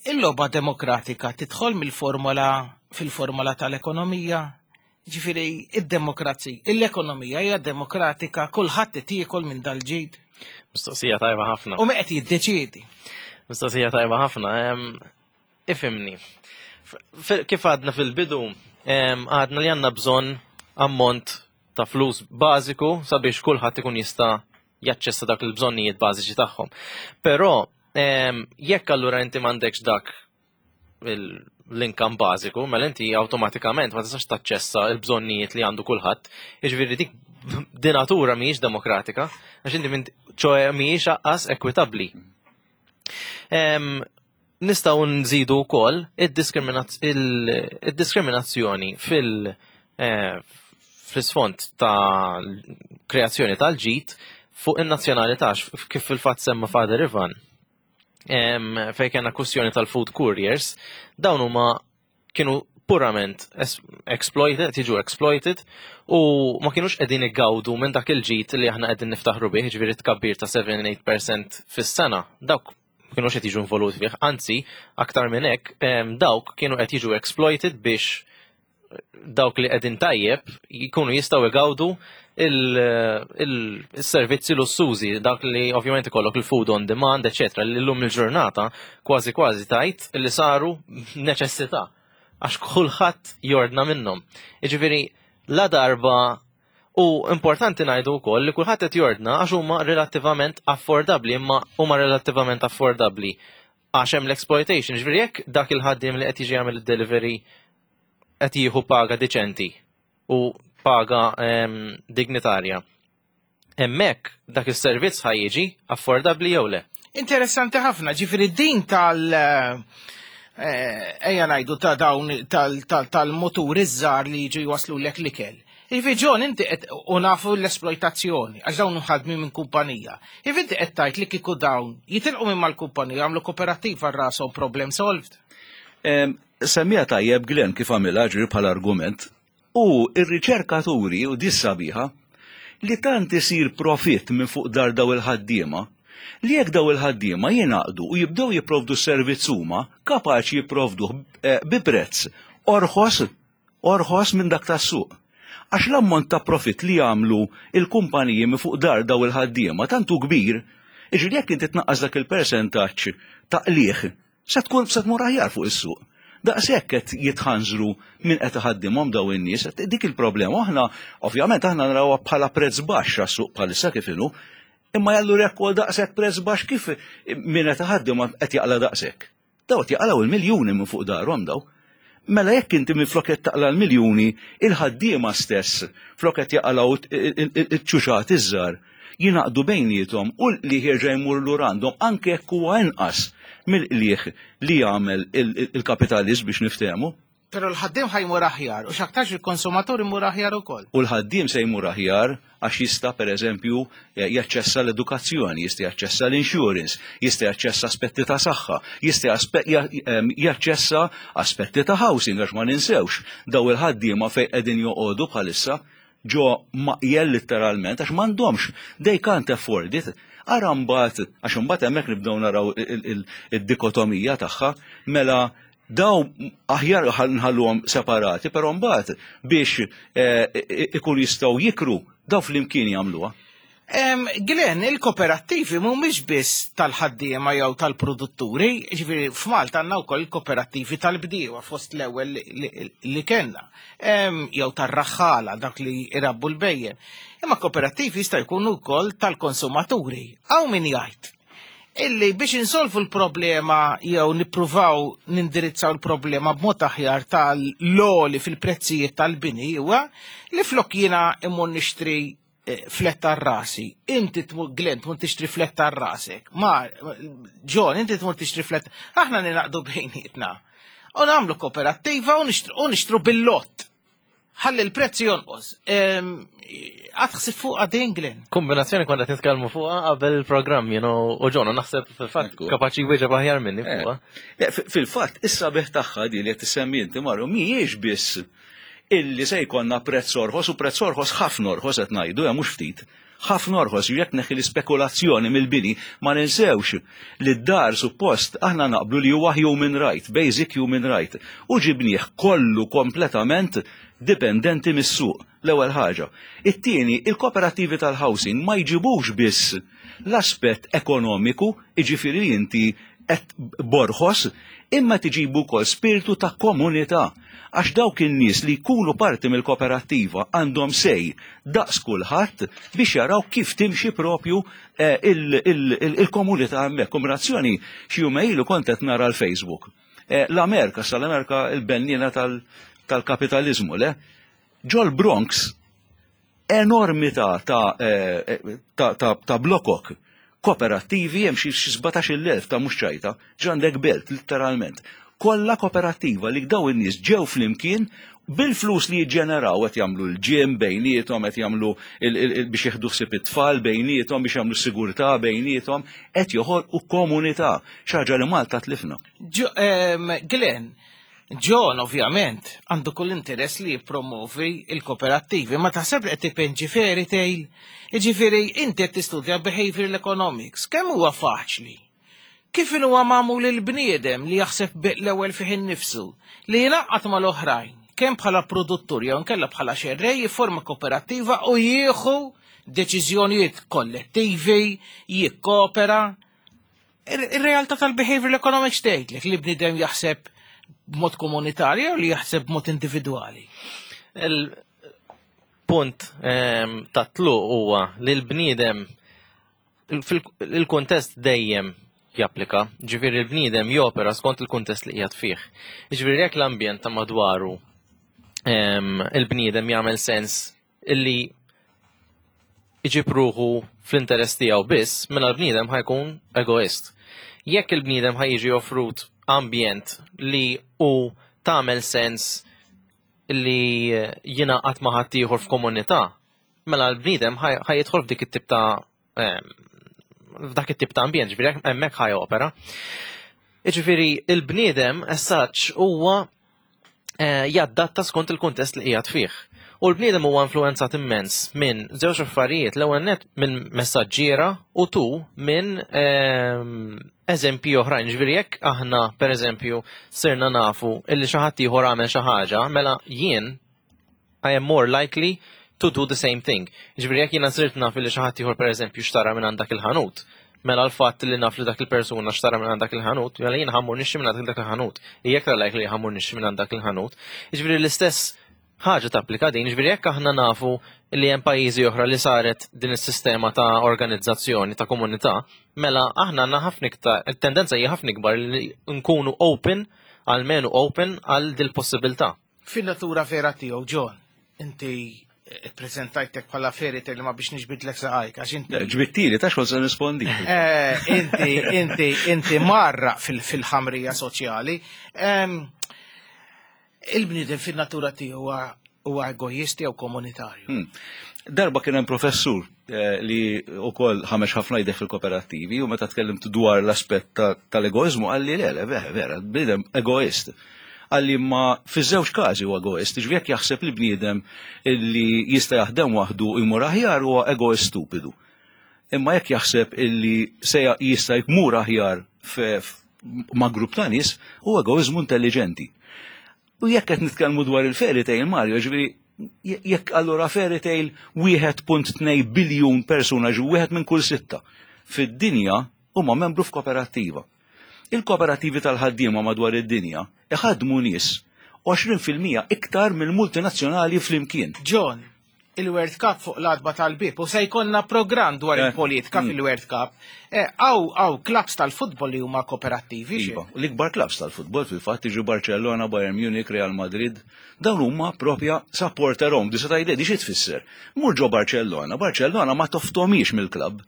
Il-logħba demokratika tidħol mill-formola fil-formola tal-ekonomija, ġifieri id-demokrazija, l-ekonomija hija demokratika, kulħadd tiekol minn dal-ġid. Mistoqsija tajba ħafna. U qed jiddeċiedi. Mistoqsija tajba ħafna. Ifhimni. Kif għadna fil-bidu, għadna li għandna bżonn ammont ta' flus bażiku sabiex kulħadd ikun jista' jaċċessa dak il-bżonnijiet bażiċi tagħhom. Però jekk allura inti m'għandekx dak l-income bażiku, mela inti awtomatikament ma tistax taċċessa l-bżonnijiet li għandu kulħadd. Jiġifieri dik di natura mhijiex demokratika, għax inti minn ċoe mhijiex aqqas ekwitabbli. Nistgħu nżidu wkoll id-diskriminazzjoni fil- eh, fl-isfond ta' kreazzjoni tal-ġid fuq in-nazzjonalità kif fil-fatt semma Father Ivan. Fejn kellna kwistjoni tal-food couriers, dawn huma kienu purament exploited, tiġu exploited u ma kienux qegħdin igawdu minn dak il-ġid li aħna qegħdin niftaħru bih, ġifieri tkabbir ta' 7-8% fis-sena. Dawk ma kienux qed jiġu involuti fih, anzi aktar minn hekk dawk kienu qed jiġu exploited biex dawk li qegħdin tajjeb jkunu jistgħu igawdu il-servizzi lussużi, dak li ovvjament ikollok il-food on demand, eċetera, li llum il-ġurnata kważi kważi tajt li saru neċessità għax kulħadd jordna minnhom. Jiġifieri la darba u importanti ngħidu wkoll li kulħadd qed jordna għax huma relattivament affordabbli, imma huma relattivament affordabbli għax hemm l-exploitation. Ġifieri jekk dak il-ħaddiem li qed jiġi jagħmel id-delivery qed jieħu paga diċenti u paga dignitarja. Hemmhekk dak is-servizz ħa jiġi affordabbli jew le? Interessanti ħafna, ġifieri din tal- ejja ngħidu ta' dawn tal-moturi żgħar li jiġu jwaslulek l-ikel. Jiġifieri John inti qed u nafu l-esploitazzjoni għax dawn ħadmi minn kumpanija. Jiġifieri inti qed tgħid li kieku dawn jitilqu minn mal-kumpanija jagħmlu koperattiva rashom problem solved. Semmija tajjeb Glenn kif għamilha ġri bħala argument. U r-riċerkaturi u dis sabiħa li tant isir profitt minn fuq dar daw il-ħaddiema li jekk daw il-ħaddiema jingħaqdu u jibdew jipprovdu s-servizz huma kapaċi jipprovduh eh, bi prezz orħos orħos minn dak tas-suq. Għax l-ammont ta' profitt li jagħmlu il-kumpaniji minn fuq dar daw il-ħaddiema tant hu kbir, jiġifieri jekk inti tnaqqas dak il-persentaġġ ta' qligħ se tkun se tmur aħjar fuq is-suq. Daqshekk qed jitħanżru min qed iħaddimhom daw in-nies, dik il-problema aħna ovvjament aħna narawha bħala prezz baxx għas-suq bħalissa kif inhu, imma jallu jekk ukoll daqshekk prezz baxx kif min qed iħaddimhom qed jaqla' daqshekk. Daw qed jaqalgħu il-miljuni minn fuq darhom daw. Mela jekk inti minflok qed taqla' l-miljuni, il-ħaddiema stess flok qed jaqalgħu iċ-ċuċat iż-żgħar jingħaqdu bejniethom u l-qligħ jerġa' jmur lura għandhom anke jekk huwa inqas mill-qligħ li jagħmel il-kapitalist biex niftehmu. Però l-ħaddiem ħa jmur aħjar u x'aktarx il-konsumatur imur aħjar ukoll. U l-ħaddiem se jmur aħjar għax jista' pereżempju jaċċessa l-edukazzjoni, jista' jaċċessa l-insurance, jista' jaċċessa aspetti ta' saħħa, jista' jaċċessa aspetti ta' housing għax ma ninsewx daw il-ħaddiema fejn qegħdin joqogħdu bħalissa ġo maqjel litteralment għax m'għandhomx, they can't afford it. Ara mbagħad, għax imbagħad hemmhekk nibdew naraw id-dikotomija tagħha, mela Daw aħjar nħalluhom separati, però mbagħad biex eh, ikun jistgħu jikru daw flimkien jagħmluha. Glenn, il-kooperattivi mhumiex biss tal-ħaddiema jew tal-produtturi, ġifieri f'Malta għandna wkoll il-kooperattivi tal-bdiewa fost l-ewwel li kellna, jew tar-raħħala dak li jrabbu l-bejjem. Imma kooperattivi jista' jkunu wkoll tal-konsumaturi. Hawn min jgħid illi biex insolvu l-problema jew nippruvaw nindirizzaw l-problema b'mod aħjar tal-loli fil-prezzijiet tal-bini huwa li flok jiena immur nixtri eh, fletta rasi. Inti tmur Glenn tmur tixtri fletta rasek. Ma John, inti tmur tixtri fletta. Aħna ninaqdu bejnietna. U nagħmlu kooperattiva u nixtru bil-lott. Ħalli l-prezz jonqos. Għad ħsib fuq din Glenn. Kombinazzjoni konna qed nitkellmu fuqha qabel il-programm, you know, u John, naħseb fil-fatt kapaċi jwieġeb aħjar minni eh. fuqha. Fil-fatt, issa beħ tagħha di li qed tissemmi inti Mario mhijiex biss illi se jkollna prezz orħos u prezz orħos ħafna orħos qed ngħidu, eh, mhux ftit. Ħafna orħos, jekk neħi l-ispekulazzjoni mill-bini, ma ninsewx li d-dar suppost aħna naqblu li huwa human right, basic human right, u ġibnieh kollu kompletament dipendenti mis-suq, l-ewwel ħaġa. It-tieni, il-kooperattivi tal-housing ma jġibux biss l-aspett ekonomiku, jiġifieri li inti qed borħos, imma tiġibu wkoll spirtu ta' komunità. Għax dawk in-nies li jkunu parti mill-koperattiva għandhom say daqs kulħadd biex jaraw kif timxi propju eh, il-komunità hemmhekk. Kombinazzjoni xi jumejn ilu kont qed nara l-Facebook. Eh, L-Amerika, sa l-Amerika il-bennina tal-kapitalizmu, le? Ġol Bronx, enormità ta' eh, ta' ta' ta' blokok kooperattivi hemm xi 17,000 ta' mhux ċajta, ġandek belt litteralment. Kollha kooperattiva li daw in-nies ġew flimkien bil-flus li jiġġeneraw qed jagħmlu l-ġim bejniethom, qed jagħmlu biex jieħdu ħsieb it-tfal bejniethom, biex jagħmlu sigurtà bejniethom, qed joħolqu komunità, xi ħaġa li Malta tlifna. Glenn, John ovvjament għandu kull interess li jippromovi il-kooperattivi, ma taħseb li qed tipenġi fairy tale? Jiġifieri inti qed tistudja behavioral economics, kemm huwa faċli? Kif huwa magħmul il-bniedem li jaħseb l-ewwel fih innifsu, li jingħaqad mal-oħrajn, kemm bħala produttur jew inkella bħala xerrej jifforma kooperattiva u jieħu deċiżjonijiet kollettivi, jikkopera. Ir-realtà tal-behavioral economics tgħidlek li bniedem jaħseb b'mod komunitarju u li jaħseb b'mod individwali. Il-punt ehm, ta' tluq huwa li l-bniedem il-kuntest dejjem japplika, ġifieri l-bniedem jopera skont il-kuntest li qiegħed fih. Ġifieri jekk l-ambjent ta' madwaru ehm, il-bniedem jagħmel sens illi iġib ruħu fl-interess tiegħu biss, mela l-bniedem ħajkun egoist. Jekk il-bniedem ħajġi offrut ambjent li hu tagħmel sens li jingħaqad ma' ħaddieħor f'komunità, mela l-bniedem ħajidħol f'dik it-tip ta' f'dak it-tip ta' ambjent, ġifieri hemmhekk ħaj opera. Jiġifieri il-bniedem as such huwa eh, jaddatta skont il-kuntest li qiegħed fih. U l-bniedem huwa influenzat immens minn żewġ affarijiet, l-ewwel net minn messaġġiera u tu minn ehm, eżempji oħrajn. Ġifieri jekk aħna pereżempju sirna nafu illi xi ħadd ieħor għamel xi ħaġa, mela jien I am more likely to do the same thing. Ġifieri jekk jiena sirt naf li xi ħadd ieħor pereżempju xtara minn għand dak il-ħanut, mela l-fatt li naf li dak il-persuna xtara minn għand dak il-ħanut, mela jiena ħammur nixtri minn għand dak il-ħanut. Hija aktar likely li ħammur nixtri minn għand dak il-ħanut. Ġifieri l-istess ħaġa tapplika din, ġifieri jekk aħna nafu li hemm pajjiżi oħra li saret din is-sistema ta' organizzazzjoni ta' komunità, mela aħna għandna ħafna iktar, il-tendenza hija ħafna ikbar li nkunu open, almenu open għal dil-possibilità. Fin-natura vera tiegħu, John, inti ppreżentajtek bħala fairy tale ma biex niġbidlek saqajk għax inti. Ġbittili, ta' xogħol se nispondi. Eh, inti, inti, inti marra fil-ħamrija soċjali. Il-bniedem fin-natura tiegħu huwa egoist jew komunitarju. Hmm. Darba kien hemm professur eh, li wkoll ħamex ħafna jdeh fil-kooperattivi u meta tkellimt dwar l-aspett tal-egoiżmu qalli le, le, vera, vera, bniedem egoist. Qalli ma fiż-żewġ każi huwa egoist, ġifieri jekk jaħseb li bniedem li jista' jaħdem waħdu u jmur aħjar huwa egoist stupidu. Imma jekk jaħseb illi se jista' jmur aħjar ma' grupp ta' nies huwa egoiżmu intelligenti. U jekk qed nitkellmu dwar il-fairy tale Mario, ġifieri jekk allura fairy tale 1.2 biljun persuna ġu wieħed minn kull sitta fid-dinja huma membru f'kooperattiva. Il-kooperattivi tal-ħaddiema madwar id-dinja iħaddmu nies 20% iktar mill-multinazzjonali flimkien. John, il-World Cup fuq l-adba tal-bib u se jkollna programm dwar eh, il-politika mm. fil-World Cup. Eh, għaw, għaw, klabs tal-futbol li huma kooperattivi. Iva, l-ikbar klabs tal-futbol fil-fatt iġu Barcellona, Bayern Munich, Real Madrid, dawn huma propja supporter owned, disa tajde di xi tfisser. Mur ġo Barcellona, Barcellona ma toftomiex mill-klabb.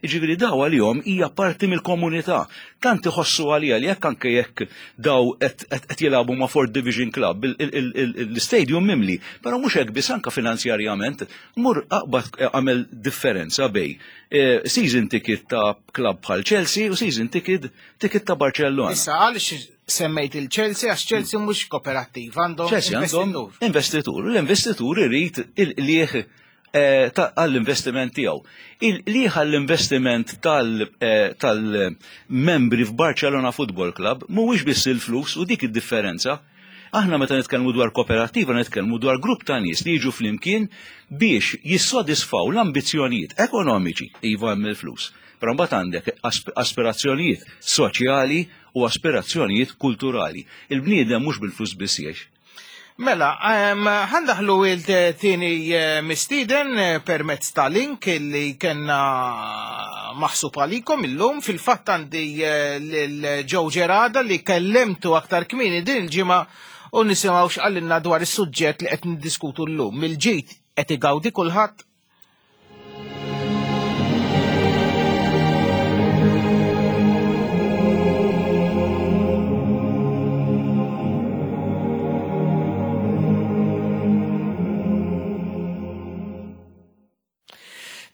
Jiġifieri daw għalihom hija parti mill-komunità. Tant iħossu għaliha li jekk anke jekk daw qed jilagħbu ma' Fourth Division Club, l-istadium mimli, però mhux hekk biss anke finanzjarjament mur aqbad għamel differenza bej eh, season ticket ta' club bħal Chelsea u season ticket ticket ta' Barcellona. Issa għaliex semmejt il-Chelsea għax Chelsea mhux kooperattiva għandhom Chelsea għandhom investitur. L-investitur irid il-qlieħ Eh, għall-investiment tiegħu. Il-liħ għall-investiment eh, tal-membri f'Barcelona Football Club mhuwiex biss il-flus u dik id-differenza. Aħna meta nitkellmu dwar kooperattiva nitkellmu dwar grupp ta' nies li jiġu flimkien biex jissodisfaw l-ambizzjonijiet ekonomiċi iva hemm il-flus. Però mbagħad għandek aspirazzjonijiet soċjali u aspirazzjonijiet kulturali. Il-bniedem mhux bil-flus biss jgħix. Mela, ħandaħlu il-tieni eh, mistieden eh, permezz ta' link li kena maħsub għalikom illum. Fil-fatt għandi eh, lil Joe Gerada li kellemtu aktar kmieni din il-ġimgħa u nisimgħu x'qalilna dwar is-suġġett li qed niddiskutu llum. Mill-ġid qed igawdi kulħadd?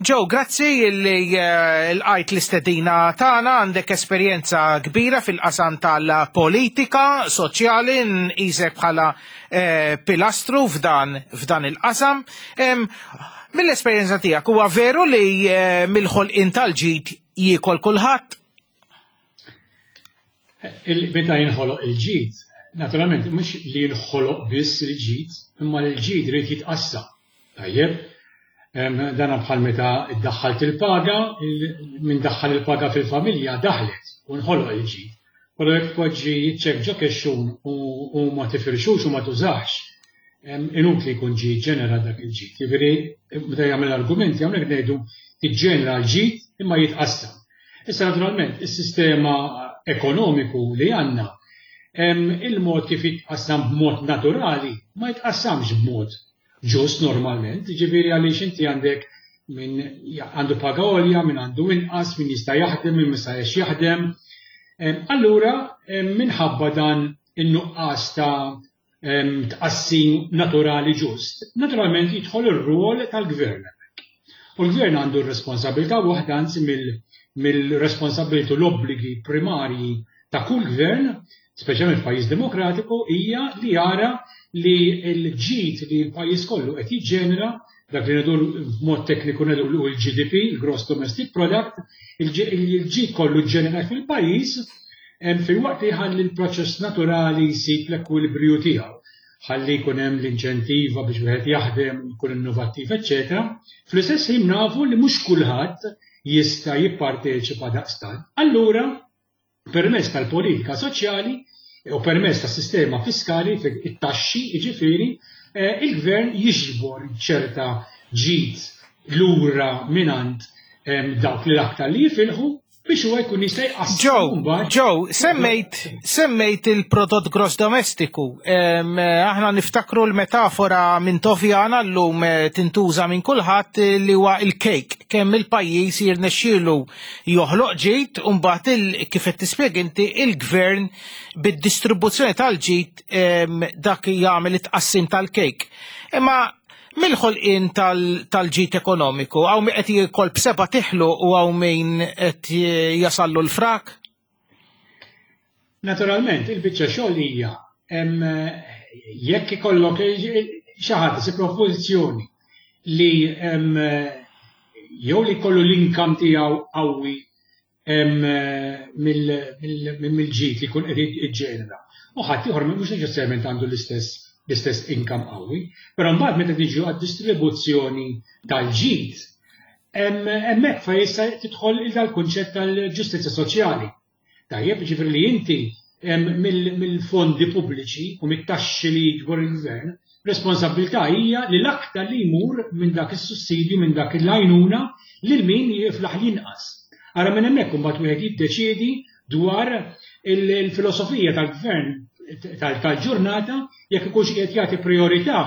Joe, grazzi li eh, l-għajt l-istedina tagħna għandek esperjenza kbira fil-qasam tal-politika soċjali nqisek bħala eh, pilastru f'dan f'dan il-qasam. Mill-esperjenza tiegħek huwa veru li eh, mill-ħolqien tal-ġid jiekol kulħadd? Meta jinħoloq il-ġid, naturalment mhux li jinħoloq biss il-ġid, imma li l-ġid irid jitqassam. Tajjeb? Dana bħal meta ddaħħalt il-paga, min daħħal il-paga fil-familja daħlet u nħoloq il-ġid. Però jekk tpoġġi ċ-ċekk ġo kexxun u ma tifirxux u ma tużax, inutli jkun ġie ġġenerat dak il-ġid. Jiġifieri meta jagħmel argumenti hawnhekk ngħidu tiġġenera l-ġid imma jitqassam. Issa naturalment is-sistema ekonomiku li għandna il-mod kif jitqassam b'mod naturali ma jitqassamx b'mod ġust normalment, jiġifieri għaliex inti għandek min għandu paga għolja, min għandu inqas, min jista' jaħdem, min ma jistax jaħdem. Allura minħabba dan in-nuqqas ta' tqassim naturali ġust, naturalment jidħol ir-rwol tal-gvern hemmhekk. U l-gvern għandu r-responsabilità waħda anzi mill-responsabilità u l-obbligi primarji ta' kull gvern, speċjalment f'pajjiż demokratiku, hija li jara li l-ġid li l-pajjiż kollu qed jiġġenera, dak li ngħidu b'mod tekniku ngħidu l-GDP, il-Gross Domestic Product, il-ġid kollu ġġenerat fil-pajjiż, filwaqt li jħalli l-proċess naturali jsib l-ekwilibriju tiegħu, ħalli jkun hemm l-inċentiva biex wieħed jaħdem, jkun innovattiv, eċċetera. Fl-istess ħin nafu li mhux kulħadd jista' jipparteċipa daqstant. Allura, permezz tal-politika soċjali u permezz tas-sistema fiskali, it-taxxi, jiġifieri, eh, il-gvern jiġbor ċerta ġid lura mingħand dawk li l-aktar li jifilħu biex huwa jkun jista' jqassam. Joe, Joe, semmejt semmejt il-prodott gross domestiku. Aħna niftakru l-metafora minn Tovjana llum eh, tintuża minn kulħadd eh, li huwa il-kejk kemm il-pajjiż jirnexxielu joħloq ġid u mbagħad kif qed tispjega inti il-gvern bid-distribuzzjoni tal-ġid dak jagħmel it-tqassim tal-kejk. Imma mill-ħolqien tal-ġid ekonomiku, hawn min qed jiekol b'seba' tiħlu u hawn min qed jasallu l-frak? Naturalment, il-biċċa xogħol hija jekk ikollok xi ħadd isib pożizzjoni li jew li jkollu l-income tiegħu qawwi mill-ġid li jkun qed jiġġenera. U ħadd ieħor mhux neċessarjament għandu l-istess l-istess income qawwi. Però mbagħad meta niġu għad-distribuzzjoni tal-ġid, hemmhekk fejn issa tidħol dal-kunċett tal-ġustizzja soċjali. Tajjeb, jiġifieri li inti mill-fondi pubbliċi u mit-taxxi li jiġbor il-gvern, responsabbiltà hija li l-aktar li jmur minn dak is-sussidju, minn dak l-għajnuna lil min jiflaħ l-inqas. Ara minn hemmhekk imbagħad wieħed jiddeċiedi dwar il-filosofija tal-gvern tal-ġurnata jekk ikunx qiegħed jagħti prijorità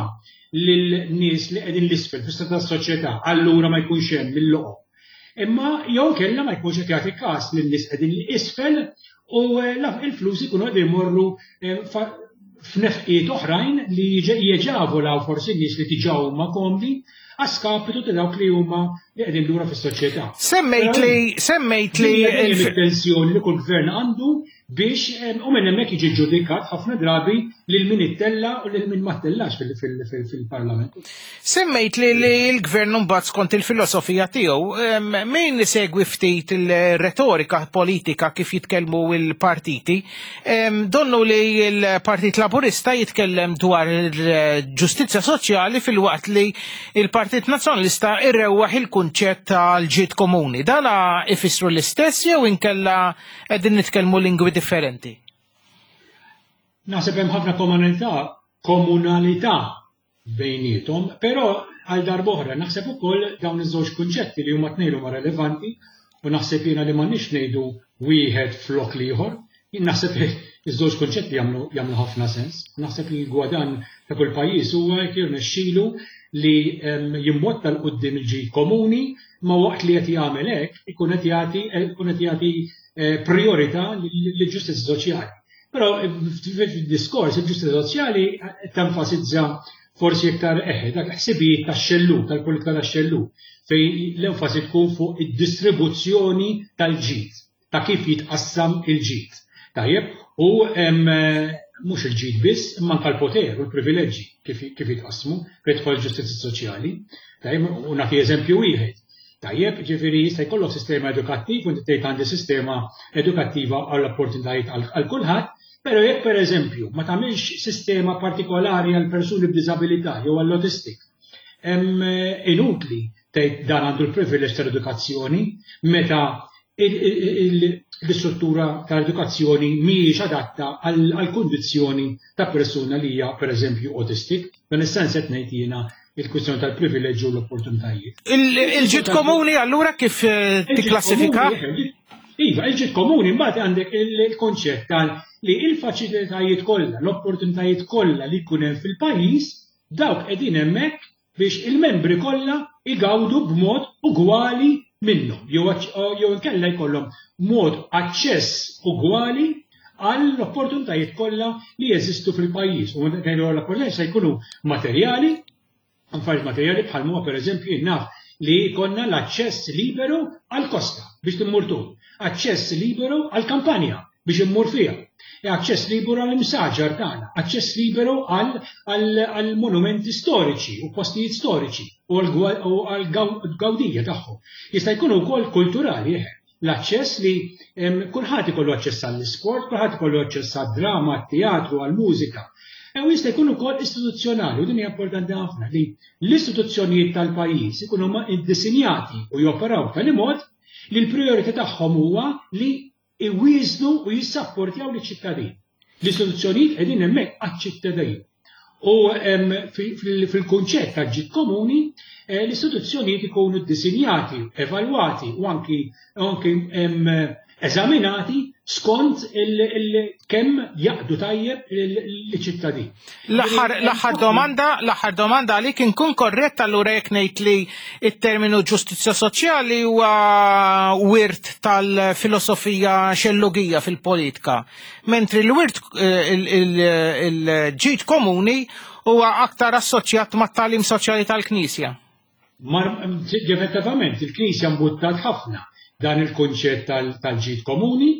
lil nies li qegħdin l-isfel fis-strata tas-soċjetà, allura ma jkunx hemm il-loqom. Imma jew inkella ma jkunx qed jagħti każ lin-nies qegħdin 'l isfel u eh, il-flus ikunu qegħdin jmorru eh, f'nefqiet oħrajn li jeġavolaw forsi nies li diġà huma komdi għaskapitu ta' dawk li huma li qegħdin lura fis-soċjetà. Semmejt li semmejt li il-tensjoni li kull gvern għandu biex u minn hemmhekk jiġi ġġudikat ħafna drabi lil min ittella u lil min ma ttellax fil-Parlament. Semmejt li l-gvern mbagħad skont il-filosofija tiegħu min isegwi ftit il-retorika politika kif jitkellmu l-partiti, donnu li l-Partit Laburista jitkellem dwar il-ġustizzja soċjali filwaqt li il-Partit Nazzjonalista irrewwaħ il-kunċett tal-ġid komuni. Dana ifissru l-istess jew inkella Qegħdin nitkellmu lingwi differenti. Naħseb hemm ħafna komunità komunalità bejniethom, però għal darb'oħra naħseb ukoll dawn iż-żewġ kunċetti li huma tnejn huma relevanti u naħseb jiena li m'għandniex ngħidu wieħed flok l-ieħor. Jien naħseb li ż-żewġ kunċetti jagħmlu jagħmlu ħafna sens. Naħseb li l-gwadann ta' kull pajjiż huwa jekk jirnexxilu li jimbotta 'l quddiem il-ġid komuni ma waqt li qed jagħmel hekk ikun qed jagħti ikun qed jagħti eh, priorità lill-ġustizzja soċjali. Però fid-diskors il-ġustizzja soċjali tenfasizza forsi iktar eħe dak ħsibijiet tax-xellug, tal-politika tax-xellug, fejn l-enfasi tkun fuq id-distribuzzjoni tal-ġid, ta' kif jitqassam il-ġid. Tajjeb, u mhux il-ġid biss, imma anke l-poter u l-privileġġi kif jitqassmu fejn tidħol il-ġustizzja soċjali. Tajjeb, u nagħti eżempju wieħed. Tajjeb, ġifieri jista' jkollok sistema edukattiv u inti tgħid għandi sistema edukattiva għall opportunitajiet għal kulħadd, però jekk pereżempju ma tagħmilx sistema partikolari għal persuni b'diżabilità jew għall autistic, inutli tgħid dan għandu l-privileġġ tal-edukazzjoni meta l-istruttura tal-edukazzjoni mhijiex adatta għall-kundizzjoni ta' persuna li hija pereżempju autistic. Dan is-sens qed ngħid jiena il-kwistjoni tal-privileġġi u l-opportunitajiet. Il-ġid komuni allura kif eh, tikklassifika? Iva, il-ġid komuni mbagħad għandek il-konċett tal li il-faċilitajiet kollha, l-opportunitajiet kollha li jkun hemm fil-pajjiż, dawk qegħdin hemmhekk biex il-membri kollha igawdu b'mod ugwali minnhom jew jew inkella jkollhom mod aċċess ugwali għall-opportunitajiet kollha li jeżistu fil-pajjiż. U meta ngħidu għall-opportunitajiet se jkunu materjali, affarijiet materjali bħal huwa pereżempju jien naf li jkollna l-aċċess liberu għall-kosta biex timmur tul, aċċess liberu għall-kampanja biex immur fiha, e aċċess liberu għall-imsaġar tagħna, aċċess liberu għall-monumenti storiċi u postijiet storiċi u għall-gawdija tagħhom. Jista' jkun ukoll kulturali, eħe. L-aċċess li kulħadd ikollu aċċess għall-isport, kulħadd ikollu aċċess għad-drama, għat-teatru, għall-mużika. E u jista' jkun ukoll istituzzjonali, u din hija importanti ħafna li l-istituzzjonijiet tal-pajjiż ikunu ddisinjati u joperaw b'tali mod li l-prijorità tagħhom huwa li iwieżnu u jissapportjaw liċ-ċittadin. L-istituzzjonijiet qegħdin hemmhekk għaċ-ċittadin. U fil-kunċett ta' ġid komuni, eh, l-istituzzjonijiet ikunu ddisinjati, evalwati u anki eżaminati skont kemm jaqdu tajjeb l-ċittadin. L-aħħar domanda, l-aħħar domanda għalik inkun korrett allura jekk ngħid li it-terminu ġustizzja soċjali huwa wirt tal-filosofija xellugija fil-politika, mentri l-wirt eh, il-ġid komuni huwa aktar assoċjat mat-tagħlim soċjali tal-Knisja. Effettivament, il-Knisja mbuttat ħafna dan il-kunċett tal-ġid komuni,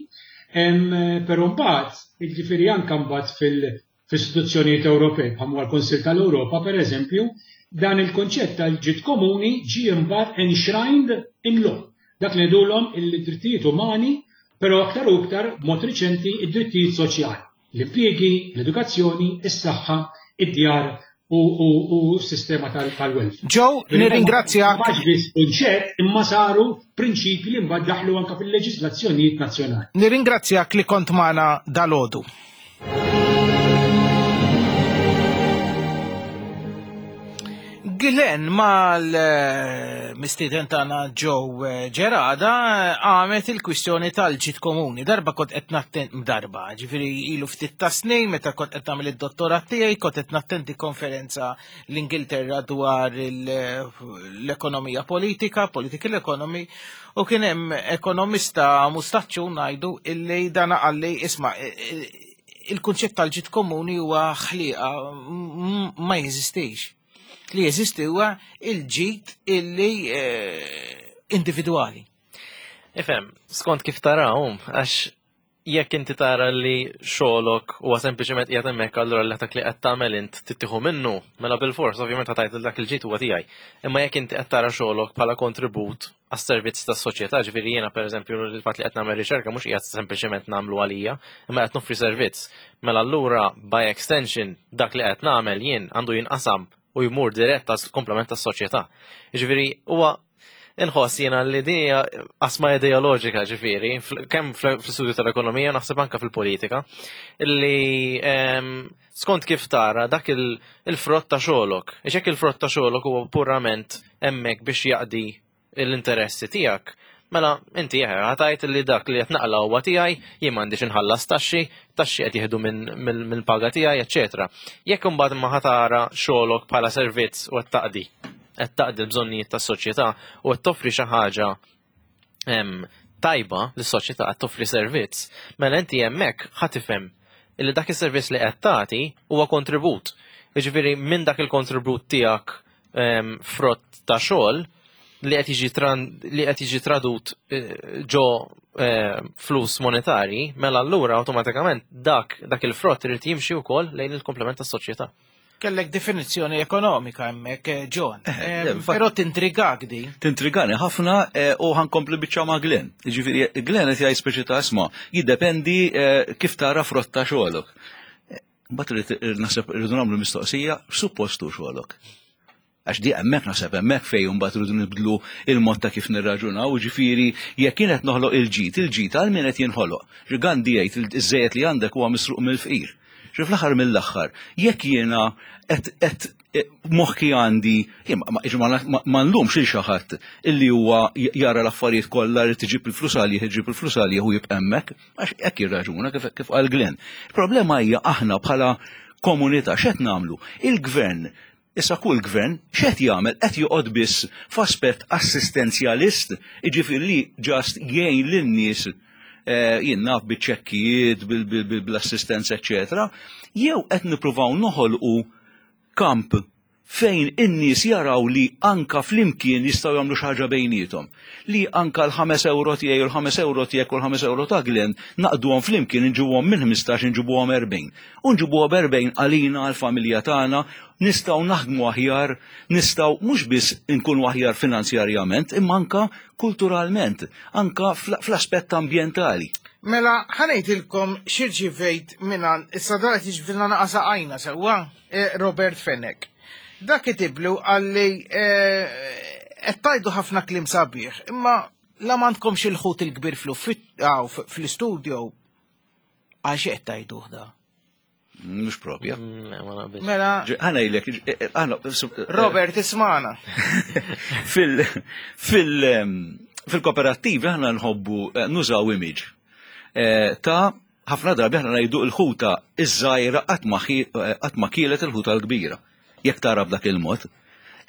però mbagħad, jiġifieri anke mbagħad fil-istituzzjonijiet Ewropej bħal huwa l-Kunsill tal-Ewropa pereżempju, dan il-kunċett tal-ġid komuni ġie mbagħad enshrined in law. Dak li ngħidulhom il-drittijiet umani, però aktar u iktar b'mod riċenti id-drittijiet soċjali. L-impjiegi, l-edukazzjoni, is-saħħa, id-djar u s-sistema tal-welfare. Joe, nirringrazzjak. Ma biss kunċett imma saru prinċipji li mbagħad daħlu anke fil-leġiżlazzjonijiet nazzjonali. Nirringrazzjak li kont magħna dalgħodu. Glenn mal-mistieden tagħna Joe eh, Ġerada għamet il-kwistjoni tal-ġid komuni. Darba kont qed nattent darba, ġifieri ilu ftit ta' snin meta kont qed nagħmel id-dottorat tiegħi kont qed nattenti konferenza l-Ingilterra dwar l-ekonomija politika, political economy, u kien hemm ekonomista mustaċċu ngħidu illi dan qalli isma' il-kunċett tal-ġid komuni huwa ħliqa ma jeżistix. Li jeżisti huwa il-ġid illi eh, individwali. Ifhem, skont kif tarahom, għax jekk inti tara li xogħolok huwa sempliċement qiegħed hemmhekk allura li dak li qed tagħmel int tittieħu minnu, mela bilfors ovvjament ħa tgħid li dak il-ġid huwa tiegħi. Imma jekk inti qed tara xogħolok bħala kontribut għas-servizz tas-soċjetà, ġifieri jiena pereżempju il-fatt li qed nagħmel riċerka mhux qiegħed sempliċement nagħmlu għalija, imma qed noffri servizz. Mela allura by extension dak li qed nagħmel jien għandu jinqasam u jmur dirett għall-komplement tas-soċjetà. Ġifieri huwa. Inħoss jiena li din hija qasma ideoloġika ġifieri, kemm fl-istudju tal-ekonomija naħseb anke fil-politika, li ehm, skont kif tara dak il-frott ta' xogħolok. Għax jekk il-frott ta' xogħolok huwa purament hemmhekk biex jaqdi l-interessi tiegħek, mela inti eħe ħatajt li dak li qed naqla huwa tiegħi, jien m'għandix inħallas taxxi, taxxi qed jieħdu mill-paga tiegħi, eċċetera. Jekk imbagħad ma ħatara xogħolok bħala servizz u qed taqdi qed taqdi l-bżonnijiet tas-soċjetà u qed toffri xi ħaġa tajba lis-soċjetà qed toffri servizz, mela inti hemmhekk ħa tifhem illi dak is-servizz li qed tagħti huwa kontribut. Jiġifieri minn dak il-kontribut tiegħek frott ta' xogħol li qed jiġi li qed jiġi tradut eh, ġo eh, flus monetarji, mela allura awtomatikament dak dak il-frott irid jimxi wkoll lejn il-komplement tas-soċjetà. Kellek definizzjoni ekonomika hemmhekk, eh, John. Eh, eh, però tintrigak di. Tintrigani ħafna u ħankompli biċċa ma' Glenn. Ġifieri Glenn qed jgħid speċi ta' isma' jiddependi kif tara frotta xogħolok. Mbagħad naħseb irridu nagħmlu mistoqsija suppostu xogħolok. Għax di hemmhekk naħseb hemmhekk fejn imbagħad irridu nibdlu il-mod ta' kif nirraġunaw, jiġifieri jekk jien qed noħloq il-ġid, il-ġid għal min qed jinħoloq. Xi Gandhi jgħid iż-żejjed li għandek huwa misruq mill-fqir. Xi fl-aħħar mill-aħħar, jekk jiena qed qed eh, moħħi għandi, ma nlumx lil xi ħadd illi huwa jara l-affarijiet kollha li tiġib il-flus għalih, iġib il-flus għalih u jibqa' hemmhekk, għax hekk jirraġuna kif kif qal Glenn. Il-problema hija aħna bħala komunità x'qed nagħmlu? Il-gvern Issa kull gvern x'qed jagħmel qed joqgħod biss f'aspett assistenzjalist, jiġifieri li just jgħin lin-nies eh, jien naf biċ-ċekkijiet, bl-assistenza, eċetera, jew qed nippruvaw noħolqu kamp fejn in-nies jaraw li anka flimkien jistgħu jagħmlu xi ħaġa bejniethom. Li anka l-5 euro tiegħi u l-5 euro tiegħek u l-5 euro ta' Glenn naqduhom flimkien inġibuhom minn 15 inġibuhom 40. U nġibuha b'erbgħin għalina għall-familja tagħna, nistgħu naħdmu aħjar, nistgħu mhux biss inkunu aħjar finanzjarjament, imma anka kulturalment, anka fl-aspett ambjentali. Mela, ħa ngħidilkom x'irċivejt mingħand, issa dan qed jiġbdilna naqa' saqajna sewwa, eh, Robert Fenech. Dak kitiblu qalli eh, qed tgħidu ħafna kliem sabiħ, imma la m'għandkomx il-ħut il-kbir fl-istudio Għal xi qed tgħiduh da? Mhux propja. Mm, mela. Ħana jilek, eh, eh, aħna. Eh, Robert, ismana. Fil, fil, ehm, fil-kooperattivi aħna nħobbu nużaw image ta' ħafna drabi aħna ngħidu l-ħuta iż-żgħira qatt ma kielet il-ħuta l-kbira. Jekk tara b'dak il-mod.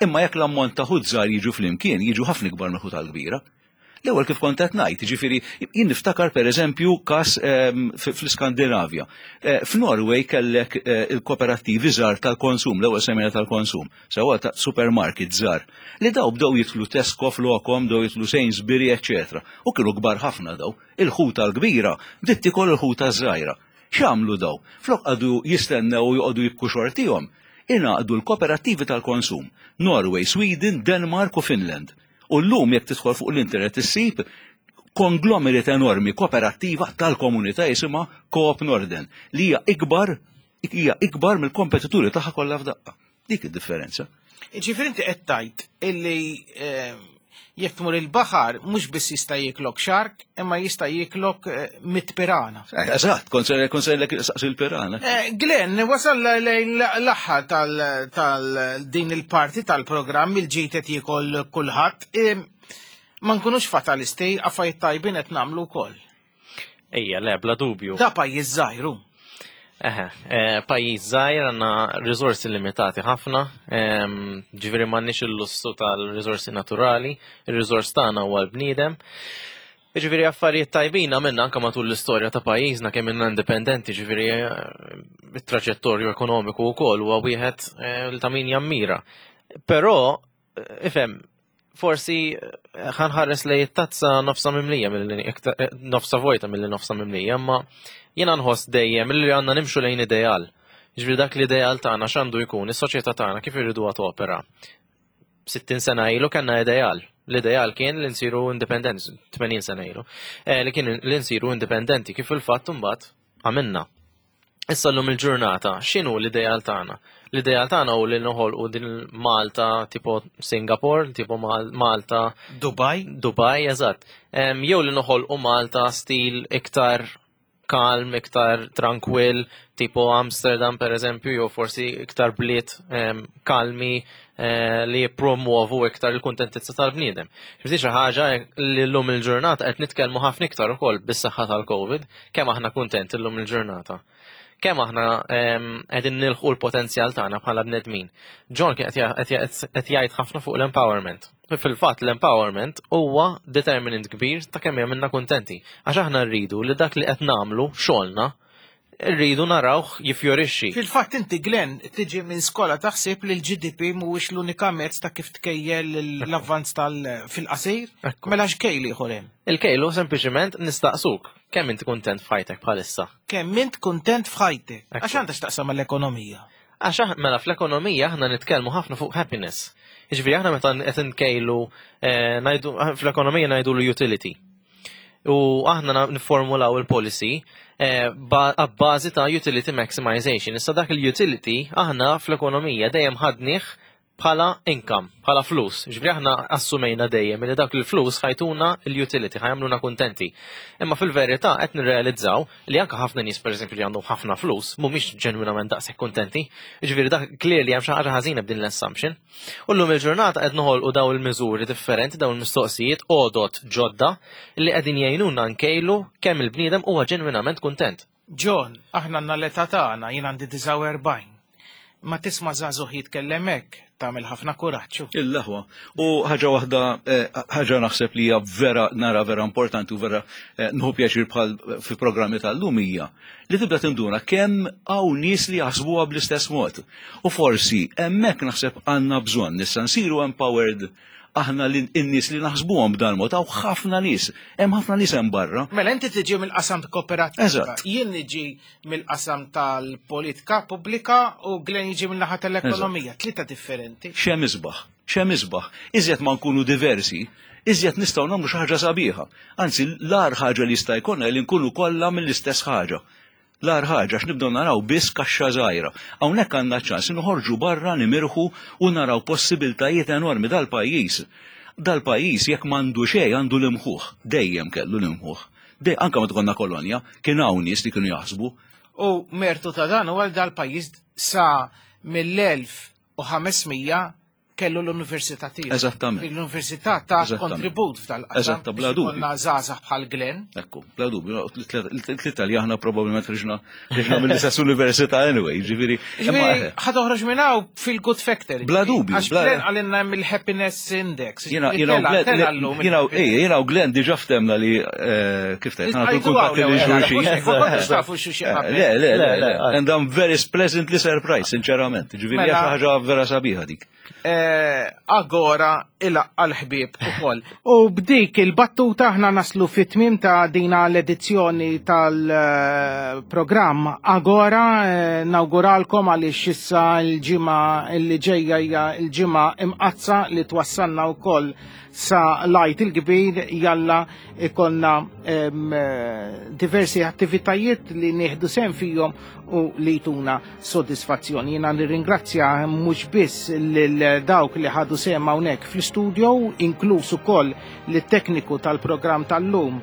Imma jekk l-ammont ta' ħut żgħar jiġu flimkien, jiġu ħafna ikbar mill-ħuta l-kbira. L-ewwel kif kont qed ngħid, jiġifieri jien niftakar pereżempju każ ehm, fl-Iskandinavja. Eh, F'Norway kellek eh, il-kooperattivi żgħar tal-konsum, l-ewwel semmejna tal-konsum, sewwa ta' supermarket żgħar, li daw bdew jitlu Tesco flokhom, bdew jitlu Sainsbury, eċċetera. U kienu kbar ħafna daw. Il-ħuta l-kbira bdiet tikol il-ħuta żgħira. X'għamlu daw? Flok qagħdu jistennew u joqogħdu jibku xortihom, ingħaqdu l-kooperattivi tal-konsum, Norway, Sweden, Denmark u Finland. U llum jekk tidħol fuq l-internet issib konglomerat enormi kooperattiva tal-komunità jisimha Coop Norden li hija ikbar hija ikbar mill-kompetituri tagħha kollha f'daqqa. Dik id-differenza. Ġifieri inti qed tgħid illi eh, jekk tmur il-baħar mhux biss jista' jiklok xark, imma jista' jiklok eh, mit pirana. Eh, eżatt, kont se saqsi l-pirana. Eh, Glenn, wasal lejn l-aħħar tal-din il-parti tal-programm il-ġid qed jiekol kulħadd. Ma nkunux fatalisti, affarijiet tajbin qed nagħmlu wkoll. Ejja, le, bla dubju. Da pajjiż żgħir hu. Eħe, eh, pajjiż żgħir għandna riżorsi limitati ħafna, ehm, ġifieri m'għandniex il-lussu tal-riżorsi naturali, ir-riżors tagħna huwa l-bniedem. Ġifieri affarijiet tajbin għamilna anke matul l-istorja ta' pajjiżna kemm ilna indipendenti, ġifieri eh, it-traġettorju ekonomiku wkoll huwa wieħed eh, li ta' min jammira. Però ifhem, forsi eh, ħanħares lej it-tazza nofsa mimlija milli eh, nofsa vojta milli nofsa mimlija, imma jiena nħoss dejjem li għandna nimxu lejn ideal. Ġifieri dak l-ideal tagħna x'għandu jkun, is-soċjetà tagħna kif irriduha topera. 60 sena ilu kellna ideal. L-ideal kien li nsiru indipendenti, 80 sena ilu, eh, li kien li nsiru indipendenti kif il-fatt imbagħad għamilna. Issa llum il-ġurnata, x'inhu l-ideal tagħna? L-ideal tagħna hu li noħolqu din Malta tipo Singapore, tipo Malta Dubai. Dubai, eżatt. Jew li noħolqu Malta stil iktar kalm, iktar tranquill, tipo Amsterdam per eżempju, jew forsi iktar bliet kalmi eh, li jippromuovu iktar il-kuntentizza tal-bniedem. Ġifieri xi ħaġa li llum il-ġurnata qed nitkellmu ħafna iktar ukoll bis-saħħa tal-COVID, kemm aħna kuntenti llum il-ġurnata. Kemm aħna qegħdin nilħqu l-potenzjal tagħna bħala bnedmin. John kien qed jgħid ħafna fuq l-empowerment. Fil-fatt l-empowerment huwa determinant kbir ta' kemm jagħmilna kuntenti. Għax aħna rridu li dak li qed nagħmlu xogħolna rridu narawh jiffjorixxi. Fil-fatt inti Glenn tiġi minn skola taħseb li l-GDP mhuwiex l-unika mezz ta' kif tkejjel l-avvanz tal fil-qasir. Mela x'kejl ieħor hemm? Il-kejlu sempliċement nistaqsuk kemm inti kuntent f'ħajtek bħalissa. Kemm int kuntent f'ħajtek? Għax għandha x'taqsam mal-ekonomija. Għax mela fl-ekonomija aħna nitkellmu ħafna fuq happiness. Jiġifieri aħna meta qed nkejlu eh, ngħidu fl-ekonomija ngħidulu utility. U aħna niformulaw il-policy eh, għabbażi ta' utility maximization. Issa dak il-utility aħna fl-ekonomija dejjem ħadnih bħala income, bħala flus. Ġifieri aħna assumejna dejjem li dak il-flus ħajtuna l-utility, ħajamluna kuntenti. Imma fil-verità qed nirrealizzaw li anke ħafna nies pereżempju li għandhom ħafna flus mhumiex ġenwinament daqshekk kuntenti. Ġifieri dak clearly hemm xi ħaġa ħażina b'din l-assumption. U llum il-ġurnata qed noħolqu daw il-miżuri differenti, daw il-mistoqsijiet, għodot ġodda li qegħdin jgħinuna nkejlu kemm il-bniedem huwa ġenwinament kuntent. John, aħna għandna l-età tagħna, jien għandi 49. Ma tisma' żagħżugħ jitkellem hekk, tagħmel ħafna kuraġġ. Il-aħwa. U ħaġa waħda, eh, ħaġa naħseb li hija vera nara vera importanti u vera eh, nħu pjaċir bħal fi programmi tal-lum hija li tibda tinduna kemm hawn nies li jaħsbuha bl-istess mod. U forsi hemmhekk naħseb għandna bżonn issa nsiru empowered aħna li n-nies li naħsbuhom b'dan mod hawn ħafna nies, hemm ħafna nies hemm barra. Mela inti tiġi mill-qasam kooperattiva. Eżatt. Jien niġi mill-qasam tal-politika pubblika u Glenn jiġi mill-naħa tal-ekonomija, tlieta differenti. X'hemm isbaħ, x'hemm isbaħ. Iżjed ma nkunu diversi, iżjed nistgħu nagħmlu xi ħaġa sabiħa. Anzi, l-agħar ħaġa li jista' jkollna li nkunu kollha mill-istess ħaġa. L-agħar ħaġa għax nibdew naraw biss kaxxa żgħira. Hawnhekk għandna ċans li noħorġu barra nimirħu u naraw possibiltajiet enormi dal-pajjiż. Dal-pajjiż jekk m'għandu xejn għandu l-imħuħ. Dejjem kellu l-imħuħ. Dej anke meta konna kolonja, kien hawn nies li kienu jaħsbu. U mertu ta' dan huwa dal-pajjiż sa mill-1500 kellu l-università tiegħu. Eżattament. L-università ta' kontribut f'dal-qasam. Eżatt, bla dubju. Konna żgħażagħ bħal Glenn. Ekku, bla dubju. Tlieta li aħna probabbilment ħriġna ħriġna mill-istess università anyway, ġifieri. Ġifieri ħa toħroġ minn hawn fil-good factory. Bla dubju. Għax Glenn għalinna hemm il-happiness index. Jiena jiena jiena u Glenn diġà ftemna li eh, kif tgħid, nagħtu kuntatti li xulxin. Le, le, le, and I'm very pleasantly surprised, sinċerament. Ġifieri hija xi ħaġa vera sabiħa dik. Eh, agora ilaqqa l-ħbieb ukoll. U b'dik il-battuta aħna naslu fit-tmiem ta' dina l-edizzjoni tal-programm Agora eh, nawguralkom għaliex issa l-ġimgħa li ġejja hija l-ġimgħa imqazza li twassalna wkoll sa lajt il-kbir jalla ikonna eh, diversi attivitajiet li nieħdu sem fihom u li jtuna sodisfazzjon. Jiena nirringrazzja mhux biss lil dawk li ħadu sehem hawnhekk fl-istudio, inkluż ukoll lit-tekniku tal-programm tal-lum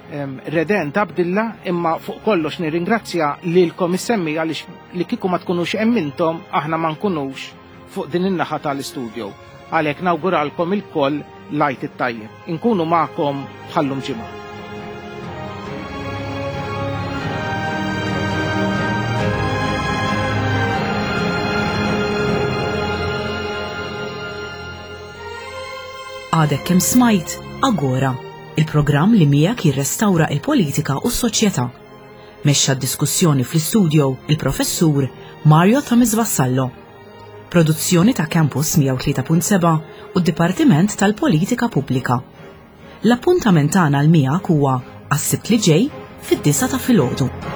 Redent Abdilla, imma fuq kollox nirringrazzja lilkom is-semmi għaliex li kieku ma tkunux hemm intom aħna ma nkunux fuq din in-naħa tal-istudio. Għalhekk nawguralkom ilkoll l-Għid it-tajjeb. Inkunu magħkom bħal-lum ġimgħa. Għadek kemm smajt Agora, il-programm li miegħek jirrestawra il-politika u s-soċjetà. Mexxa d-diskussjoni fl-istudio il-Professur Mario Thomas Vassallo. Produzzjoni ta' Campus 103.7 u d-Dipartiment tal-Politika Pubblika. L-appuntament tagħna l miegħek huwa għas-Sibt li ġej fid-disgħa ta' filgħodu.